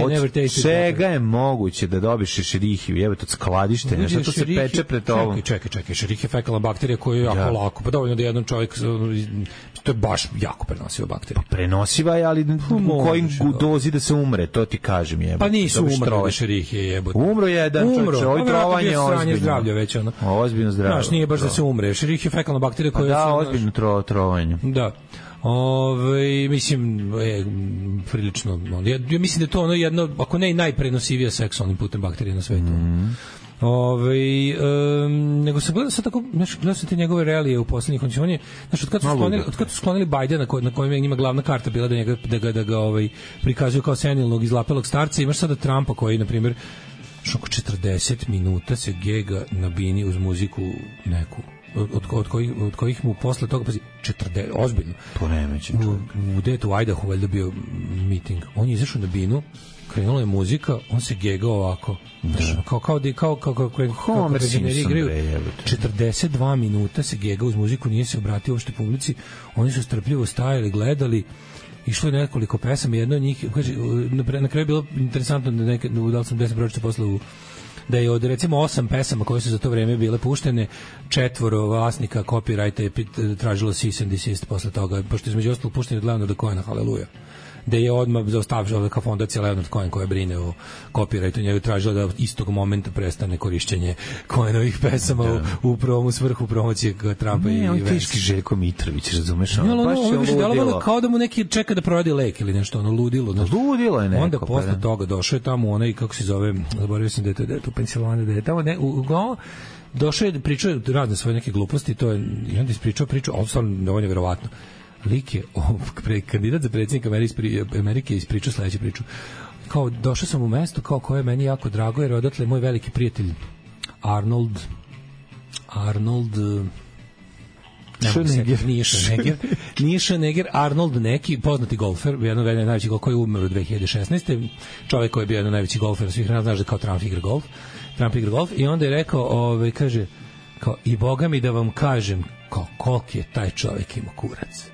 Od čega je moguće da dobiš ešerihiju? Jebe, to skladištenje, što se peče pred tobom? Čekaj, ešerih je fekalna bakterija koja je jako lako. Pa dovoljno da jedan čovjek, to je baš jako prenosiva bakterija. Pa prenosiva je, ali u kojim dozi da se umre, to ti kažem, jebe. Pa nisu umrli ešerihije, jebe. Umro jedan čovjek, ovo trovanje ozbiljno zdravlje. Nije baš da se umre. Šerih je fekalna bakterija koja... Da, ozbiljno trovanje. Da. Mislim, prilično... Ja mislim da je to jedno, ako ne i najprenosivija seksualnim putem bakterija na svetu. Nego sam gledao sad tako, gledao sam te njegove realije u poslednjih, on je, od kad su sklonili Bajdena, na kojem je njima glavna karta bila da ga prikazuju kao senilnog izlapelog starca, imaš sada Trumpa koji, na primjer, oko 40 minuta se gega na bini uz muziku neku, od kojih mu posle toga, pazi, 40, ozbiljno. Poremećen čovjek. U Idahu valjda bio meeting. On je izašao na binu, krenula je muzika, on se gegao ovako. Kao penzioneri igraju. 42 minuta se gegao uz muziku, nije se obratio uopšte publici. Oni su strpljivo stajali, gledali. Išlo je nekoliko pesama, jedno od njih, na kraju je bilo interesantno da sam 10 pročito posle da je od recimo 8 pesama koje su za to vreme bile puštene, 4 vlasnika copyrighta je tražilo cease and desist posle toga, pošto između ostalog pušteni od Leonarda Cohena, haleluja. da je odmah zaustavila kao fondacija Leonard Cohen koja brine o copyrightu, njega tražila da istog momenta prestane korišćenje Cohenovih pesama u prvom svrhu promocije Trumpa i Vance. Teški Željko Mitrović, razumeš? Baš je delovalo kao da mu neki čeka da provede lek ili nešto, ludilo. Ludilo je neko. Onda posle toga došao je tamo onaj, kako se zove, zaboravio sam da je to u Pensilvaniji, da je tamo došao je, pričao je razne svoje neke gluposti, to je, i onda ispričao priču, ovo stvarno dovoljno verovatno. Lik je, kandidat za predsjednika Amerike ispričao sledeću priču. Kao, došao sam u mesto, kao koje je meni jako drago, jer odatle moj veliki prijatelj Arnold nije Schwarzenegger, Arnold neki, poznati golfer, jedan od najvećih golfera koji je umro 2016. Čovjek koji je bio jedan od najvećih golfera svih nas, znaš da kao Trump igra golf i onda je rekao, kaže, kao, i boga mi da vam kažem kao koliki je taj čovjek ima kurac.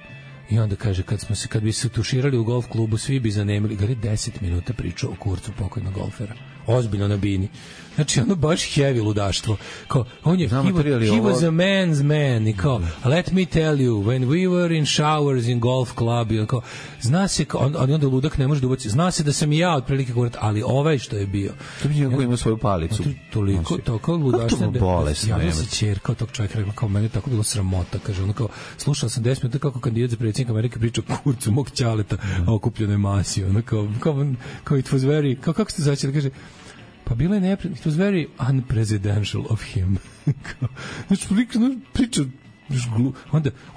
I onda kaže, kad bi se tuširali u golf klubu, svi bi zanemili, gari 10 minuta pričao o kurcu pokojnog golfera. Ozbiljno na bini. Znači, ono baš heavy ludaštvo. Kao, on je, he was a man's man. I kao, let me tell you, when we were in showers in golf club, i kao, zna se, ali onda ludak ne može da ubaci, zna se da sam i ja otprilike kurat, ali ovaj što je bio. To bi njegov ima svoju palicu. Toliko, toliko ludaštvo. Javno se čerka od tog čovjeka, rekla, kao, meni je tako bilo sramota, kaže, ono kao, slušala sam 10 minuta kako kandidat za predsjednika Amerike priča kurcu mog ćaleta, a okupljenoj masi, ono kao it was very, kako ste začeli, kaže, pa bilo je neprijatno, it was very unpresidential of him. Znači, priča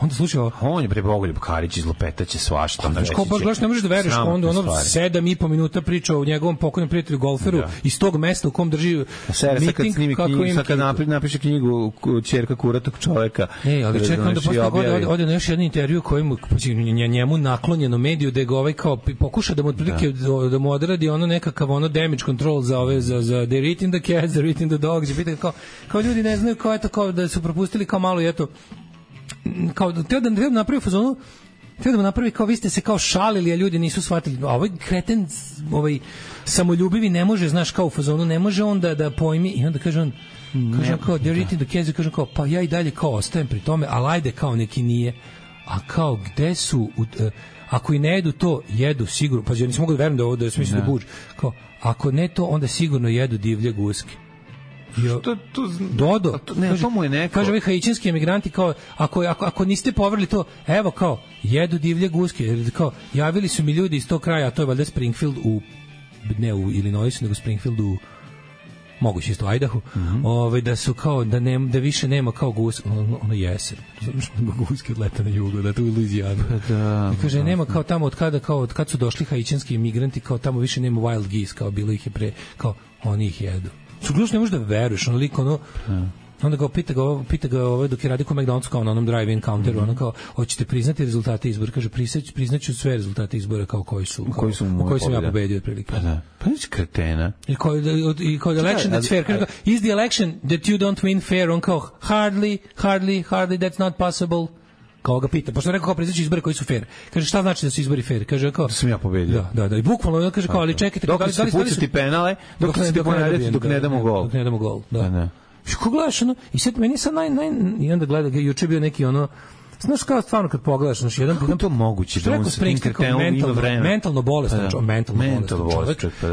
onda slušao, on je Bogoljub Karić iz Lopetaće svašta. Znači, kao baš gledaš, ne možeš da veruješ, onda 7,5 minuta priča o njegovom pokojnom prijatelju golferu iz tog mesta u kom drži miting, kad napiše knjigu Ćerka kuratog čoveka. Ali čekaj, onda posle ode na još jedan intervju kojemu njemu naklonjeno mediju da ga ovaj kao pokuša da mu otprilike da mu odradi ono nekakav ono damage control za ove za they're eating the cats, they're eating the dogs, i pita kao ljudi ne znaju kao eto, kao da su propustili kao malo i eto, kao da napravi fazonu, da napravi kao vi ste se kao šalili, a ljudi nisu shvatili. A ovaj kreten, ovaj samoljubivi ne može, znaš, kao u fazonu, ne može on da pojmi, i onda kaže on, kao they're eating the cats, kaže kao, pa ja i dalje kao ostajem pri tome, ali ajde kao neki nije. A kao, gde su, ako i ne jedu to, jedu sigurno, pa ja nisam mogu da verujem da ovo da je smisli da buđ, kao, ako ne to, onda sigurno jedu divlje guske. Što to Dodo, ne, to mu je neko. Kaže ovi haitijanski emigranti kao ako niste poverili to, evo kao jedu divlje guske, jer kao javili su mi ljudi iz tog kraja, a to je valjda Springfield ne u Illinoisu, nego Springfield u moguće isto Idaho, da su kao da više nema kao ono jesen. Guske odleta na jugu, da to u Louisianu. Kaže nema kao tamo od kad su došli haitijanski emigranti, kao tamo više nema wild geese, kao bilo ih je pre, kao oni ih jedu. Sugluš ne možeš da veruješ, ono liko, ono, onda ga pita ga dok je radio ko McDonald's, kao na onom drive-in counteru, ono kao, hoćete priznati rezultate izbora? Kaže, priznaću sve rezultate izbora kao koji sam ja pobedio otprilike. Pa neći kretena. I kao election that's fair. Kaže, is the election that you don't win fair? On kao, hardly, that's not possible. Kao ga pita, pošto je rekao kao priznaću izbore koji su fair. Kaže, šta znači da su izbori fair? Kaže, kao, da sam ja pobedio. Da, i bukvalno kaže kao, ali čekajte, dok se pucati penale, dok ne damo gol. Dok ne damo gol, da. Što gledaš, ono, i sad meni sad i onda gleda, juče bio neki ono, znaš kao stvarno kad pogledaš, znaš, jedan to moguće da on sa tim kretenom ima vreme. Mentalno bolestan čovjek,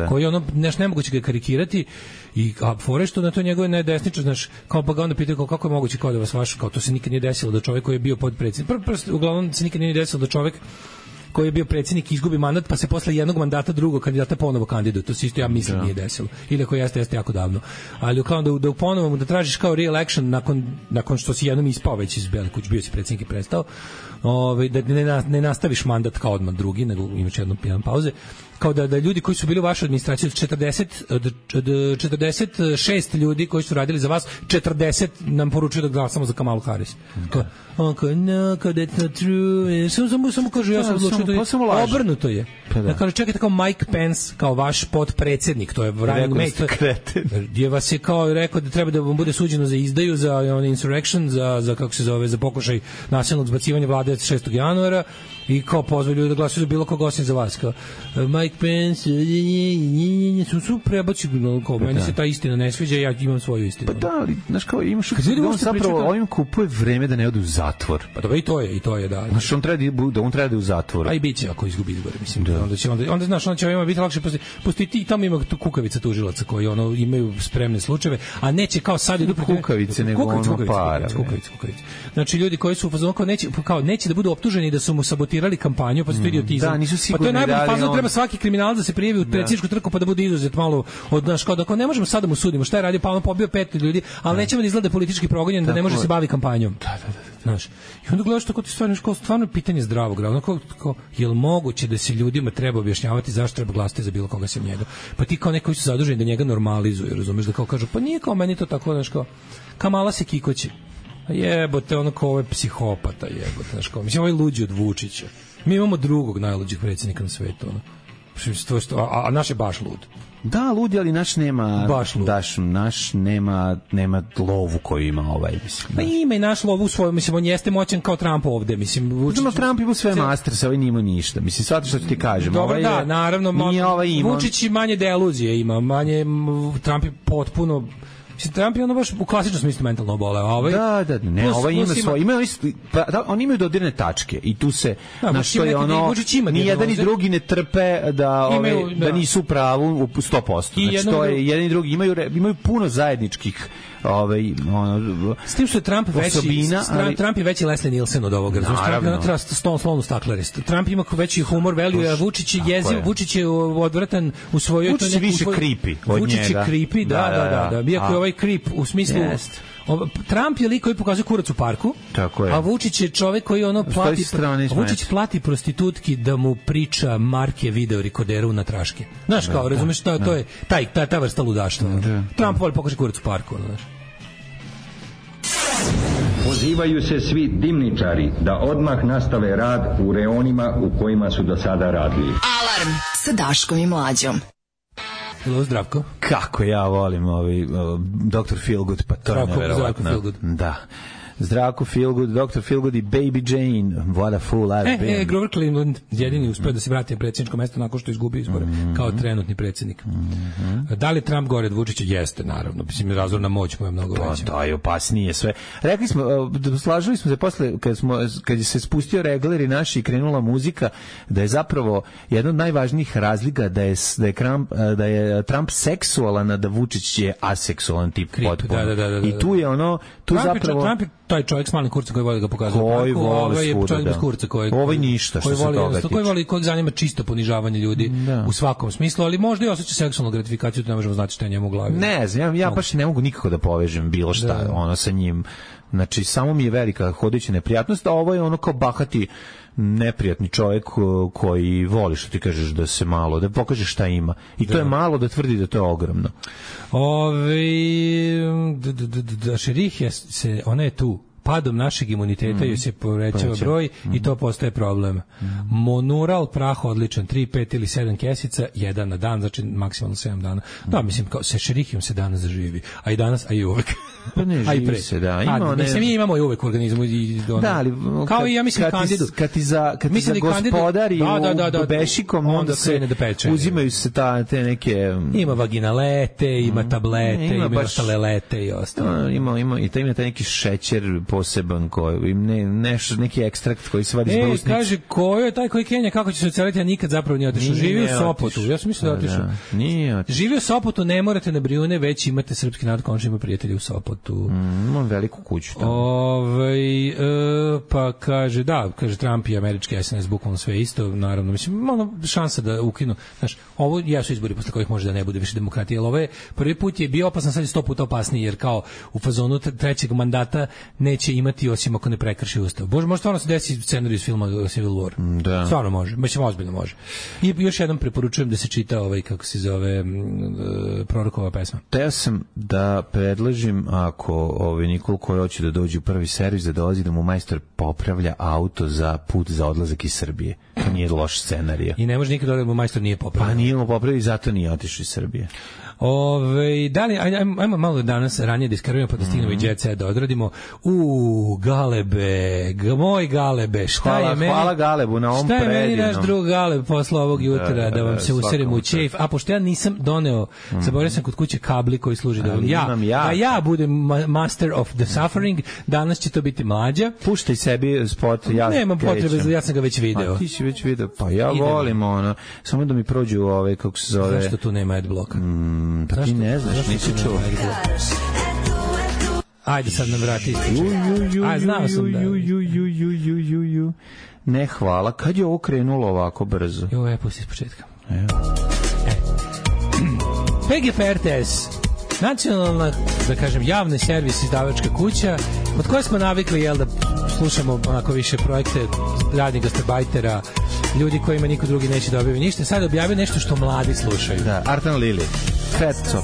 koji ono, nešto nemoguće ga karikirati, i fore što na to njegove najdesničar, znaš, kao pa ga onda pitaju kako je moguće kao da vas vaš, kao to se nikad nije desilo da čovjek koji je bio podpredsjednik, uglavnom se nikad nije desilo da čovjek koji je bio predsjednik izgubi mandat, pa se posle jednog mandata drugog kandidata ponovo kandiduje. To se isto ja mislim nije desilo. Ili ako jeste jako davno. Ali kao da ponovo da tražiš kao re-election nakon što si jednom ispao već iz Bele kuće, bio si predsjednik i prestao, da ne nastaviš mandat kao odmah drugi, nego imaš jedan pauze. Kao da ljudi koji su bili u vašoj administraciji od 46 ljudi koji su radili za vas, 40 nam poručuju da glasamo za Kamalu Harris. On kao, no, that's not true. Samo kaže, ja sam odlučio da je obrnuto je. Da kaže, čekajte, kao Mike Pence, kao vaš podpredsjednik, to je running mate, gdje vas je kao rekao da treba da vam bude suđeno za izdaju, za insurrection, za kako se zove, za pokušaj nasilnog zbacivanja vlade 6. januara, i kao pozvali ljudi da glasuju za bilo koga osim za vas. Kao, Mike Mike Pence, su prebaci, meni se ta istina ne sviđa, ja imam svoju istinu. Pa da, ali, znaš kao, imaš on zapravo ovim kupuje vreme da ne ode u zatvor. Pa dobro, i to je, da. Znaš, on treba da u zatvoru. A i bit će ako izgubi izbore, mislim. Onda znaš, onda će biti lakše, postoji ti, tamo ima kukavica tužilaca koji imaju spremne slučajeve, a neće kao sad idu kukavice, nego ono para. Kukavice. Znači, ljudi koji su u fazonu kao neće da budu optuženi da su mu sabotirali kampanju, pa su to idiotizam. Da, nisu sigurni. Pa to je najbolji fazon, treba svaki kriminalac da se prijavi u predsjedničku trku pa da bude izuzet malo od naš kao da ne možemo sada mu sudimo šta je radio, pa on pobio 5 ljudi, ali nećemo da izgleda politički progonjen, da ne može se bavi kampanjom. Da. Znaš, i onda gledaš tako ti stvarno pitanje zdravog razuma, kao jel moguće da se ljudima treba objašnjavati zašto treba glasati za bilo koga sem njega? Pa ti kao neko su zaduženi da njega normalizuju, razumeš, da kao kažu pa nije kao meni to tako, znaš, kao Kamala se kikoće. Jebote, ono kao ovaj psihopata, jebote, znaš, kao mislim ovaj luđi od Vučića. Mi imamo drugog najluđih predsjednika na svetu, ono. A naš je baš lud. Da, ludi, ali naš nema naš nema lovu koju ima ovaj, mislim. Pa ima i naš lovu svoju, mislim, on jeste moćan kao Trump ovde, mislim. Vučić, Trump ima sve masterse, ovaj nima ništa. Mislim, shvataš što ti kažem. Dobro, ovaj da, naravno, Vučić manje deluzije ima, manje, Trump je potpuno... Trump je ono baš u klasičnom smislu mentalno oboleo, a ovaj ovaj ima svoje, oni imaju dodirne tačke i tu se na što je ono ni jedan ni drugi ne trpe da nisu u pravu u 100%. Znači to je jedan i drugi imaju puno zajedničkih s tim što je Trump je veći Leslie Nielsen od ovoga, slovno staklarist. Trump ima veći humor, value, a Vučić je jeziv, Vučić je odvratan u svojoj... Vučić je više creepy od njega. Vučić je creepy, da. Iako je ovaj creep u smislu... Trump je lik koji pokazuje kurac u parku, a Vučić je čovek koji Vučić plati prostitutki da mu priča marke video rekorderu na traške. Znaš, kao, razumeš, to je ta vrsta ludaštva. Trump voli pokaže kurac u parku, znaš. Pozivaju se svi dimničari da odmah nastave rad u reonima u kojima su do sada radili. Alarm sa Daškom i Mlađom. Hello, Zdravko. Kako ja volim Dr. Feelgood, pa to je nevjerovatno. Da. Zdravko Feelgood, Dr. Feelgood i Baby Jane, what a fool I've been. Grover Cleveland jedini uspeo da se vrati na predsjedničko mesto nakon što je izgubio izbore kao trenutni predsjednik. Da li Trump gore od Vučića? Jeste, naravno. Mislim, razorna moć mu je mnogo veća. Da, je opasnije sve. Rekli smo, slažili smo se posle, kad se spustio regler i naši i krenula muzika, da je zapravo jedna od najvažnijih razlika da je Trump seksualan, a da Vučić je aseksualan tip potpuno. I tu je ono, Trump je taj čovjek s malim kurcem koji voli ga pokazati. Koji voli je čovjek bez kurca koji ništa što se toga tiče. Koji zanima čisto ponižavanje ljudi u svakom smislu, ali možda i osjeća seksualnu gratifikaciju, to ne možemo znati šta je njemu u glavi. Ne znam, ja baš ne mogu nikako da povežem bilo šta ono sa njim. Znači, samo mi je velika hodajuća neprijatnost, a ovo je ono kao bahati neprijatni čovjek koji voli, što ti kažeš, da se malo, da pokaže šta ima. I to je malo da tvrdi da to je ogromno. Šerih ona je tu. Padom našeg imuniteta joj se povećava broj i to postaje problem. Monural prah odličan, 3, 5 ili 7 kesica, jedan na dan, znači maksimalno 7 dana. Da, mislim, kao sa šerihijom se danas zaživi. A i danas, a i uvek. Pa ne živi se, da. Mi imamo i uvek u organizmu. Da, ali kao i ja mislim kandidu. Kad ti za gospodari u bešikom, onda se uzimaju se te neke... Ima vaginalete, ima tablete, ima ostale lete i ostalo. Ima i taj neki šećer poseban koji neki ekstrakt koji se vadi iz brusnice. Kaže, ko je taj koji Kenja, kako će se oceliti, a nikad zapravo nije otišao. Živi u Sopotu. Ja sam mislio da otišao. Nije otišao. Živi u Sopotu, ne morate na Brijune, već imate srpski narod, končno ima prijatelji u Sopotu. Imam veliku kuću tamo. Pa kaže, Trump i američki SNS bukvalno sve isto, naravno. Mislim, šansa da ukinu. Znaš, ovo jesu izbori posle kojih može da ne bude više demokratije, ali ovo je prvi put je bio opasan, sad je 100 puta opasniji, jer kao u fazonu trećeg mandata neće imati osim ako ne prekrši ustav. Bože, može stvarno se desi scenarij iz filma Civil War. Da. Stvarno može. Mislim, ozbiljno može. I još jednom preporučujem da se čita kako se zove Prorokova pesma. Teo sam da predložim, ako Nikol koji hoće da dođe u prvi servis, da dolazi da mu majstor popravlja auto za put za odlazak iz Srbije. To nije loš scenarij. I ne može nikad da mu majstor nije popravio. Pa nije mu popravio i zato nije otišao iz Srbije. Da li, ajmo malo danas ranije da iskarujemo pa da stignemo i Jet Set da odradimo. Galebe, moj Galebe, hvala Galebu na ovom predivnom. Šta je meni naš drug Galeb posle ovog jutra da vam se userimo u ćef, a pošto ja nisam doneo, zaboravio sam kod kuće kabli koji služi da vam ja budem master of the suffering, danas će to biti Mlađa. Puštaj sebi spot, ja nemam potrebe, ja sam ga već video. Ti si već video, pa ja volim ono, samo da mi prođu kako se zove. Zašto tu nema adblocka? Pa ti ne znaš, nisi čuo. Ajde sad nam vrati ističe. Znao sam da. Ne, hvala. Kad je ovo krenulo ovako brzo? Pusti iz početka. PGP RTS, nacionalna, da kažem, javni servis izdavačka kuća, od koje smo navikli, da slušamo onako više projekte radnih gastarbajtera, ljudi kojima niko drugi neće da objavi ništa. Sad objavio nešto što mladi slušaju. Da, Artan Lili, Fat Top.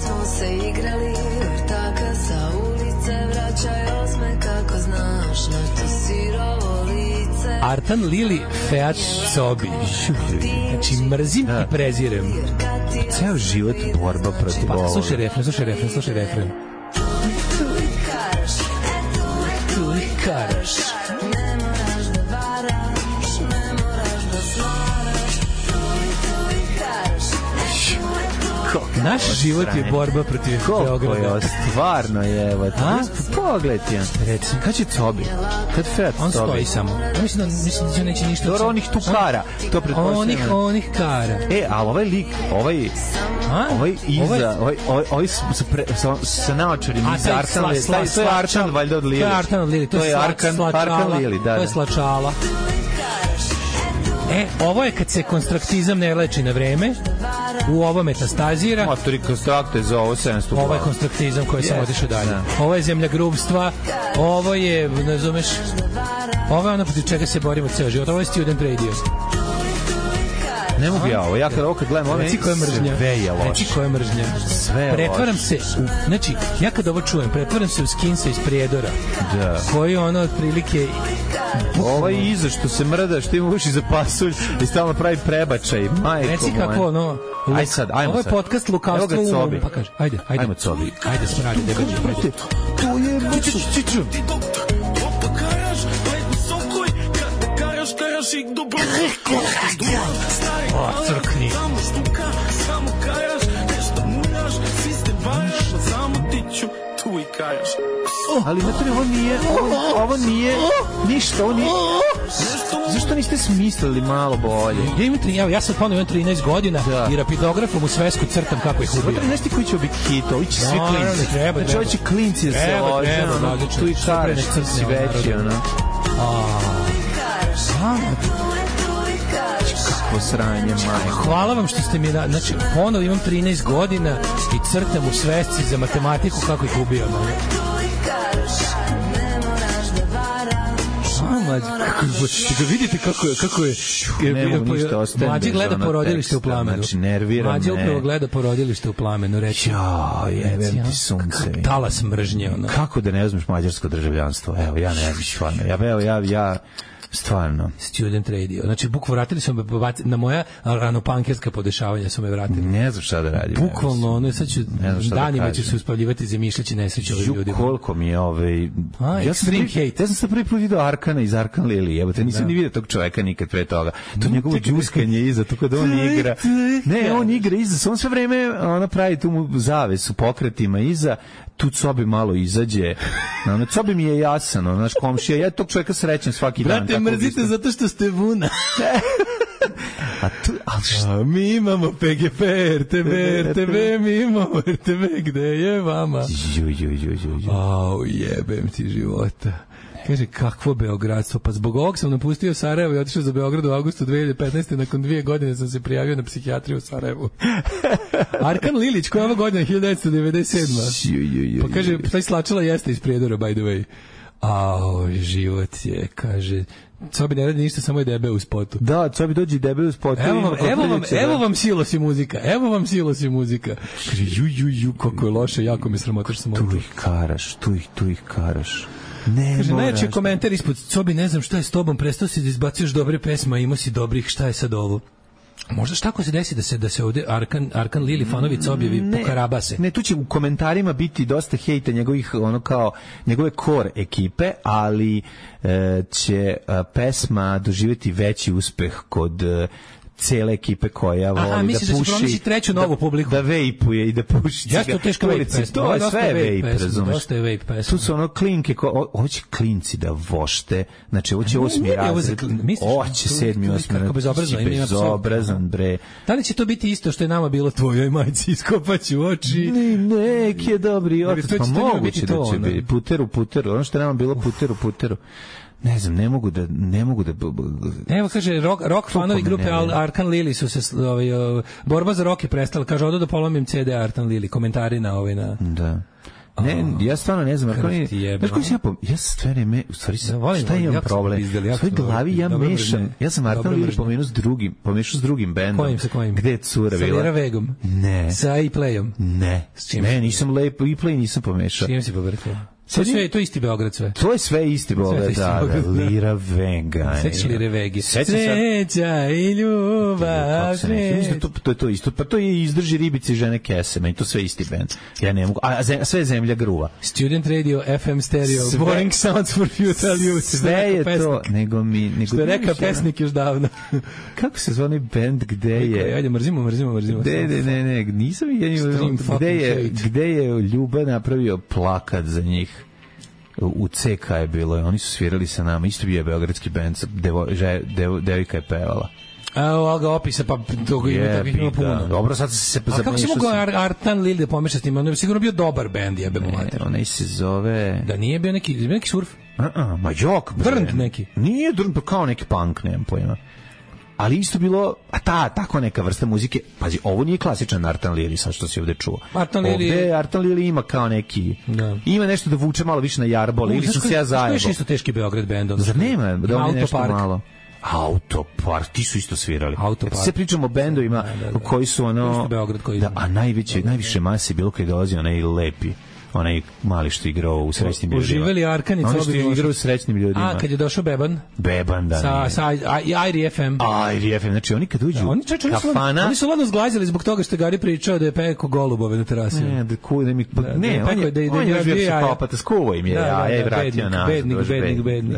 Artan Lili, Feat Sobi. Znači, mrzim i prezirem. Ceo život borba protiv ovoga. Slušaj refren. Tu ih karaš. Naš život je borba protiv Beograda. Stvarno je, evo. Pogled je. Reci. Kad će Cobi? Kad Fat Cobi? On stoji samo. Mislim da neće ništa. Dobro, onih tu kara. To pretpostavljam. Onih kara. Ali ovaj lik, ovaj iza, ovaj sa naočarima iza Artan Lili. To je Artan valjda od Lili. To je Artan od Lili. To je Arkan Lili, da. To je slačala. Ovo je kad se konstraktizam ne leči na vreme, u ovo metastazira. Motori konstrakte za ovo 700. Ovo je konstraktizam koji sam otišao dalje. Ovo je zemlja grubstva, ovo je, ne zumeš, ovo je ono protiv čega se borimo ceo život, ovo je Student Radio. Ne mogu ja ovo, ja kad gledam ovo, sve je loš. Reci koja je mržnja. Pretvaram se, znači, ja kad ovo čujem, pretvaram se u Skinsa iz Prijedora, koji ono otprilike... Ovaj iza što se mrda, što ima uši za pasulj i stalno pravi prebačaj. Reci kako ono... Ajde sad. Ovo je podcast Lukavstvo umom. Pa kaže, ajde. Ajmo Cobi. Ajde, smradi, debeđe. To je... Čiču. Crkni. Ali materi, ovo nije ništa, ovo nije... Zašto niste smislili malo bolje? Ja sam ponovno 13 godina i rapidografom u svesku crtam kako ih ubio. Znaš ti koji će biti hit? Ovi će svi klinci. Znači, ovi će klinci da se lože. Tu i karaš, si veći, ono. Kako sranje, majko. Hvala vam što ste mi... Znači, ponovo imam 13 godina i crtam u svesci za matematiku kako ih ubijam. Da vidite kako je Mlađi gleda porodilište u plamenu. Mlađi upravo gleda porodilište u plamenu. Reći, jebem ti sunce. Talas mržnje. Kako da ne uzmeš mađarsko državljanstvo? Evo, ja ne biš stvarno. Ja stvarno. Student Radio. Znači, vratili su me na moja ranopankerska podešavanja su me vratili. Ne znam šta da radim. Bukvalno, ono, sad ću danima ću se uspavljivati zamišljaći nesreće ovim ljudima. Koliko mi je extreme hate. Ja sam sad prvi put vidio Arkana iz Arkan Lili. Evo te, nisam ni vidio tog čoveka nikad pre toga. To njegovo džuskanje iza, to kada on igra. Ne, on igra iza. On sve vreme pravi tu mu zavesu pokretima iza. Tu Cobi malo izađe. Cobi mi je jasan, naš komšija. Ja tog čovjeka srećem svaki dan. Brate, mrzite zato što ste vuna. Mi imamo PGP, RTV, mi imamo RTV, gde je vama? Jebem ti života. Kaže, kakvo beogradstvo? Pa zbog ovog sam napustio Sarajevo i otišao za Beograd u avgustu 2015. Nakon 2 godine sam se prijavio na psihijatriju u Sarajevu. Arkan Lilić, koja je ova godina? 1997. Pa kaže, taj slačala jeste iz Prijedora, by the way. Život je, kaže... Cobi ne radi ništa, samo je debe u spotu. Da, Cobi dođe i debe u spotu. Evo vam silos i muzika. Kaže, kako je loše, jako me sramotaš sam tu ih karaš. Kaže, najjači komentar ispod Cobi, ne znam šta je s tobom, prestao si da izbacuješ dobre pesme, a imao si dobrih, šta je sad ovo? Možda šta ako se desi da se ovde Arkan Lili fanovica objavi po Karabase? Ne, tu će u komentarima biti dosta hejta njegovih, ono kao, njegove core ekipe, ali će pesma doživjeti veći uspeh kod cele ekipe koja voli da puši, da će treću novu publiku, da vejpuje i da puši cigaret. Jeste to teška vape pesma. To je sve vape, razumeš? Dosta je vape pesma. Tu su ono klinke, hoće klinci da vošte, znači ovo će 8. razred, hoće 7. 8. Kako bezobrazan, bre. Da li će to biti isto što je nama bilo tvojoj majci, iskopaću oči? Nek je dobri otac, pa moguće da će biti puteru, ono što je nama bilo puteru. Ne znam, ne mogu da Evo kaže rock fanovi grupe Arkan Lili su se borba za rock je prestala, kaže odo da polomim CD Arkan Lili, komentari na Da. Ne, ja stvarno ne znam, ja sve vreme, u stvari, šta imam problem? U svoj glavi ja mešam, ja sam Arkan Lili pomešao s drugim bendom. Kojim? Gde je cura bila? Sa Lira Vegom? Ne. Sa E-Playom? Ne. Ne, nisam E-Play nisam pomešao. Čim si povrtao? To je isti Beograd sve. To je sve isti Beograd, da. Lira Vega. Sećaš Lire Vegi? Sreća i ljubav. To je to isto. Pa to je Izdrži ribice i žene kese. Meni to sve isti band. Ja ne mogu. A sve je Zemlja gruva. Student radio, FM stereo, boring sounds for futile youth. Sve je to. Što je rekao pesnik još davno. Kako se zvoni band gde je? Ajde, mrzimo. Ne. Nisam gde je Ljuba napravio plakat za njih. U CK je bilo, oni su svirali sa nama, isto bio je beogradski bend, devojka je pevala. Evo ga opisa, pa toga ima puno. Dobro, sad se a kako si mogo Arkan Lili da pomeša s tim? On je sigurno bio dobar bend, jebemo mater. Onaj se zove... Da nije bio neki surf? Ma jok. Drnt neki? Nije drnt, pa kao neki punk, nemam pojma. Ali isto bilo, tako neka vrsta muzike, pazi, ovo nije klasičan Arkan Lili, sad što si ovde čuo. Arkan Lili ima kao neki, ima nešto da vuče malo više na jarbol, ili sam se ja zajebao. Što je isto teški Beograd bend? Zar nema? Da on je nešto malo. Autopark, ti su isto svirali. Sve pričamo o bendovima koji su ono... A najviše mase bilo koji dolazi onaj lepi. Onaj mali što igrao u srećnim ljudima. Uživali Arkanic. Oni što igrao u srećnim ljudima. A, kad je došao Beban? Beban, da. Sa Airi FM. Airi FM, znači oni kad uđu kafana... Oni su ladno zglazili zbog toga što je Gari pričao da je peko golubove na terasi. Ne, on je živio psihopata, skuvo im je jaja i vratio nas. Bednik.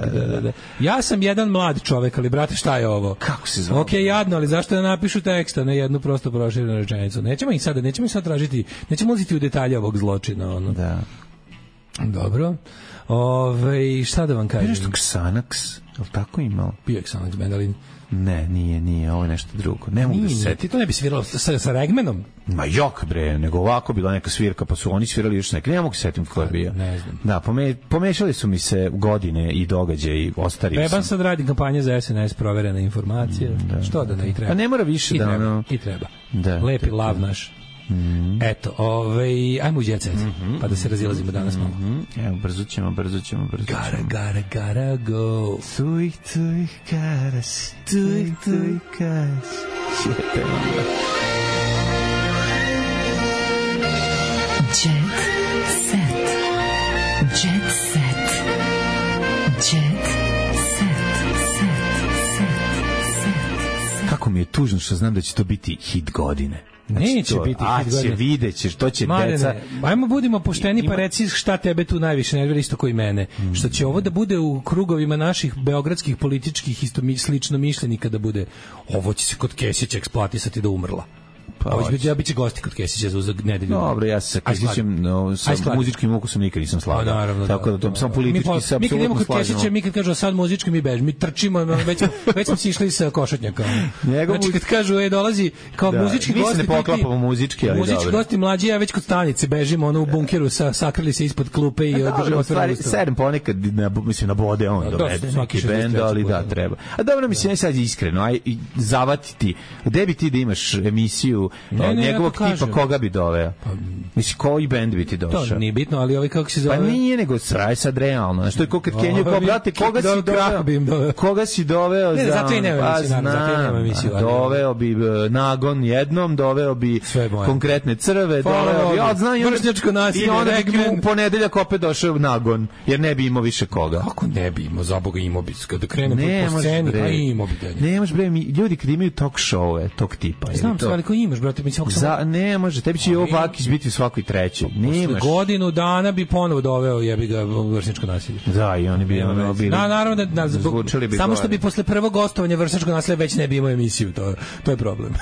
Ja sam jedan mlad čovek, ali brate, šta je ovo? Kako se zove? Ok, jadno, ali zašto da napišu teksta na jednu prosto proširenu rečenicu? Nećemo ih sad tražiti, nećemo ulaziti u detalje ovog zločina, ono. Da. Dobro. Šta da vam kažem? Nešto Xanax, je li tako imao? Bio Xanax band, ali... Ne, nije, ovo je nešto drugo. Ne mogu da se seti. Ti to ne bi sviralo sa Regmanom? Ma jok bre, nego ovako bila neka svirka, pa su oni svirali još neke. Ne mogu se setim ko je bio. Ne znam. Da, pomešali su mi se godine i događaje i ostario Beban sad radi kampanje za SNS, proverene informacije. Što da ne i treba. A ne mora više da... I treba. Lepi lav naš. Eto, ajmo u Jet Set, pa da se razilazimo danas malo. Evo, brzo ćemo. Gotta go. Tuj, karas. Tuj, karas. Sjete onda. Jet Set. Jet Set. Jet Set. Kako mi je tužno što znam da će to biti hit godine. Neće biti hit godine. Vidjet ćeš, to će deca... Ajmo budimo pošteni pa reci šta tebe tu najviše nervira isto koji mene. Što će ovo da bude u krugovima naših beogradskih političkih slično mišljenika da bude, ovo će se kod Kesića eksploatisati da umrla. Ja biće gosti kod Kesića za nedelju. Dobro, ja se sa Kesićem sa muzičkim ukusom nikad nisam slagao. Tako da to samo politički se apsolutno kod Kesića, mi kad kažu sad muzički mi bežimo, mi trčimo, već smo si išli sa košatnjaka. Znači kad kažu dolazi kao muzički gosti, mi se ne poklapamo muzički, ali dobro. Muzički gosti mlađi, ja već kod stanice bežimo, ono u bunkeru sakrili se ispod klupe i držimo otvorili usta. Sedem ponekad, mislim, na bode on dovede neki bend, ali da, treba. A dobro, mislim, sad je iskreno, aj zavatiti, gde bi ti da imaš emisiju emisiju njegovog tipa, koga bi doveo? Misli, koji bend bi ti došao? To nije bitno, ali ovaj kako se zove... Pa nije, nego sraj sad realno. Znaš, to je ko kad Kenju, kao, brate, koga si doveo za... Ne, zato i nema emisiju. Doveo bi Nagon jednom, doveo bi konkretne crve, doveo bi... Vršnjačko nasilje, i onda bi u ponedeljak opet došao Nagon, jer ne bi imao više koga. Kako ne bi imao, za Boga imao bi, kada krene po sceni, pa imao bi dalje. Ne može, bre, ljudi kad imaju talk show tog tipa. Znam se, ali ko imaš, brate, mislim... Ne može, tebi će i ovo Vakić biti u svakoj trećoj. Posle godinu dana bi ponovo doveo, jebi ga, vršnjačko nasilje. Da, i oni bi bili... Naravno da samo što bi posle prvog gostovanja vršnjačkog nasilja već ne bi imao emisiju, to je problem.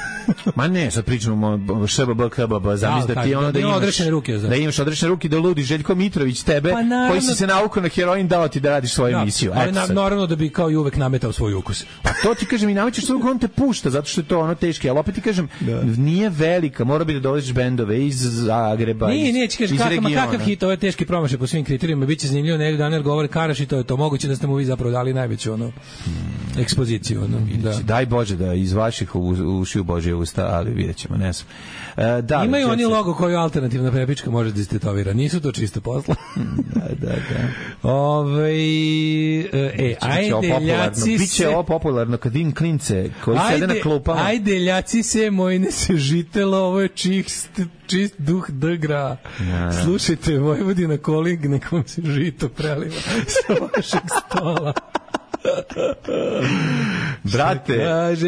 Ma ne, sad pričamo ŠBB, KBB, zamisli da ti ono da imaš odrešene ruke, da ludi Željko Mitrović tebe, koji si se naukao na heroin, dao ti da radiš svoju emisiju. Ali naravno da bi kao i uvek nametao svoj ukus. Pa to ti kažem, i namećeš svoj ukus, on te pušta, zato što je to ono teški, ali opet ti kažem, nije velika, mora bi da dovodiš bendove iz Zagreba, iz regiona. Kakav hit, ovo je teški promašaj po svim kriterijima, bit će zanimljivo, negdje Daniel govori Karaš i to je to, moguće da ste mu vi zapravo dali najveću ekspoziciju. Daj Bože da iz vaših ušiju Božje usta, ali vidjet ćemo, ne znam. Imaju oni logo koju alternativna prepička može da istetovira, nisu to čisto posla. Da. Ajde, ljaci se... Biće ovo popularno kad vidim klince koji sede na klupama. Ajde, ljaci se, mojne se žitelo, ovo je čist duh dgra. Slušajte, Vojvodina Koling, nekom se žito preliva sa vašeg stola. Brate,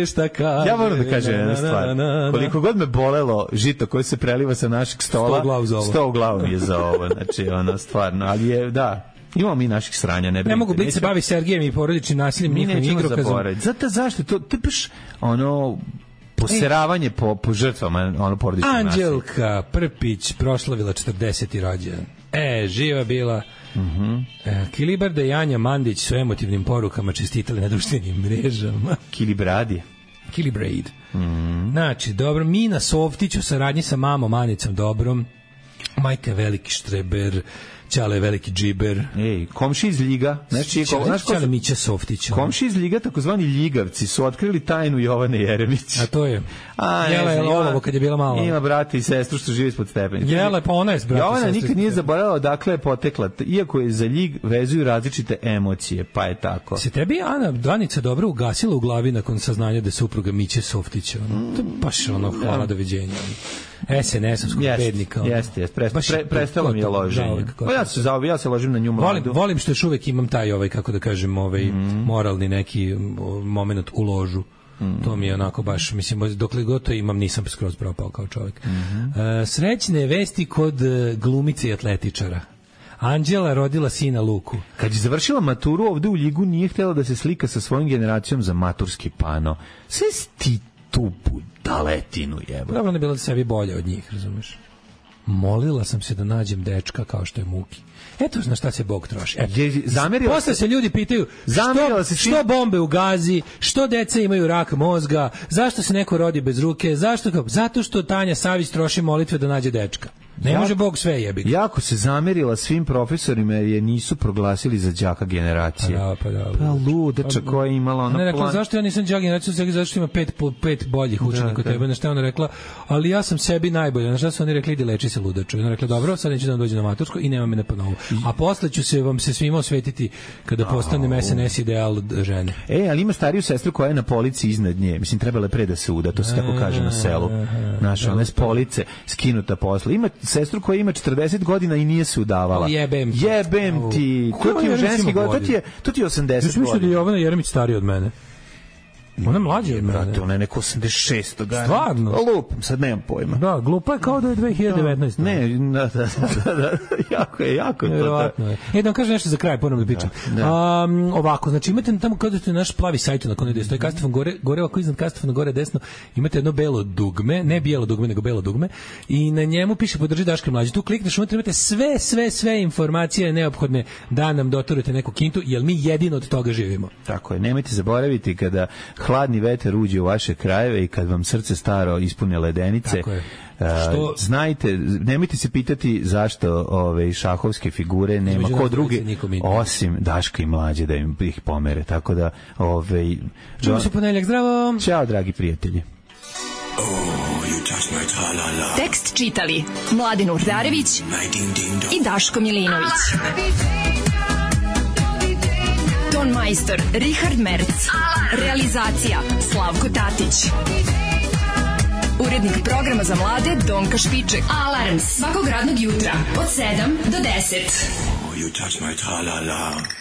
šta kaže, ja moram da kažem jedna stvar. Koliko god me bolelo žito koje se preliva sa našeg stola, 100 u glavu mi je za ovo. Znači, ono, stvarno, ali je, da, imamo mi naših sranja. Ne mogu biti se bavi Sergejem i porodičnim nasiljem, njihovim igrokazom. Zašto? To je baš, ono... poseravanje po žrtvama, ono porodično nasilje. Anđelka Prpić proslavila 40. rođendan. Živa bila. Kilibarda i Anja Mandić su emotivnim porukama čestitali na društvenim mrežama. Kilibradi. Kilibrade. Znači, dobro, Mina Softić u saradnji sa mamom Anicom Dobrom, majka veliki štreber, Ćale je veliki džiber. Komši iz Ljiga. Ćale Mića Softić. Komši iz Ljiga, takozvani Ljigavci, su otkrili tajnu Jovane Jeremić. A to je. Jela je olovo kad je bila mala. Ima brata i sestru što živi ispod stepenica. Jela, pa ona je s brata. Jovana nikad nije zaboravila odakle je potekla, iako je za Ljig vezuju različite emocije, pa je tako. Se tebi Ana Danica dobro ugasila u glavi nakon saznanja da je supruga Miće Softića? To je baš hvala doviđenja. SNS-ovskog bednika. Jeste. Prestalo mi je loženje. Ja se ložim na nju mladu. Volim što još uvek imam taj, kako da kažem, moralni neki moment u ložu. To mi je onako baš, mislim, dokle god to imam, nisam skroz propao kao čovjek. Srećne vesti kod glumice i atletičara. Anđela rodila sina Luku. Kad je završila maturu ovde u Ljigu, nije htjela da se slika sa svojom generacijom za maturski pano. Sve sti tu budaletinu jeba. Dobro, ne bila da sebi bolje od njih, razumeš? Molila sam se da nađem dečka kao što je Muki. Eto na šta se Bog troši. Posle se ljudi pitaju što bombe u Gazi, što deca imaju rak mozga, zašto se neko rodi bez ruke, zato što Tanja Savić troši molitve da nađe dečka. Ne može Bog sve jebi. Jako se zamerila svim profesorima jer je nisu proglasili za đaka generacije. Pa ludeča koja je imala ona plan. Rekla, zašto ja nisam đak generacije, zašto ima pet boljih učenika tebe. Na šta ona rekla, ali ja sam sebi najbolja. Na šta su oni rekli, idi leči se ludaču. Ona rekla, dobro, sad neću da vam dođe na matursko i nema me na ponovu. A posle ću vam se svima osvetiti kada postanem SNS ideal žene. Ali ima stariju sestru koja je na polici iznad nje. Mislim, trebala je pre da se uda, to se tako kaže na selu. Naša, ona je s police skinuta posle. Ima sestru koja ima 40 godina i nije se udavala. Jebem ti. To ti je ženski god, to ti je 80 godina. Ja mislim da je Jovana Jeremić starija od mene. Ona je mlađa od mene. Ona je neko 86. Stvarno? Lupam, sad nemam pojma. Da, glupa je kao da je 2019. Ne, da. Jako je to. Da vam kažem nešto za kraj, ponovno da pričam. Ovako, znači imate tamo kada ste naš plavi sajt na kone gde stoji Kastefan gore, ovako iznad Kastefana gore desno, imate jedno belo dugme, ne bijelo dugme, nego belo dugme, i na njemu piše podrži Daška mlađe. Tu klikneš, imate sve informacije neophodne da nam doturite neku kintu, jer mi jedino od toga živimo. Tako je, nemojte zaboraviti kada hladni vetar uđe u vaše krajeve i kad vam srce staro ispune ledenice. Znajte, nemojte se pitati zašto šahovske figure nema ko drugi osim Daška i Mlađe da im ih pomere. Tako da čujemo se ponedjeljak, zdravo. Ćao dragi prijatelji. Oh, you just Tekst čitali Mladin Urdarević i Daško Milinović. Ton majstor Richard Merc. Realizacija Slavko Tatić. Urednik programa za mlade Donka Špiček. Alarms svakog radnog jutra od 7 do 10. You touch my tra-la-la.